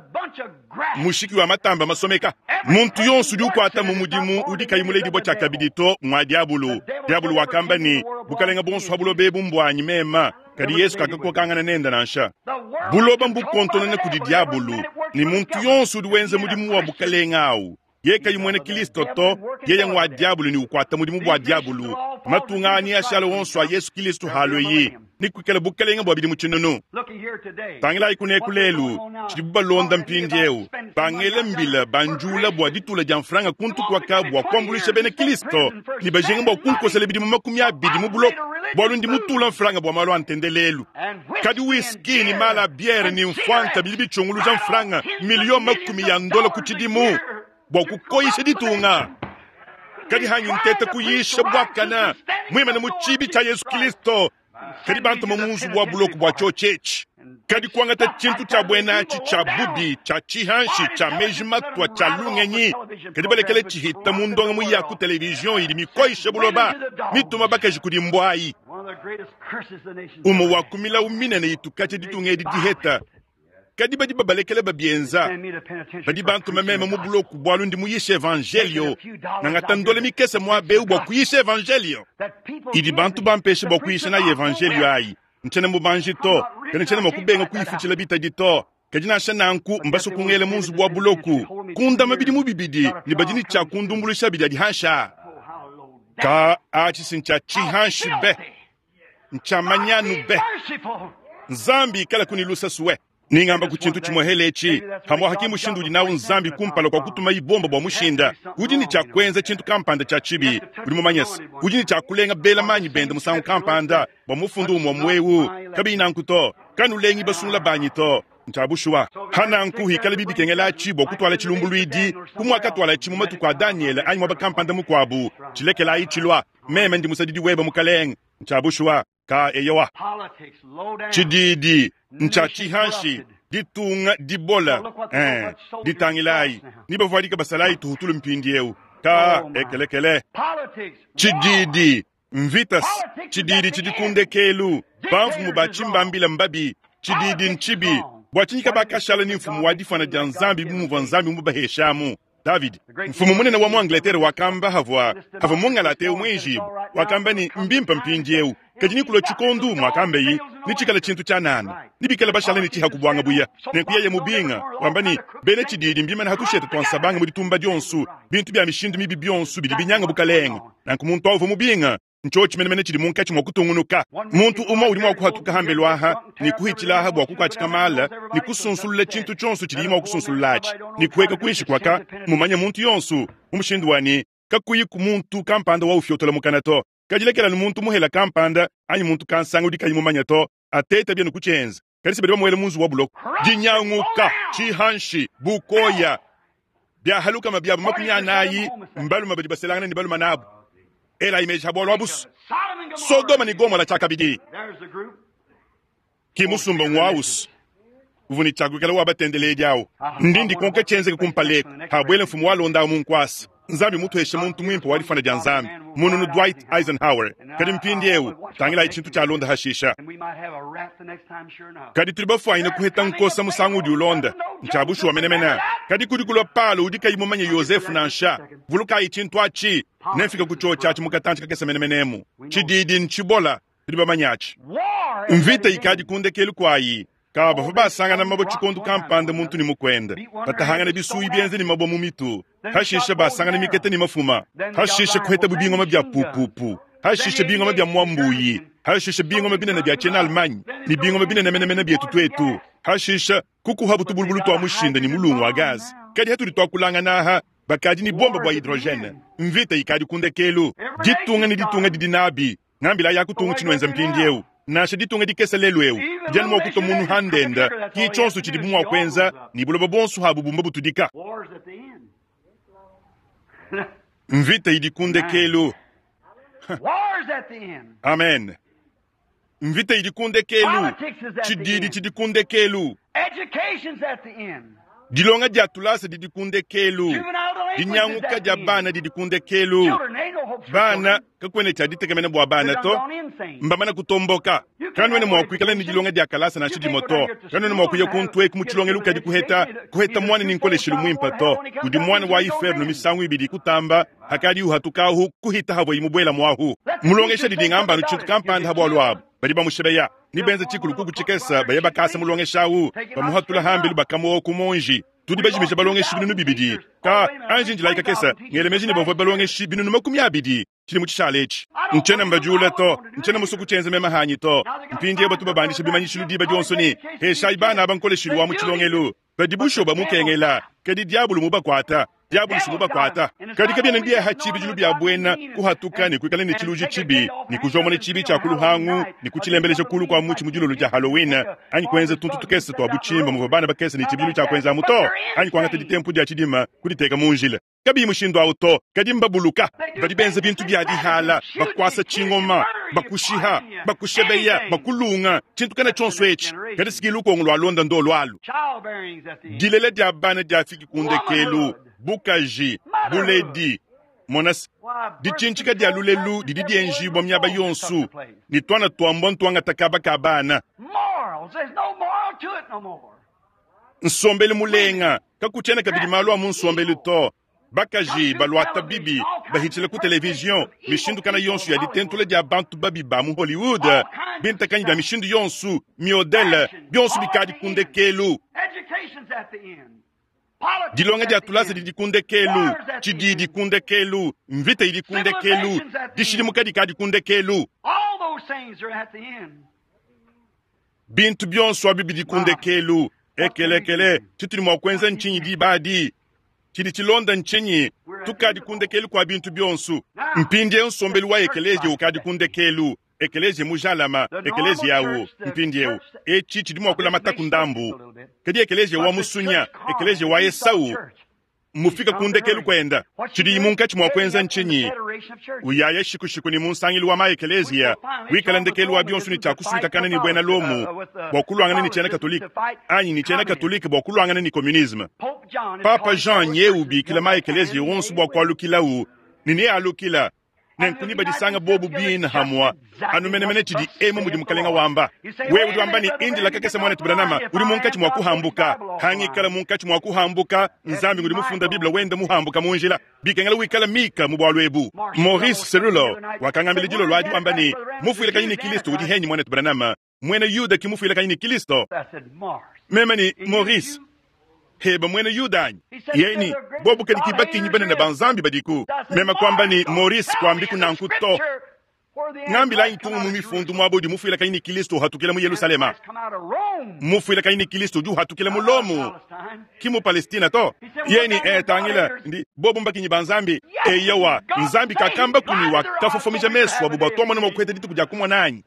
Mushiki wa matamba masomeka. Muntu yonso udi ukuata mu mudimu udi kayi muledibua tshiakabidi to ngua diabulu. Diabulu wakamba ne, Bukalenge buonso ha buloba ebu mbuanyi mema. Kadi Yesu kakakokangana nende nansha. Buloba mbukontonona kudi diabulu, ne muntu yonso udi wenza mudimu wa bukalenge au yeye kayi muena Kristo to, yeye ngua diabulu ne ukuata mudimu bua diabulu. Matunga aa neashale onso a Yesu Kristo halueyi, ne kuikala bukalenge bua bidimu tshinunu. Tangilayi kuneku lelu tshidibu balonda mpindieu, bangela mbila banjula bua ditula dia mfranga kuntu kuaka bua kuambuluisha bena Kristo, ne bajinga bua kunkosela bidimu 20 mu buloko bualu ndi mutula mfranga bua malu a ntendelelu. Kadi whisky ne mala a biere ne mfuanka bidi bitshunguluja mfranga miliyo makumi ya ndola ku tshidimu bua kukoyisha ditunga. Kadi hanyi nteta kuyisha buakana muimane mu tshibi tshia Yesu Kristo, kadi bantuma mu nzubu wa buloko bua tshiotshi etshi. Kadi kuangata tshintu tshia buena atshi tshia bubi, tshia tshihanshi, tshia meji matua, tshia lungenyi, kadi balekele tshihita mu ndongamu ya ku televizion idi mikoyisha buloba, mituma bakaji kudi mbuayi. Umue wa ku milawu minene itu katshia ditunga edi diheta, kadi badi babalekele babienza. Badi bantuma meme mu buloko bualu ndi muyishe evanjelio, ngangata ndole mikese muaba eu bua kuyisha evanjelio idi bantu bampeshe bua kuyisha nayi evanjelio ayi. Ntshiena mubanji to, kadi ntshiena mua kubenga kuyifutshila bitadi to. Kadi nansha nanku mbasue kungela mu nzubu wa buloku, kundama bidimu bibidi, ne badi ne tshia kundumbuluisha bidi adi hanshi aa. Ka atshi si ntshia tshihanshi be, ntshia manyanu be. Nzambi ikalaku ne luse sue. Ningamba ku tshintu tshimuehele etshi, pamuapa ki mushindu udi nawu Nzambi kumpala kua kutumayi bomba bua mushinda. Udi ne tshia kuenza tshintu kampanda tshia tshibi. Udi mumanye se, udi ne tshia kulenga bela manyi bende musangu kampanda bua mufundu umue umue eu. Kabiyi nanku to, kanulengi basungula banyi to. Ntshia bushuwa. Pa nanku, hikalabi bikengela atshi bua kutuala tshilumbuluidi bu muakatualatshi mu matuku a Danyele anyi muaba kampanda mukuabu, tshilekelayi tshilua. Meme ndi musadidi webe, Mukalenge. Ntshia bushuwa. Ka eyowa. Tshididi ntshia tshihanshi, ditunga dibola. Eh, ditangilayi, ne bavuadika basalayi tuhutulu mpindieu. Ka ekelekele. Tshididi mvita, tshididi tshidi ku ndekelu. Bamfumu ba tshimbambila mbabi, tshididi ntshibi. Bua tshinyi kabakashala ne mfumu wa difuana dia Nzambi bu muvua Nzambi mubaheshamu? Davidi, mfumu munene wa mu Angleterre wakamba havua havua mungalata eu muenjibue, wakamba ne, mbimpe mpindieu, kadi nikulua tshikondu muakambeyi nitshikala tshintu tshianana, nibikale bashala ne tshiha kubuanga buya. Nenku yeye mubinga, wamba ne, bena tshididi mbimane ha tushete tua nsabanga mu ditumba dionso, bintu bia mishindu mibi bionso bidi binyanga bukalenge. Nanku muntu au uvua mubinga. Ntshiotshi menemene tshidi munkatshi mua kutungunuka. Muntu umue udi mua kuhatuka hambelu aha ne kuhitshila aha bua kukuatshika mala ne kusunsulula tshintu tshionso tshidiye mua kusunsulula atshi ne kuheka kuinshi kuaka mumanye muntu yonso mu mushindu wa ne kakuyiku muntu kampanda wa ufiotola mukana to. Kadi lekela anu muntu muhela kampanda anyi muntu kansanga udi kayi mumanye to ateta bienu kutshienza. Kadi se badi bamuela mu nzubu wa buloko. Dinyanguka, tshihanshi, bukoya, biahalukama biabo 40 mbalume badi baselangana ne balume nabo. Elayi meji ha bualu abusu. Sodoma ne Gomola tshiakabidi. Ki musumba ngwawusu uvua ne tshiakuikala wa batendeledi awu. Ndi ndikonka tshienzeke kumpala eku habuela mfumu walonda awu mu nkuasa. Nzambi mutuheshe muntu muimpe wa difana dia Nzambi, mununu Dwight Eisenhower. Kadi mpindieu tangilayi tshintu tshialonda hashisha. Kadi tudi bafuanyine kuheta nkosa musangu udi ulonda. Ntshia bushuwa menemene. Kadi kudi kulua Palo udi kayi mumanye Yozefu nansha. Vulukayi tshintu atshi. Nemfike ku tshiotshi atshi mu katantshi kakese menemene emu. Tshididi ntshibola, tudi bamanye atshi. Mvita ikadi ku ndekelu kuayi. Ka bavua basangana mabue tshikondo kampanda muntu ne mukuende, batahangana bisuyi bienza ne mabue mu mitu, hashishe basangana mikete ne mafuma, hashishe kuhetabu bingoma bia pupupu. Hashishe bingoma bia mwambuyi, hashishe bingoma binene bia tshiena Allemagne ne bingoma binene menemene bietu tuetu. Hashishe kukuha butubulubulu tua mushinda ne mulungu wa gaz. Kadi hatudi tuakulangana aha, bakadi ne bomba bua hydrogene. Mvita ikadi ku ndekelu. Ditunga ne ditunga didi nabi. Ngambila ya kutunga tshinuenza mpindieu. Nansha ditunga dikese lelu eu, didi anu mua kutua munu ha ndenda, ki tshionso tshidibu mua kuenza, ne buloba buonso habu bumba butudika. War's at the end. Mvita idi ku ndekelu. War's at the end. Amen. Mvita idi ku ndekelu. Politics is at the Tshididi end. tshidi ku ndekelu. Education's at the end. Dilonga dia tulasa didi ku ndekelu. Juvenile delinquency is Dinyanguka at dia the end. bana didi ku ndekelu. Children, ain't no hope for Bana children. kakuena tshia ditekemena bua bana They're to. done gone insane. Mbamana kutomboka. Kanuena mua kuikala ne dilonga dia kalasa nansha dimue to. Kanuena mua kuya kuntu eku mu tshilongelu kadi kuheta kuheta mwana ni nkoleshilu muimpe to. Udi mwana wa iferno misangu ibidi kutamba hakadi uhatukahu kuhita havua imubuela muahu. Mulongesha didi ngamba tshintu kampanda habua luabu. Badi bamushebeya. Ni benza tshikulu kuku tshikesa baye bakasa mulongesha awu. Bamuhatula hambelu bakamuwa ku monji. Tudi bajimisha balongeshi binunu bibidi. Ka anji njilaika kesa ngelemeji ne bavua balongeshi binunu makumi abidi. Tshili mu tshishala etshi. Ntshiena mbajula to, ntshiena musuku tshienza mema hanyi to. Mpindieu batu babandisha bimanyishilu diba dionso ne heshayi bana aba nkoleshilu wa mu tshilongelu. Badi bushuwa bamukengela, kadi diabulu mubakuata. Diabulu si mubakuata. Kadi kabiena biaha tshibidilu bia buena kuhatuka ne kuikala ne tshiluji tshibi, ne kujomona tshibi tshia kuluhangu, ne kutshilembeleja kulu kua mutshi mu dilolo dia Halloween, anyi kuenza tuntu tukese tua butshimba muvua bana bakese ne tshibidilu tshia kuenza amu to, anyi kuangata ditempu dia tshidima kuditeka mu njila. Kabiyi mushindu awu to, kadi mbabuluka. Badi benza bintu bia dihala, bakuasa tshingoma, bakushiha, bakushebeya, bakulunga, tshintu kana tshionso etshi. Kadi siki lukongo lua londa ndo lualu. Childbearing's at the end. Dilela dia bana diafiki ku ndekelu, bukaji, buledi, monasi. Why, birth Ditshintsika dia control lulelu practice didi everywhere dienjibua you miaba go yonso, took place. ne tuana tuambua ntuangata kaba ka bana. Morals. There's no moral to it no more. Nsombelu mulenga, kakutshiena kabidi malu a mu nsombelu to. Bakaji baluata bibi bahitshila ku televizion mishindu kana yonso ya ditentula dia bantu babi ba mu Hollywood, bintakanyi bia mishindu yonso, miodele bionso bikadi ku ndekelu. Education's at the end. Politics Dilonga at dia the tulasa end. didi ku ndekelu, War's at the tshididi end. ku ndekelu, mvita idi ku ndekelu, dishidimuka dikadi ku ndekelu. All those things are at the end. Bintu bionso abi bidi ku ndekelu. Ekelekele, tshitudi mua kuenza ntshinyi diba adi? Tshidi tshilonda ntshinyi? Tukadi ku ndekelu kua bintu bionso. Mpindieu nsombelu wa ekeleziya ukadi ku ndekelu. Ekeleziya mujalama, ekeleziya awu mpindieu. Etshi tshidi mua kulamata ku ndambu. Kadi ekeleziya wa musunya, ekeleziya wa Esau, mufika ku ndekelu kuenda. Tshidi munkatshi mua kuenza ntshinyi? Uyaya shikushiku ni mu nsangilu wa maekeleziya, wikala ndekelu wa bionso ne tshia kusuikakana ne buena Lomu bua kuluangana ne tshiena Katolike, anyi ne tshiena Katolike bua kuluangana ne communisme. Papa Jean nye ubikila maekeleziya wonso bua kualukilawu, ne nealukila. Nenku badisanga bobu bina hamwa anu menemene tshidi emu mudi mukalenga wamba. Wewe udi wamba ne indila kakese mwana Branham udi munkatshi mua kuhambuka. Hangikala munkatshi mua kuhambuka, Nzambi ngudi mufunda Biblia wenda muhambuka mu njila. Bikengela wikala Mika mu bualu ebu. Maurice Cerullo wakangambila dilolo adi wamba ne mufuilakanyi ne Kristo udi henyi mwana Branham. Mwena Yuda ki mufuilakanyi ne Kristo. I said, Mars. Meme ni Maurice heba mwena Yuda anyi? Yeni bobu kadi kibakinyi banene ba Nzambi badiku. Meme kwamba ni Maurice kwambi kunanku to. Ngambila ntungu mu mifundu mwabo udi mufuilakanyi ne Kristo uhatukila mu Yerusalema. Mufuilakanyi ne Kristo udi uhatukila mu Lomu. Ki mu Palestina to. Yeni tangila ndi bobu mbakinyi ba Nzambi. Eyawa Nzambi kakamba kuni wakafofomija mesu abo bua mwana kuheta dituku dia kumona anyi.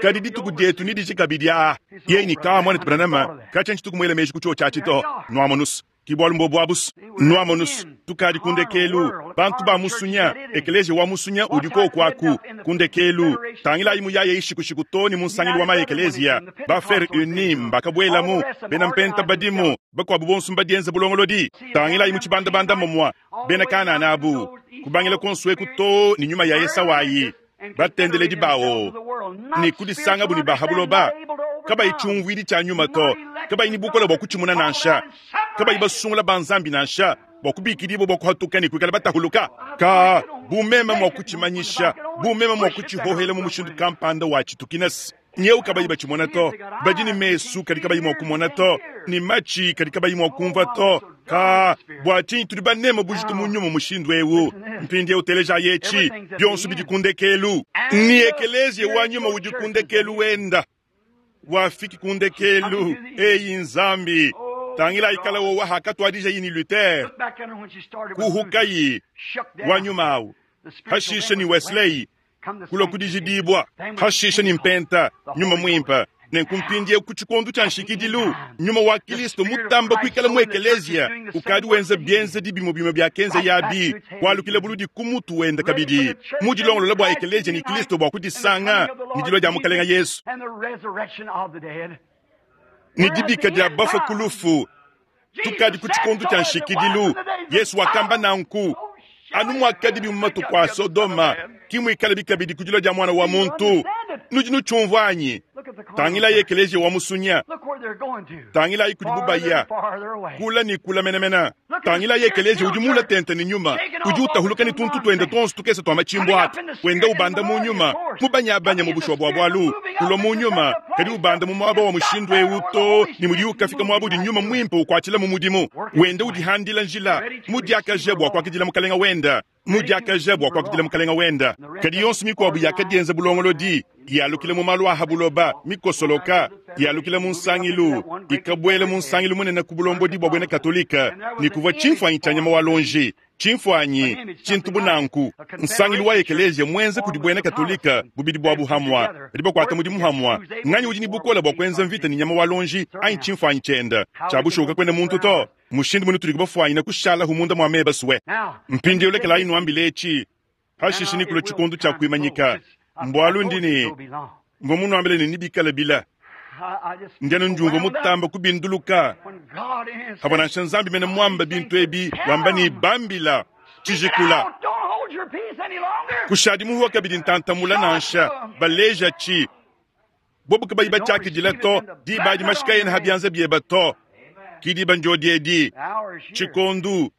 Kadi dituku dietu ni diji kabidi a. Yeni ka mwana Branham kacha nchituku mwele meji kucho chachi to. Nwamonus. Kibwalu mbobu abus. Nwamonus. Tukadi kundekelu. Bantu ba musunya. Ekeleziya wa musunya udiko kwaku. Kundekelu. Tangila imu yaye ishikushiku to ni munsangilu wa maekeleziya. Ba fer unim bakabwelamu. Bena mpenta badimu. Bakwabu bonso mbadienza bulongolodi. Tangila imu tshibandabanda momwa. Bena Kanana abu. Kubangila konsweku to ni nyuma ya Esawayi. Batendeledi bawo. Ni kudisanga buni bahabuloba. Kabayi tshumvuidi tshia nyuma to. Kabayi ni bukola bua kutshimuna nansha. Kabayi basungula ba Nzambi nansha. Bua kubikidibwa bua kuhatuka ne kuikala batahuluka. Ka bumema mua kutshimanyisha, bumema mua kutshihohela mu mushindu kampanda wa tshitukinasi. Nyewu kabayi batshimona to. Badi ne mesu kadi kabayi mua kumona to, ne matshi kadi kabayi mua kumvua to. Ka bua tshinyi tudi baneme bujitu mu nyuma mushindu eu? Mpindieu telejayi etshi, bionso bidi ku ndekelu. Ni ekeleziya wa nyuma udi ku ndekelu wenda. Wafiki ku ndekelu. Eyi Nzambi, tangilayi kala wowa hakatuadijayi ni Luther, kuhukayi wa nyuma awu, hashishe ni Wesley, kulua kudijidibua, hashishe ni mpenta, nyuma muimpe. Nenku mpindieu ku tshikondo tshia nshikidilu, nyuma wa Kilisto mutamba kuikala mu ekeleziya ukadi wenza bienzedi bimue bimue biakenzeyabi, kualukila buludi ku mutu wende kabidi, mu dilongolola bua ekeleziya ne Kilisto bua kudisanga ne dilua dia Mukalenge Yesu ne dibika dia bafue ku lufu. Tukadi ku tshikondo tshia nshikidilu. Yesu wakamba nanku. Anu muakadibi mu matuku a Sodoma, ki muikalabi kabidi ku dilua dia Muana wa muntu. Nudi nutshiumvua anyi? Tangilayi ekeleziya wa musunya. Tangilayi kudibu baya, kula ne kula menemene. Tangilayi ekeleziya udi muula tente ne nyuma, udi utahuluka ne tuntu tuende tuonso tukese tua matshimbu atu, wenda ubanda mu nyuma, mubanyabanya mu bushuwa bua bualu, kulua mu nyuma, kadi ubanda mu muaba wa mushindu eu too ne mudiye ukafika muaba udi nyuma muimpe ukuatshila mu mudimu, wenda udihandila njila, mudiakaje bua kuakidila Mukalenge wende, mudiakaje bua kuakidila Mukalenge wende. Kadi yonso mikuabu yakadienza bulongolodi, yalukila mu malu a ha buloba, mikosoloka, yalukila mu nsangilu, ikabuela mu nsangilu munene ku bulombodi bua buena Katolike, ne kuvua tshimfuanyi tshia nyama wa luonji, tshimfuanyi, tshintu bu nanku, nsangilu wa ekeleziya muenza kudi buena Katolike, bubidi buabu hamua, badi bakuata mudimu hamua. Nganyi udi ne bukole bua kuenza mvita ne nyama wa luonji anyi tshimfuanyi tshiende? Tshia bushuwa kakuena muntu to. Mushindu mune tudi bafuanyine kushalahu munda mua meba sue. Mpindieu lekelayi nuambile etshi, pashishe nekulue tshikondo tshia kuimanyika. Mbualu ndi ne, mvua munuambile ne nebikale bile. Ndi anu ndiumvua mutamba kubinduluka pavua nansha Nzambi mene muamba bintu ebi, wamba ne, Bambila, tshijikula. Kushadi muhuwa kabidi ntantamula nansha, baleja tshi. Bobu kabayi batshiakidila to, diba adi mashi kaena ha bianza bieba to. Ki diba ndiodi edi, tshikondu,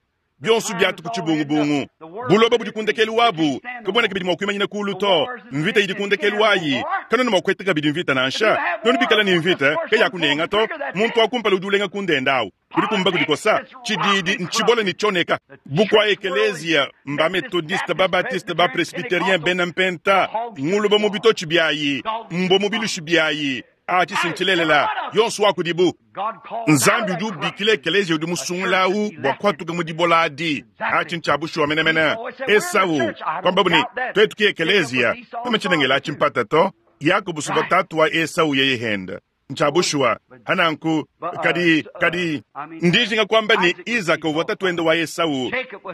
bionso biatu ku tshibungubungu. Buloba budi ku ndekelu wabu, kabuena kabidi mua kuimanyina kulu to. Mvita idi ku ndekelu wayi, kanuena mua kueta kabidi mvita nansha. Nuenu bikala ne mvita, kayakunenga to. Muntu wa kumpala udi ulenga ku ndenda awu, kudi kumba kudikosa. Tshididi ntshibole ne tshioneka. Bukua ekeleziya mba Metodiste, ba Baptiste, ba Presbyterien, bena Mpenta, nguluba mu bitotshi biayi, mbua mu bilushi biayi. Atshi si ntshilelela, yonso wa kudibu. Nzambi udi ubikila ekeleziya udi musungula au bua kuhatuka mu dibola adi. Atshi ntshia bushuwa menemene. Esau kuambabu ne, tuetu ki ekeleziya, meme tshiena ngela atshi mpata to. Yakobo suvua tatu wa Esau yeye henda. Ntshia bushuwa. Hananku, kadi, kadi, ndi njinga kuamba ne, Izaka uvua tatuende wa Esau,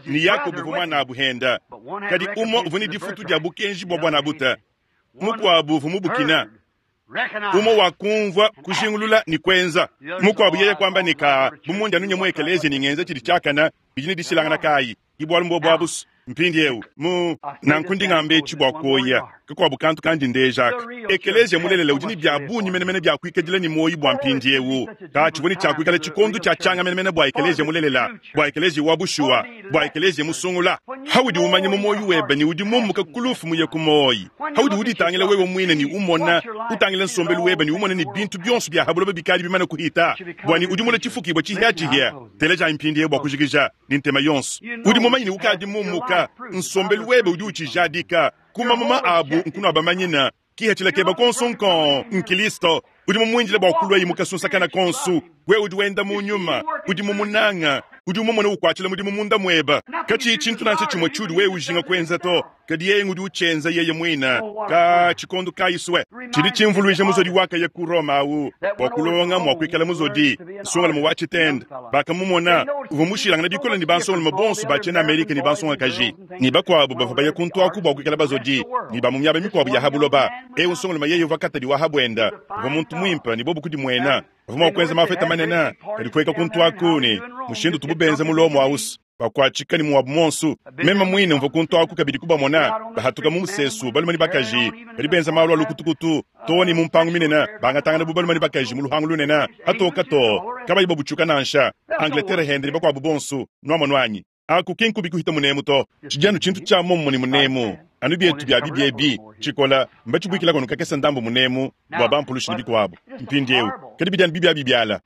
ne Yakobo uvua muanabu henda. Kadi umue uvua ne difutu dia bukenji bua buanabute, mukuabu uvua mubukina. Umue wakumvua, kujingulula ne kuenza. Mukuabu yeye kuamba ne, Kaa, bu mundi anu nya mu ekeleziya ne ngenza tshidi tshiakane, bidi ne dishilangana kayi? Ki bualu mbuobu abu's. Mpindieu, mu nanku ndi ngamba etshi bua kuoya kakuabu kantu kandi ndeja aka. Ekeleziya mulelela udi ne bia bungi menemene bia kuikadila ne muoyo bua mpindieu. Ka tshivua ne tshia kuikala tshikondo tshia tshianga menemene bua ekeleziya mulelela, bua ekeleziya wa bushuwa, bua ekeleziya musungula. Haudi umanya mu muoyo webe ne udi mumuka ku lufu muye ku muoyo, haudi uditangila wewe muine ne umona, utangila nsombelu webe ne umona ne bintu bionso bia ha buloba bikadi bimane kuhita, bua ne udi mulue tshifukibua tshihiatshihia. Telejayi mpindieu bua kujikija ne ntema yonso. Udi mumanye ne ukadi mumuka, nsombelu webe udi utshijadika. Ku mamuma abu nkunuabamanyina. Kihatshila keba konso nkong nkilisto. Udi mumuindile bua kuluayi mu kasunsakana konso. Wewe udi wenda mu nyuma, udi mumunanga, udi umumona ukuatshila mudimu munda mueba. Katshiyi tshintu nansha tshimue tshiudi wewe ujinga kuenza to, kadi yeye ngudi utshienza yeye muine. Ka tshikondo kayi sue. Tshidi tshimvuluija muzodi wakaya ku Roma au bua kulonga mua kuikala muzodi, nsongalume wa tshitende. Bakamumona, uvua mushilangane bikole ne bansongalume bonso ba tshiena Amerika ne bansongakaji ne bakuabu bavua baya kuntu aku bua kuikala bazodi ne ba mu miaba mikuabu ya ha buloba. Eu nsongalume yeye uvua katadi wa ha buenda, uvua muntu muimpe ne bobu kudimuena. Bavua mua kuenza mafeta manene, kadi kueka kuntu aku ne mushindu utubu benza mu Lomo aus bakuatshika ne muabu muonso. Meme muine mvua kuntu aku kabidi kubamona bahatuka mu musesu, balume ne bakaji badi benza malu a lukutukutu too ne mu mpangu minene, bangatangana bu balume ne bakaji mu luhangu lunene hatoka too, kabayi babutshuka nansha. Angleterre hende ne bakuabu bonso, nuamonu anyi? Aku ki nkubi kuhita munemu to. Tshidi anu tshintu tshia momumue ne munemu. Anu bietu bia bibi ebi, tshikola, mbatshibuikilaku anu kakese ndambu munemu bua bampulushi ne bikuabu. Mpindiewu, kadi bidi anu bibiabibiala.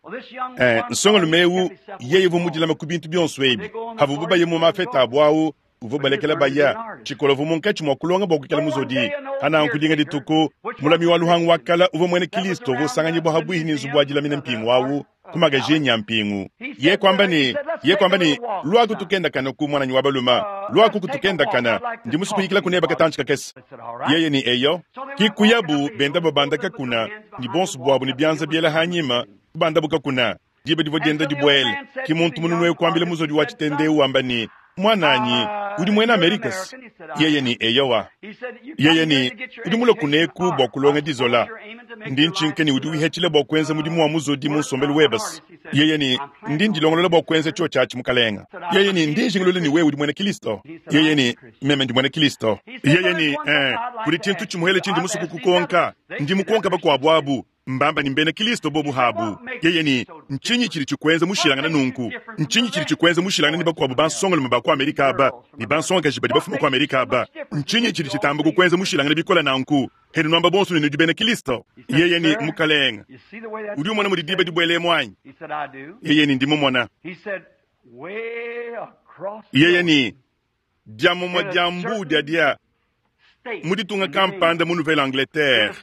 Eh, nsongalume ewu, yeye uvua mudilame ku bintu bionso ebi. Pavuabu baye mu mafeta abu awu, uvua ubalekela baya. Tshikola uvua munkatshi mua kulonga bua kuikala muzodi. Pa nanku dinga dituku, mulami wa luhangu wa kale uvua muena Kristo uvua usanganyibua pabuihi ne nzubu wa dilamina mpingu awu, ku magajenyi a mpingu. Ye kuamba ne, ye kuamba ne, Luaku tukendakanaku, muananyi wa balume. Luaku kutukendakana. Ndi musue kuyikilaku nebe katantshi kakese. Yeye ne, Eyo. Ki kuyabu benda babanda kakuna, ne bonso buabu ne bianza biela anyima, kubandabu kakuna. Diba divua dienda dibuela. Ki muntu mununu eu kuambila muzodi wa tshitende eu wamba ne, Muananyi, udi muena Amerika-se? Yeye ne, Eyowa. Yeye ne, Udi mulue kuneku bua kulonga dizola. Ndi ntshinka ne udi wihatshila bua kuenza mudimu wa muzodi mu nsombelu webe-se? Yeye ne, Ndi ndilongolola bua kuenza tshiotshi atshi, mukalenge. Yeye ne, Ndi njingulula ne wewe udi muena Kristo. Yeye ne, Meme ndi muena Kristo. Yeye ne, Ee, kudi tshintu tshimuele tshindi musue kukukonka. Ndi mukonka bakuabu abu. Mbamba ne mbena Kristo bobu habu. Yeye ne, Ntshinyi tshidi tshikuenza mushilangane nunku? Ntshinyi tshidi tshikuenza mushilangane ne bakuabu bansongalume ba ku Amerika aba ne bansongakaji badi bafuma ku Amerika aba? Ntshinyi tshidi tshitamba kukuenza mushilangane bikole nanku? Henu nuamba bonso ne nudi bena Kristo. Yeye ne, Mukalenge, udi umona mudi diba dibuela emu anyi? Yeye ne, Ndi mumona. Yeye ne, Dia mumue dia mbuu diadia mu ditunga kampanda mu Nouvelle-Angleterre,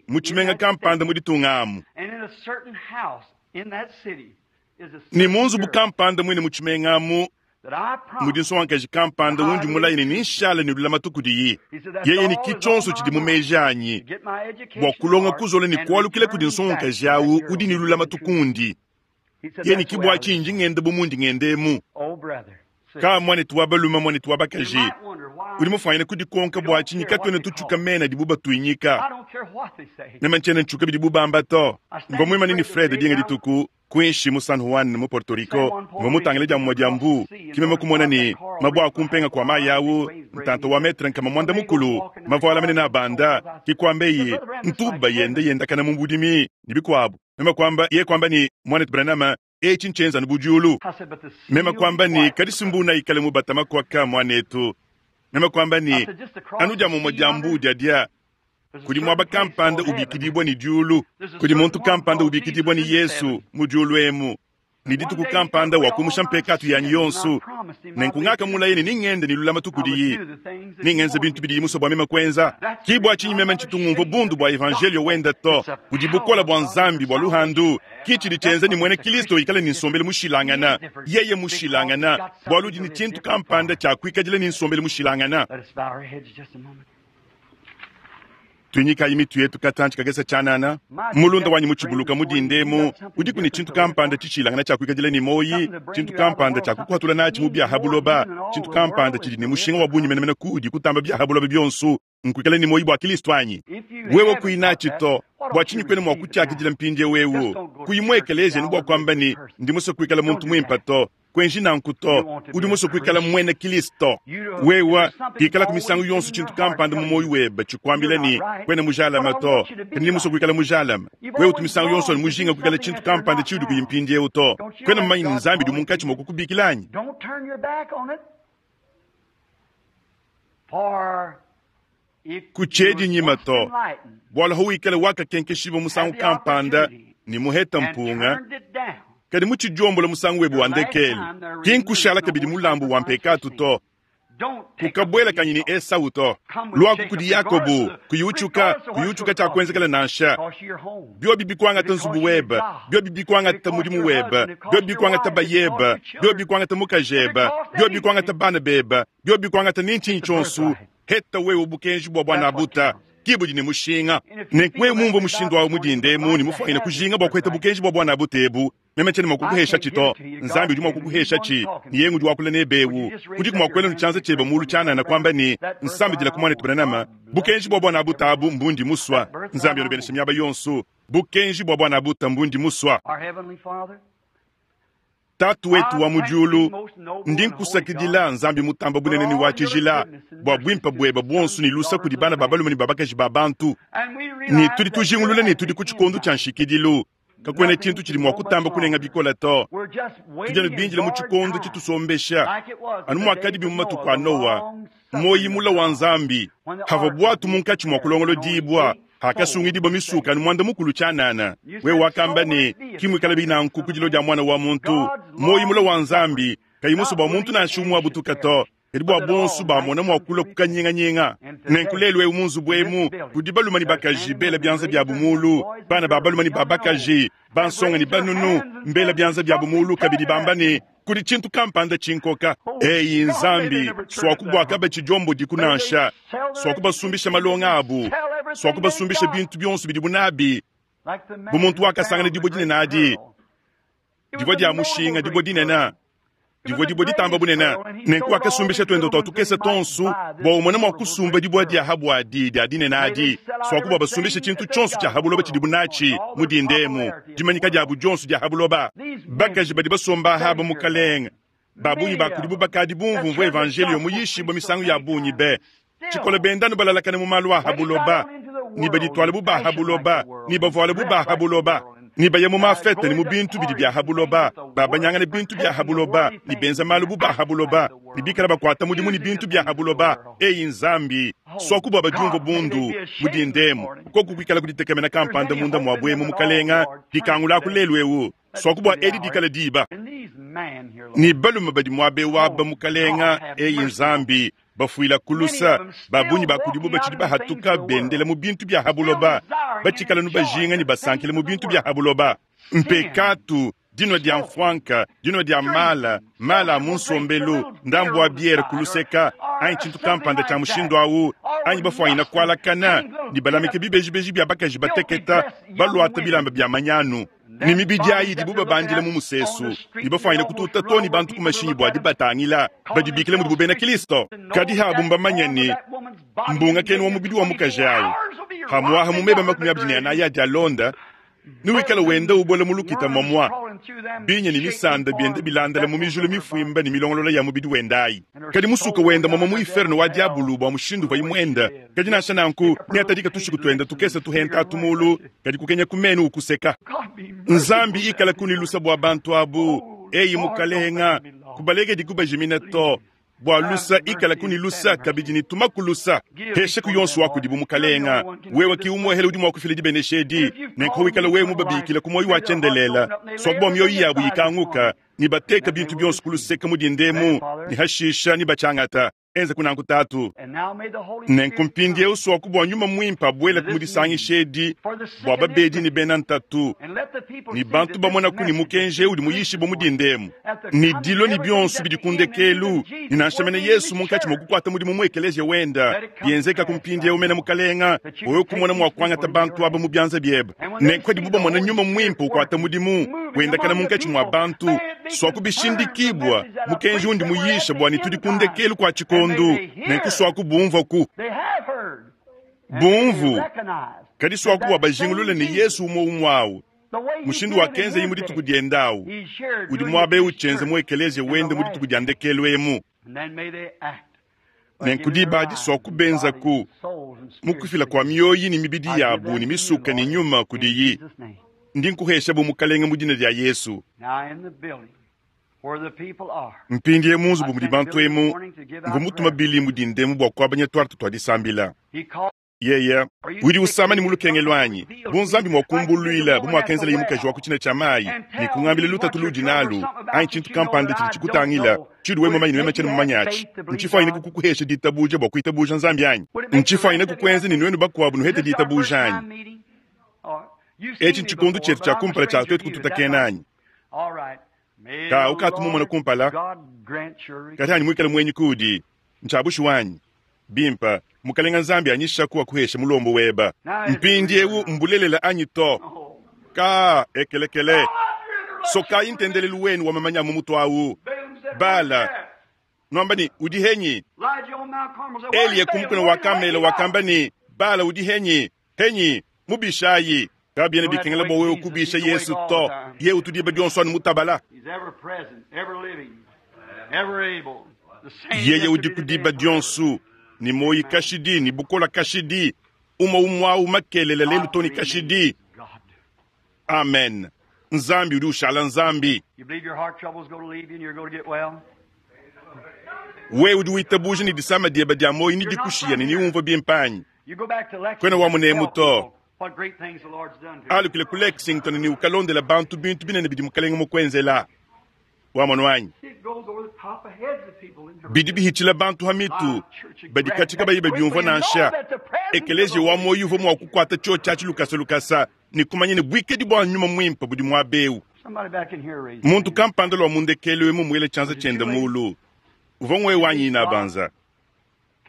mu tshimenga kampanda mu ditunga amu, ne mu nzubu kampanda muine mu tshimenga amu mudi nsongakaji kampanda undi mulaye ne nenshale ne lulamatu kudiye. Yeye ne ki tshionso tshidi mu meji anyi bua kulonga kuzola ne kualukila kudi nsongakaji au udi ne lulamatu kundi. Yeye ne ki bua tshinyi ndi ngenda bu mundi ngenda emu. Ka muanetu wa balume, muanetu wa bakaji, udi mufuanyine kudikonka bua tshinyi katuena tutshuka mena adibu batuinyika. Meme ntshiena ntshuka bidibu bamba to. Mvua muimane ne Fred dinga dituku kuinshi mu San Juan mu Porto Rico, mvua mutangile dia mumue dia mbuu, ke meme kumona ne, mabue a kumpenga kua mayi au ntanta wa metre nkama muanda mukulu, mavuala manene abanda, ke kuambeye ntuba yenda yendakana mu budimi ne bikuabu. Meme kuamba, yeye kuamba ne, Muanetu Branham, etshi ntshienza anu bu diulu. Meme kuamba ne, Kadi si mbuu naikale mubatama kuaka, muanetu. Meme kuamba ne, Anu dia mumue dia mbuu diadia kudi muaba kampanda ubikidibua ne diulu, kudi muntu kampanda ubikidibua ne Yesu mu diulu emu, ne dituku kampanda wakumusha mpekatu yanyi yonso. Nenku ngakamulaye ne ningende ne lulamatu kudiye, ningenze bintu bidiye musue bua meme kuenza. Ki bua tshinyi meme ntshitu ngumvua bundu bua evanjelio wenda to. Budi bukole bua Nzambi bua luhandu. Ki tshidi tshienza ne muena Kristo ikale ne nsombelu mushilangana, yeye mushilangana, bualu udi ne tshintu kampanda tshia kuikadila ne nsombelu mushilangana. Tuinyikayi mitu yetu katantshi kakese tshianana. Mulunda wanyi mutshibuluka mu dinda emu, udiku ne tshintu kampanda tshishilangana tshia kuikadila ne muoyi, tshintu kampanda tshia kukuhatula natshi mu bia ha buloba, tshintu kampanda tshidi ne mushinga wa bungi menemene kuudi kutamba bia ha buloba bionso, nkuikala ne muoyi bua Kristo anyi? Wewe kuyi natshi to, bua tshinyi kuena mua kutshiakidila mpindieu eu? Kuyi mu ekeleziya ne bua kuamba ne, Ndi musue kuikala muntu muimpe to. Kuenji nanku to. Udi musue kuikala muena Kristo. Wewe, pikalaku misangu yonso tshintu kampanda mu muoyo webe tshikuambila ne, kuena mujalame to, kadi ndi musue kuikala mujalame. Wewe utu misangu yonso anu mujinga kuikala tshintu kampanda tshiudi kuyi mpindieu to. Kuena mumanye ne Nzambi udi munkatshi mua kukubikila anyi? Kutshiedi nyima to, bualu hawikale wakakenkeshibua musangu kampanda ne muheta mpunga, kadi mutshidiombola musangu webe wa ndekelu, ki nkushala kabidi mulambu wa mpekatu to. Kukabuelakanyi ne Esau to. Luaku kudi Yakobo, kuyi utshuka, kuyi utshuka tshiakuenzekela nansha. Biobi bikuangata nzubu webe, biobi bikuangata mudimu webe, biobi bikuangata bayebe, biobi bikuangata mukajebe, biobi bikuangata bana bebe, biobi bikuangata ne ntshinyi tshionso, heta wewe bukenji bua buanabuta ki budi ne mushinga. Nenku wewe mumvue mushindu awu mu dinda emu ne mufuanyine kujinga bua kuheta bukenji bua buanabuta ebu, meme tshiena mua kukuheshatshi to. Nzambi udi mua kukuheshatshi, ne yeye ngudi wakula nebe ewu. Udiku mua kuela ne tshianza tshiebe mulu tshianana kuamba ne, Nsambidila ku muanetu Branham, bukenji bua buanabuta abu mbundi musua. Nzambi anubeneshe miaba yonso. Bukenji bua buanabuta mbundi musua. Tatu wetu wa mu diulu, ndi nkusakidila, Nzambi mutamba bunene ne wa tshijila, bua buimpe buebe buonso ne lusa kudi bana ba balume ne ba bakaji ba bantu. Ne tudi tujingulula ne tudi ku tshikondo tshia nshikidilu. Kakuena tshintu tshidi mua kutamba kunenga bikole to. Tudi anu bindile mu tshikondo tshitusombesha, anu muakadibi mu matuku a Noa. Muoyi mula wa Nzambi. Havua buatu munkatshi mua kulongolodibua, hakasungidibua misuka anu muanda mukulu tshianana. Wewe wakamba ne, Ki muikalabi nanku ku dilo dia Muana wa muntu. Muoyi mula wa Nzambi, kayi musue bua muntu nansha umue abutuka to, kadi bua bonso bamona mua kulua ku kanyinganyinga. Nenku lelu eu mu nzubu emu kudi balume ne bakaji bela bianza biabu mulu, bana ba balume ne ba bakaji, bansonga ne banunu mbela bianza biabu mulu kabidi bamba ne, Kudi tshintu kampanda tshinkoka. Eyi Nzambi, suaku bua kabatshidiomboediku nansha, suaku basumbisha malonga abu, suaku basumbisha bintu bionso bidibu nabi, bu muntu wakasangana dibue dinene adi, divua dia mushinga, dibue dinene, divua dibue ditamba bunene. Nenku wakasumbisha tuende tua tukese tuonso bua umone mua kusumba dibue dia ha buadi dia dinene adi, suaku bua basumbishe tshintu tshionso tshia ha buloba tshidibu natshi mu dinda emu, dimanyika diabu dionso dia ha buloba. Bakaji badi basomba aha Mukalenge, ba bungi ba kudibu bakadi bumvumvua evanjeliyo muyishibue misangu ya bungi be tshikola, benda anu balalakana mu malu a ha buloba, ne badituala bu ba ha buloba, ne bavuala bu ba ha buloba, ne baya mu mafete ne mu bintu bidi bia ha buloba, babanyangana bintu bia ha buloba, ne benza malu bu ba ha buloba, ne bikala bakuata mudimu ne bintu bia ha buloba. Eyi Nzambi, suaku bua badiumvua bundu mu dinda emu, koku kuikala kuditekemena kampanda munda muabu emu, Mukalenga, dikangulaku lelu eu. Suaku bua edi dikale diba. Ne balume badi muaba eu aba, Mukalenga, eyi Nzambi, bafuila ku lusa, ba bungi ba kudibo batshidi bahatuka bendela mu bintu bia ha buloba, batshikala nu bajinga ne basankila mu bintu bia ha buloba. Mpekatu, dinua dia mfuanka, dinua dia mala, mala a mu nsombelu, ndambu wa biere ku luseka, anyi tshintu kampanda tshia mushindu au, anyi bafuanyina kualakana ne balamike bibejibeji bia bakaji bateketa baluata bilamba bia manyanu, ne mibidi ayi idibu babandila mu musesu, ne bafuanyina kututa too ne bantu ku mashinyi bua dibatangila, badibikila mudibu bena Kristo. Kadi habu mbamanye ne, mbungakenu wa mubidi wa mukaji awu, hamuaha mu meba 24 adi alonda, newikale wenda ubola mu lukita muamua, binya ne misanda bienda bilandala mu mijulu mifuimba ne milongolola ya mubidi wende ayi. Kadi musuka wenda muamua mu iferno wa diabulu bua mushindu uvuaye muenda. Kadi nansha nanku, neatadika tushiku tuenda tukese tuhenta atu mulu, kadi kukenya ku menu ukuseka. Nzambi ikalaku ne lusa bua bantu abu. Eyi Mukalenga, kubalekedi kubajimina to. Bua lusa, ikalaku ne lusa kabidi ne tumaku lusa. Peshaku yonso wa kudibu, Mukalenga. Wewe ki umuehele udi mua kufila dibenesha edi. Nenku wikala wewe mubabikila ku muoyo wa tshiendelele, suaku bua mioyo yabu yikanguka, ne bateka bintu bionso ku luseke mu dinda emu, ne hashisha ne batshiangata. Enza nanku, Tatu. Nenku mpindieu suaku bua Nyuma Muimpe abuelaku mu disangisha edi bua babedi ne bena ntatu ne bantu bamonaku ne mukenji eu udi muyishibue mu dinda emu, ne dilua ne bionso bidi ku ndekelu, ne nansha mene Yesu munkatshi mua kukuata mudimu mu ekeleziya wenda, bienzekaku mpindieu mene, Mukalenga, wewe kumona mua kuangata bantu aba mu bianza biebe. Nenku padibu bamona Nyuma Muimpe ukuata mudimu, wendakana munkatshi mua bantu, suaku bishindikibua mukenji undi muyisha bua ne tudi ku ndekelu kua tshikondo. Nenku suaku bumvuaku bumvu, kadi suaku bua bajingulule ne Yesu umue umue au, mushindu wakenzaye mu dituku diende au, udi muaba eu tshienza mu ekeleziya wende mu dituku dia ndekelu emu. Nenku diba adi suaku benzaku mu kufila kua mioyi ne mibidi yabu ne misuka ne nyuma kudiyi. Ndi nkuhesha bu Mukalenge mu dina dia Yesu. Mpindieu mu nzubu mudi bantu emu, mvua mutuma Billy mu dinda emu bua kuabanya tuarte tua disambila. Yeye udi usama ne mu lukenge luanyi, bu Nzambi mua kumbuluila bu muakenzeleye mukaji wa ku tshina tshia mayi ne kungambila lutatu luudi nalu, anyi tshintu kampanda tshidi tshikutangila tshiudi wewe mumanye ne meme tshiena mumanye atshi, ntshifuanyine kukuhesha ditabuja bua kuitabuja Nzambi anyi? Ntshifuanyine kukuenza ne nuenu bakuabu nuhete ditabuja anyi? Etshi ntshikondo tshietu tshia kumpala tshia tuetu kututakena anyi? Ka ukatu mumona kumpala, kadi anyi muikale muenyi kuudi, ntshia bushuwa anyi? Bimpe, Mukalenga Nzambi anyishaku akuheshe mulombo weba. Mpindieu mbulelela anyi to? Ka ekelekele. Sokayi ntendelelu wenu wa mamanya mu mutu awu. Bala nuamba ne, udi henyi? Eliya ku mukuna wa Kamelo wakamba ne, Bala udi henyi? Henyi? Mubishayi. Kabiena bikengela bua wewe kubisha Yesu to. Ye utu diba dionso anu mutabala. Yeye udi ku diba dionso ne muoyi kashidi ne bukola kashidi, umue umue au makelela lelu to ne kashidi. Amen. Nzambi udi ushala Nzambi. Wewe udi witabuja ne disama diebe dia muoyo nedikushiye ne niwumvue bimpe anyi? Kuena wa munemu to. Alukile ku Lexington ne ukalondela bantu bintu binene bidi Mukalenge mukuenzela. Wamonu anyi? Bidi bihitshila bantu ha mitu badi katshi kabayi babiumvua nansha. Ekeleziya wa muoyo uvua mua kukuata tshiotshi atshi lukasa lukasa ne kumanya ne buikadi bua nyuma muimpe budi muaba eu. Muntu kampanda lua mu ndekelu emu muele tshianza tshiende muulu uvua ngwe wanyi inabanza.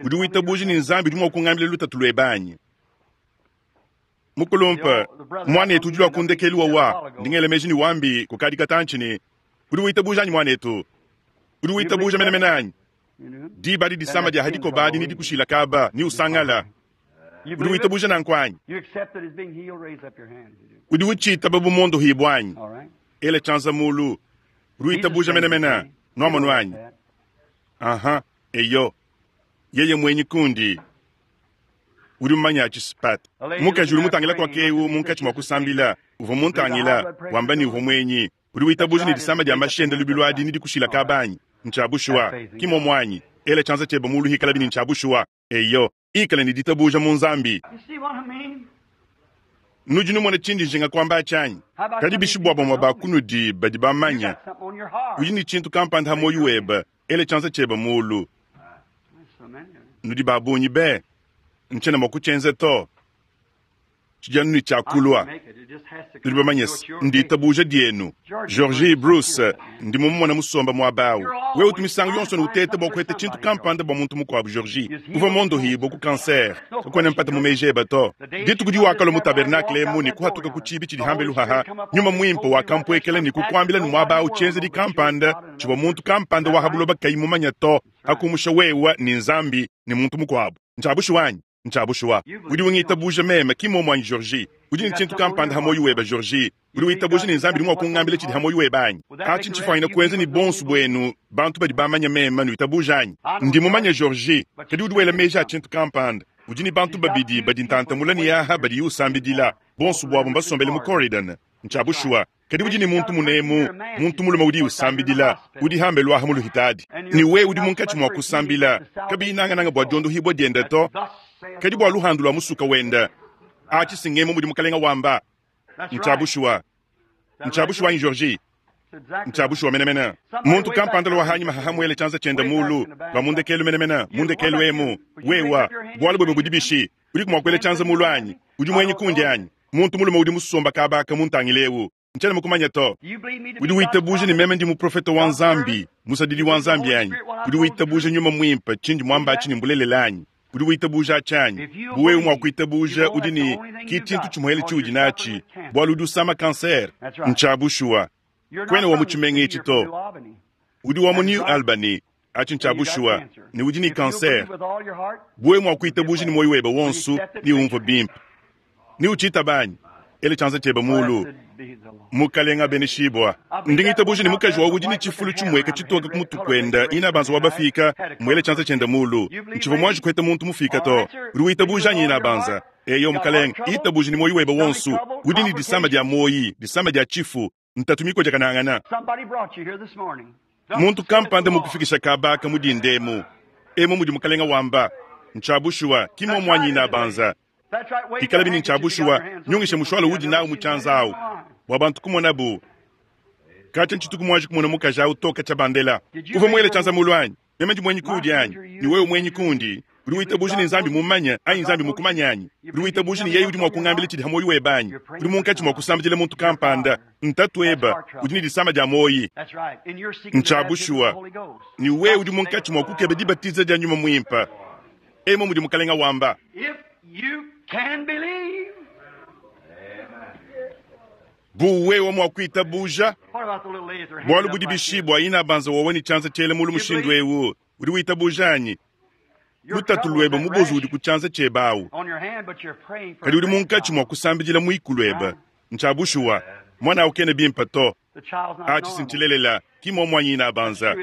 Udi witabuja ne Nzambi udi mua kungambila lutatu luebe anyi? Mukulumpe, muanetu udi lua ku ndekelu wawa, ndi ngela meji ne wambi kukadi katantshi ne, udi witabuja anyi muanetu? Udi witabuja menemene anyi? Diba adi disama dia hadikoba adi nedikushila kaba ne usangala. Udi witabuja nanku anyi? Udi utshitaba bu mondohibua anyi? Ela tshianza mulu. Udi witabuja menemene, nuamonu anyi? Aha, eyo. Yeye muenyi kundi. Udi mumanya atshi spat. Mukaji udi mutangila kwa kewu munkatshi mua kusambila, uvua muntangila, wamba ne uvua muenyi. Udi witabuja ne disama dia mashi ende lubilu adi nedikushila kaba anyi? Ntshia bushuwa. Ki muomu anyi? Ela tshianza tshiebe mulu hikalabi ne ntshia bushuwa. Eyo, ikala ne ditabuja mu Nzambi. Nudi numona tshindi njinga kuamba atshi anyi? Kadi bishi bua bamue ba kunudi badi bamanya, udi ne tshintu kampanda ha muoyo webe, ela tshianza tshiebe mulu. Nudi ba bungi be, ntshiena mua kutshienza to. Tshidi anu ne tshiakulua. Nudi bamanye se, nditabuja dienu. Georgie Bruce, ndi mumumona musomba muaba au. Wewe utu misangu yonso ne uteta bua kuheta tshintu kampanda bua muntu mukuabu, Georgie. Uvua mondohibue ku cancer. Kakuena mpata mu meji ebe to. Dituku diwakalua mu tabernacle emu ne kuhatuka ku tshibi tshidi hambelu haha, nyuma muimpe wakampuekela ne kukuambila ne muaba au tshienzedi kampanda tshivua muntu kampanda wa ha buloba kayi mumanya to, hakumusha wewe ne Nzambi ne muntu mukuabu. Ntshia bushuwa anyi? Ntshia bushuwa. Udi ungitabuja meme, ki muomu anyi, Georgie? Udi ne tshintu kampanda ha muoyo webe, Georgie. Udi witabuja ne Nzambi udi mua kungambila tshidi ha muoyo webe anyi? Atshi ntshifuanyine kuenza ne bonso buenu bantu badi bamanya meme nuitabuja anyi? Ndi mumanye Georgie, kadi udi wela meji a tshintu kampanda. Udi ne bantu babidi badi ntanta mule ne aha badiye usambidila. Bonso buabu mbasombele mu Corydon. Ntshia bushuwa. Kadi udi ne muntu munemu, muntu mulume udi usambidila, udi hambelu aha mu luhitadi. Ne wewe udi munkatshi mua kusambila, kabiyi nangananga bua diondohibua diende to, kadi bua luhandu lua musuka wende. Atshi si ngemu mudi Mukalenga wamba. Ntshia bushuwa. Ntshia bushuwa anyi, Georgie? Ntshia bushuwa menemene. Muntu kampanda lua hanyima haha muele tshianza tshiende mulu, lua mu ndekelu menemene, mu ndekelu emu. Wewa, bualu buebe budi bishi? Udiku mua kuela tshianza mulu anyi? Udi muenyi kundi anyi? Muntu mulume udi musomba kabaka muntangile eu. Ntshiena mukumanya to. Udi witabuja ne meme ndi muprofete wa Nzambi, musadidi wa Nzambi anyi? Udi witabuja nyuma muimpe tshindi muamba atshi ne mbulelela anyi? Udi witabuja atshi anyi? Bu wewe mua kuitabuja, udi ne ki tshintu tshimuele tshiudi natshi, bualu udi usama cancer. Ntshia bushuwa. Kuena wa mu tshimenga etshi to. Udi wa mu New Albany. Atshi ntshia bushuwa, ne udi ne cancer. Bu wewe mua kuitabuja ne muoyo webe wonso, neumvue bimpe. Ne utshitaba anyi? Ela tshianza tshiebe mulu. Mukalenga abeneshibua. Ndi ngitabuja ne mukaji wa udi ne tshifulu tshimueka tshitoke ku mutu kuenda inabanza wa bafika muele tshianza tshiende mulu. Ntshivua muanji kuheta muntu mufika to. Udi witabuja anyi inabanza? Eyo mukalenga, itabuja ne muoyo webe wonso. Udi ne disama dia muoyi, disama dia tshifu, ntatu mikojakanangana. Muntu kampanda mukufikisha kabaka mu dinda emu. Emu mudi mukalenga wamba. Ntshia bushuwa, ki muomu anyi inabanza? Ikalabi ne ntshia bushuwa, nyungisha mushwala udi nawu mu tshianza awu bua bantu kumonabu. Katshia ntshituku muanji kumona mukaji awu to katshia bandela. Uvua muele tshianza mulu anyi? Meme ndi muenyi kuudi anyi? Ne wewe muenyi kundi? Udi witabuja ne Nzambi mumanye anyi Nzambi mukumanye anyi? Udi witabuja ne yeye udi mua kungambila tshidi ha muoyo webe anyi? Udi munkatshi mua kusambidila muntu kampanda, ntatu ebe, udi ne disama dia muoyi. Ntshia bushuwa. Ne wewe udi munkatshi mua kukeba dibatiza dia nyuma muimpe. Emu mudi Mukalenga wamba. Bu wewe mua kuitabuja, bualu budi bishibua inabanza wowe ne tshianza tshiele mulu mushindu eu, udi witabuja anyi? Lutatu luebe mubozu udi ku tshianza tshiebe awu, kadi udi munkatshi mua kusambidila muikulu ebe. Ntshia bushuwa, muana awu kena bimpe to. Atshi si ntshilelela, ki muomu anyi inabanza?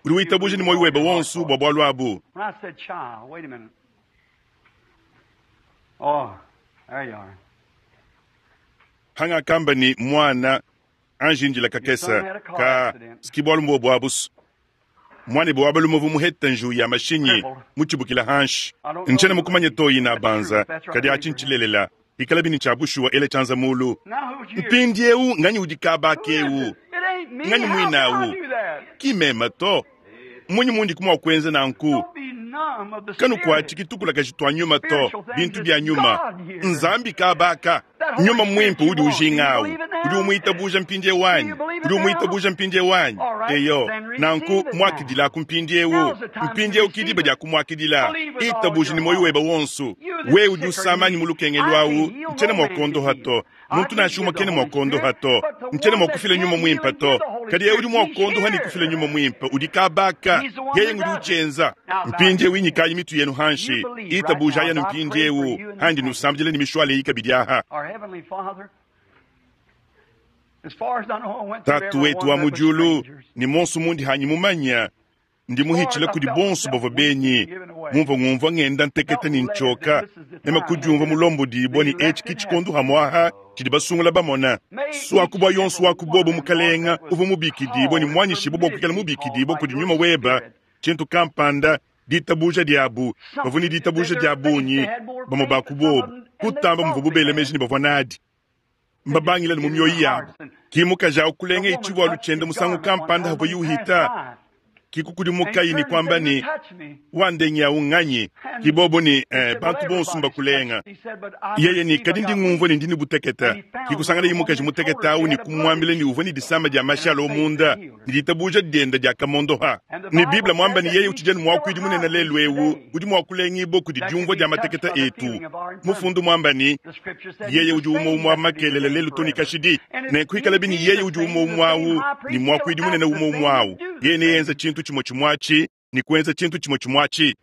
Udi witabuja ne muoyo webe wonso bua bualu abu? Hangakamba ne muana, anji ndila kakese ka ski bualu mbuobu abusu. Muanebe wa balume uvua muhete njiwu ya mashinyi mutshibukile hanshi. Ntshiena mukumanye to, inabanza, kadi atshi ntshilelela. Ikalabi ne tshia bushuwa, ela tshianza mulu. Mpindieu nganyi udi kaba keu? Nganyi muine au? Ki meme to. Mmunyi mundi mua kuenza nanku? Kanukuatshiki tukulakaji tua nyuma to, bintu bia nyuma. Nzambi kabaka. Nyuma muimpe udi ujinga au. Udi umuitabuja mpindieu anyi? Udi umuitabuja mpindieu anyi? Eyo, nanku muakidilaku mpindieu. Mpindieu ki diba dia kumuakidila. Itabuja ne muoyo webe wonso. Wewe udi usama anyi mu lukengelu au, ntshiena mua kuondoha to. Muntu nansha umue kena mua kuondoha to. Ntshiena mua kufila nyuma muimpe to. Kadi yeye udi mua kuondoha ne kufila nyuma muimpe udi kabaka. Yeye ngudi utshienza. Mpindieu inyikayi mitu yenu hanshi. Itabujayi anu mpindieu handi nusambidila ne mishuale eyi kabidi aha. Tatu wetu wa mu diulu, ne monso mundi hanyi mumanya, ndi muhitshile kudi bonso bavua benyi, mumvua ngumvua ngenda nteketa ne ntshioka, meme kudiumvua mulombodibua ne etshi ki tshikondo hamuaha tshidi basungula bamona. Suaku bua yonso wa ku bobo mukalenga uvua mubikidibua ne muanyishibua bua kuikala mubikidibua kudi nyuma weba, tshintu kampanda, ditabuja diabu, bavua ne ditabuja dia bungi, bamue ba ku bobo, kutamba muvuabu bela meji ne bavua nadi. Mbabangila ne mu mioyo yabu. Ki mukaji au kulenga tshivualu tshiende musangu kampanda havuaye uhita, ki kukudimukaye ne kuamba ne, Wandengi au nganyi? Ki bobo ne, bantu bonso mbakulenga. Yeye ne, kadi ndi ngumvua ne ndi ne butekete. Ki kusanganaye mukaji mutekete au ne kumuambila ne uvua ne disama dia mashi alo munda, ne ditabuja diende diakamondoha. Ne Bible muamba ne yeye utshidi anu muakuidi munene lelu eu, udi mua kulengibua kudi diumvua dia matekete etu. Mufundu muamba ne, yeye udi umue umue wa makelela lelu to ne kashidi. Nenku ikalabi ne yeye udi umue umue au, ne muakuidi munene umue umue au, yeye neyenze tshintu tshimue tshimue atshi, ne kuenza tshintu tshimue tshimue atshi.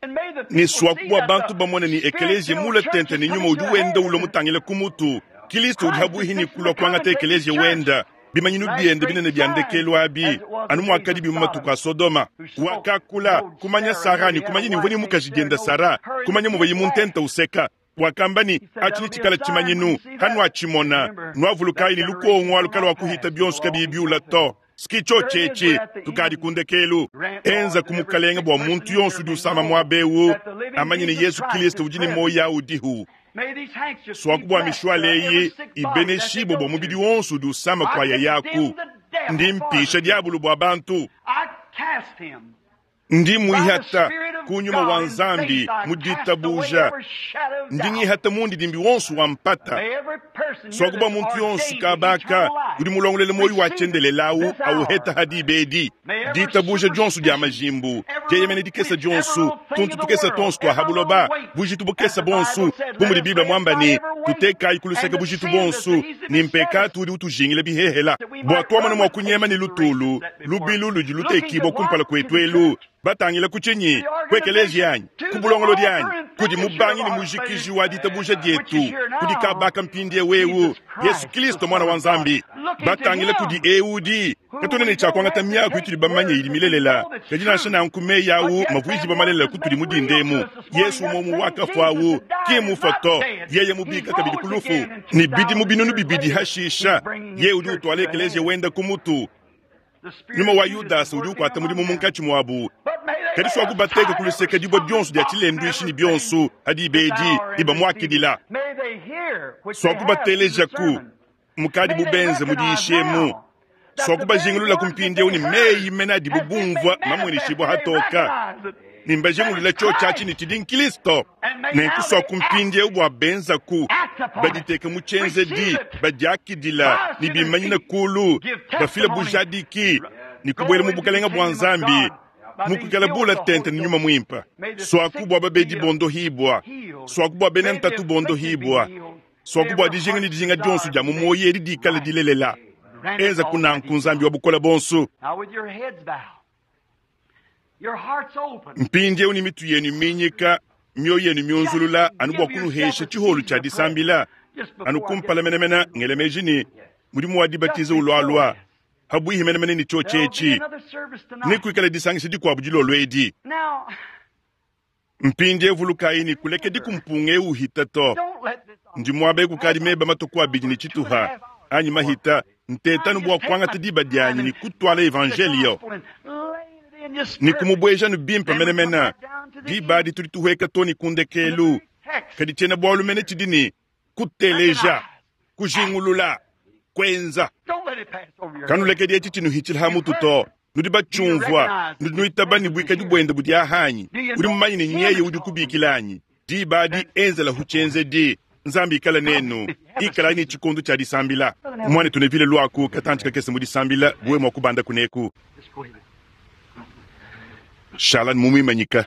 Ne suaku bua bantu bamone ne ekeleziya mule tente ne nyuma udi wenda ulua mutangile ku mutu. Kristo udi habuihi ne kulua kuangata ekeleziya wenda. Bimanyinu biende binene bia ndekelu abi, anu muakadi mu matuku a Sodoma. Wakakula, kumanya Sara ne kumanya ne muvua ne mukaji diende Sara, kumanya muvuaye mu ntenta useka. Wakamba ne, atshi tshikala tshimanyinu, hanuatshimona, nuavulukayi ne lukongo alu kaluakuhita bionso kabiyi biula to. Ski tshetshi tukadi ku ndekelu. Enza ku mukalenga bua muntu yonso udi usama muaba eu, amanye ne Yesu Kristo udi ne muoyo au udihu. Suaku bua mishuale eyi ibeneshibue bua mubidi wonso udi usama kwa yayaku. Ndi mpisha diabulu bua bantu. Ndi muihata ku nyuma wa Nzambi mu ditabuja. Ndi ngihata mundidimbi wonso wa mpata. Suaku bua muntu yonso kabaka udi mulongolele muoyo wa tshiendelele auheta hadi bedi. Ditabuja dionso dia majimbu, dieyemena dikesa dionso, tuntu tukesa tonso tua habuloba, bujitu bukesa bonso, bu mudi Bible muamba ne, tutekayi ku luseke bujitu bonso, ne mpekatu udi utujingila bihehela. Bua tuamona mua kunyema ne lutulu, lubilu ludi lutekibua kumpala kuetu elu. Batangila ku tshinyi? Ku ekeleziya anyi? Ku bulongolodi anyi? Kudi mubangi ne mujikiji wa ditabuja dietu, kudi kabaka mpindieu eu, Yesu Kristo mwana wa Nzambi. Batangila kudi eu udi katuena ne tshia kuangata miaku itudi bamanye idi milelela, kadi nansha nanku meyi au mavuijibua malelela kutudi mu dindemu. Yesu umue wakafua au ki mufa to, yeye mubika kabidi ku lufu, ne bidimu binunu bibidi hashisha, yeye udi utuala ekeleziya wenda ku mutu. Nyuma wa Yudasa udi ukuata mudimu munkatshi muabu, kadi suaku bateka ku luseke dibue dionso dia tshilenduishi ne bionso hadi bedi ibamuakidila. Suaku batelejaku mukadi bubenze mudiyishemu. Suaku bajingulula ku mpindieu ne meyi mene adibu bumvua mamueneshibua hatoka. Ne mbajingulula tshiotshi ne tshidi Nkristo. Nenku suaku mpindieu bua benzaku baditeke mu tshienzedi, badiakidila ne bimanyina kulu, bafila bujadiki ne kubuela mu bukalenga bua Nzambi, mukuikala bula tente ne nyuma muimpe. Suaku bua babedi bondohibua, suaku bua bena ntatu bondohibua, suaku bua dijinga ne dijinga dionso dia mu muoyo edi dikale dilelela. Enza kunanku Nzambi wa bukole bonso. Now with your heads bowed, your hearts open. Mpindieu ne mitu yenu minyika, mioyo yenu miunzulula, anu bua kunuhesha tshiholu tshia disambila, anu kumpala menemene ngele meji ne mudimu wa dibatiza ulualua habuihi menemene ne tshiotshi There'll be etshi, another service tonight. nekuikale disangisha dikuabu dilolo edi. Now, Mpindieu vulukayi ne kulekedi kumpunga eu uhita to. don't let this Ndi muaba kukadi meba matuku abidi ne tshituha anyi mahita ntetanu bua kuangata diba dianyi ne kutuala evangelio. gospel and lay it Ne kumubwejanu bimpe menemene. Diba adi tudi tuhweka too ne ku ndekeelu. Kadi cyena-bwalu mene cidi ne, Kuteleja, kujingulula, kwenza. Kanulekedi eci cinuhicila ha mutu to. Nudi bacyumvwa, nudi nwitaba ne bwikadi bwende budi aha anyi? Udi mumanye ne nyeye udi ukubikila anyi? Diba adi enzelahu cyenzedi. Nzambi ikale nenu. Ikalayi ne cikondo cya disambila. Mwanetu Neville, lwaku katanci kakese mu disambila, bu wewe mwa kubanda kuneeku. Shala ne mumwimanyika.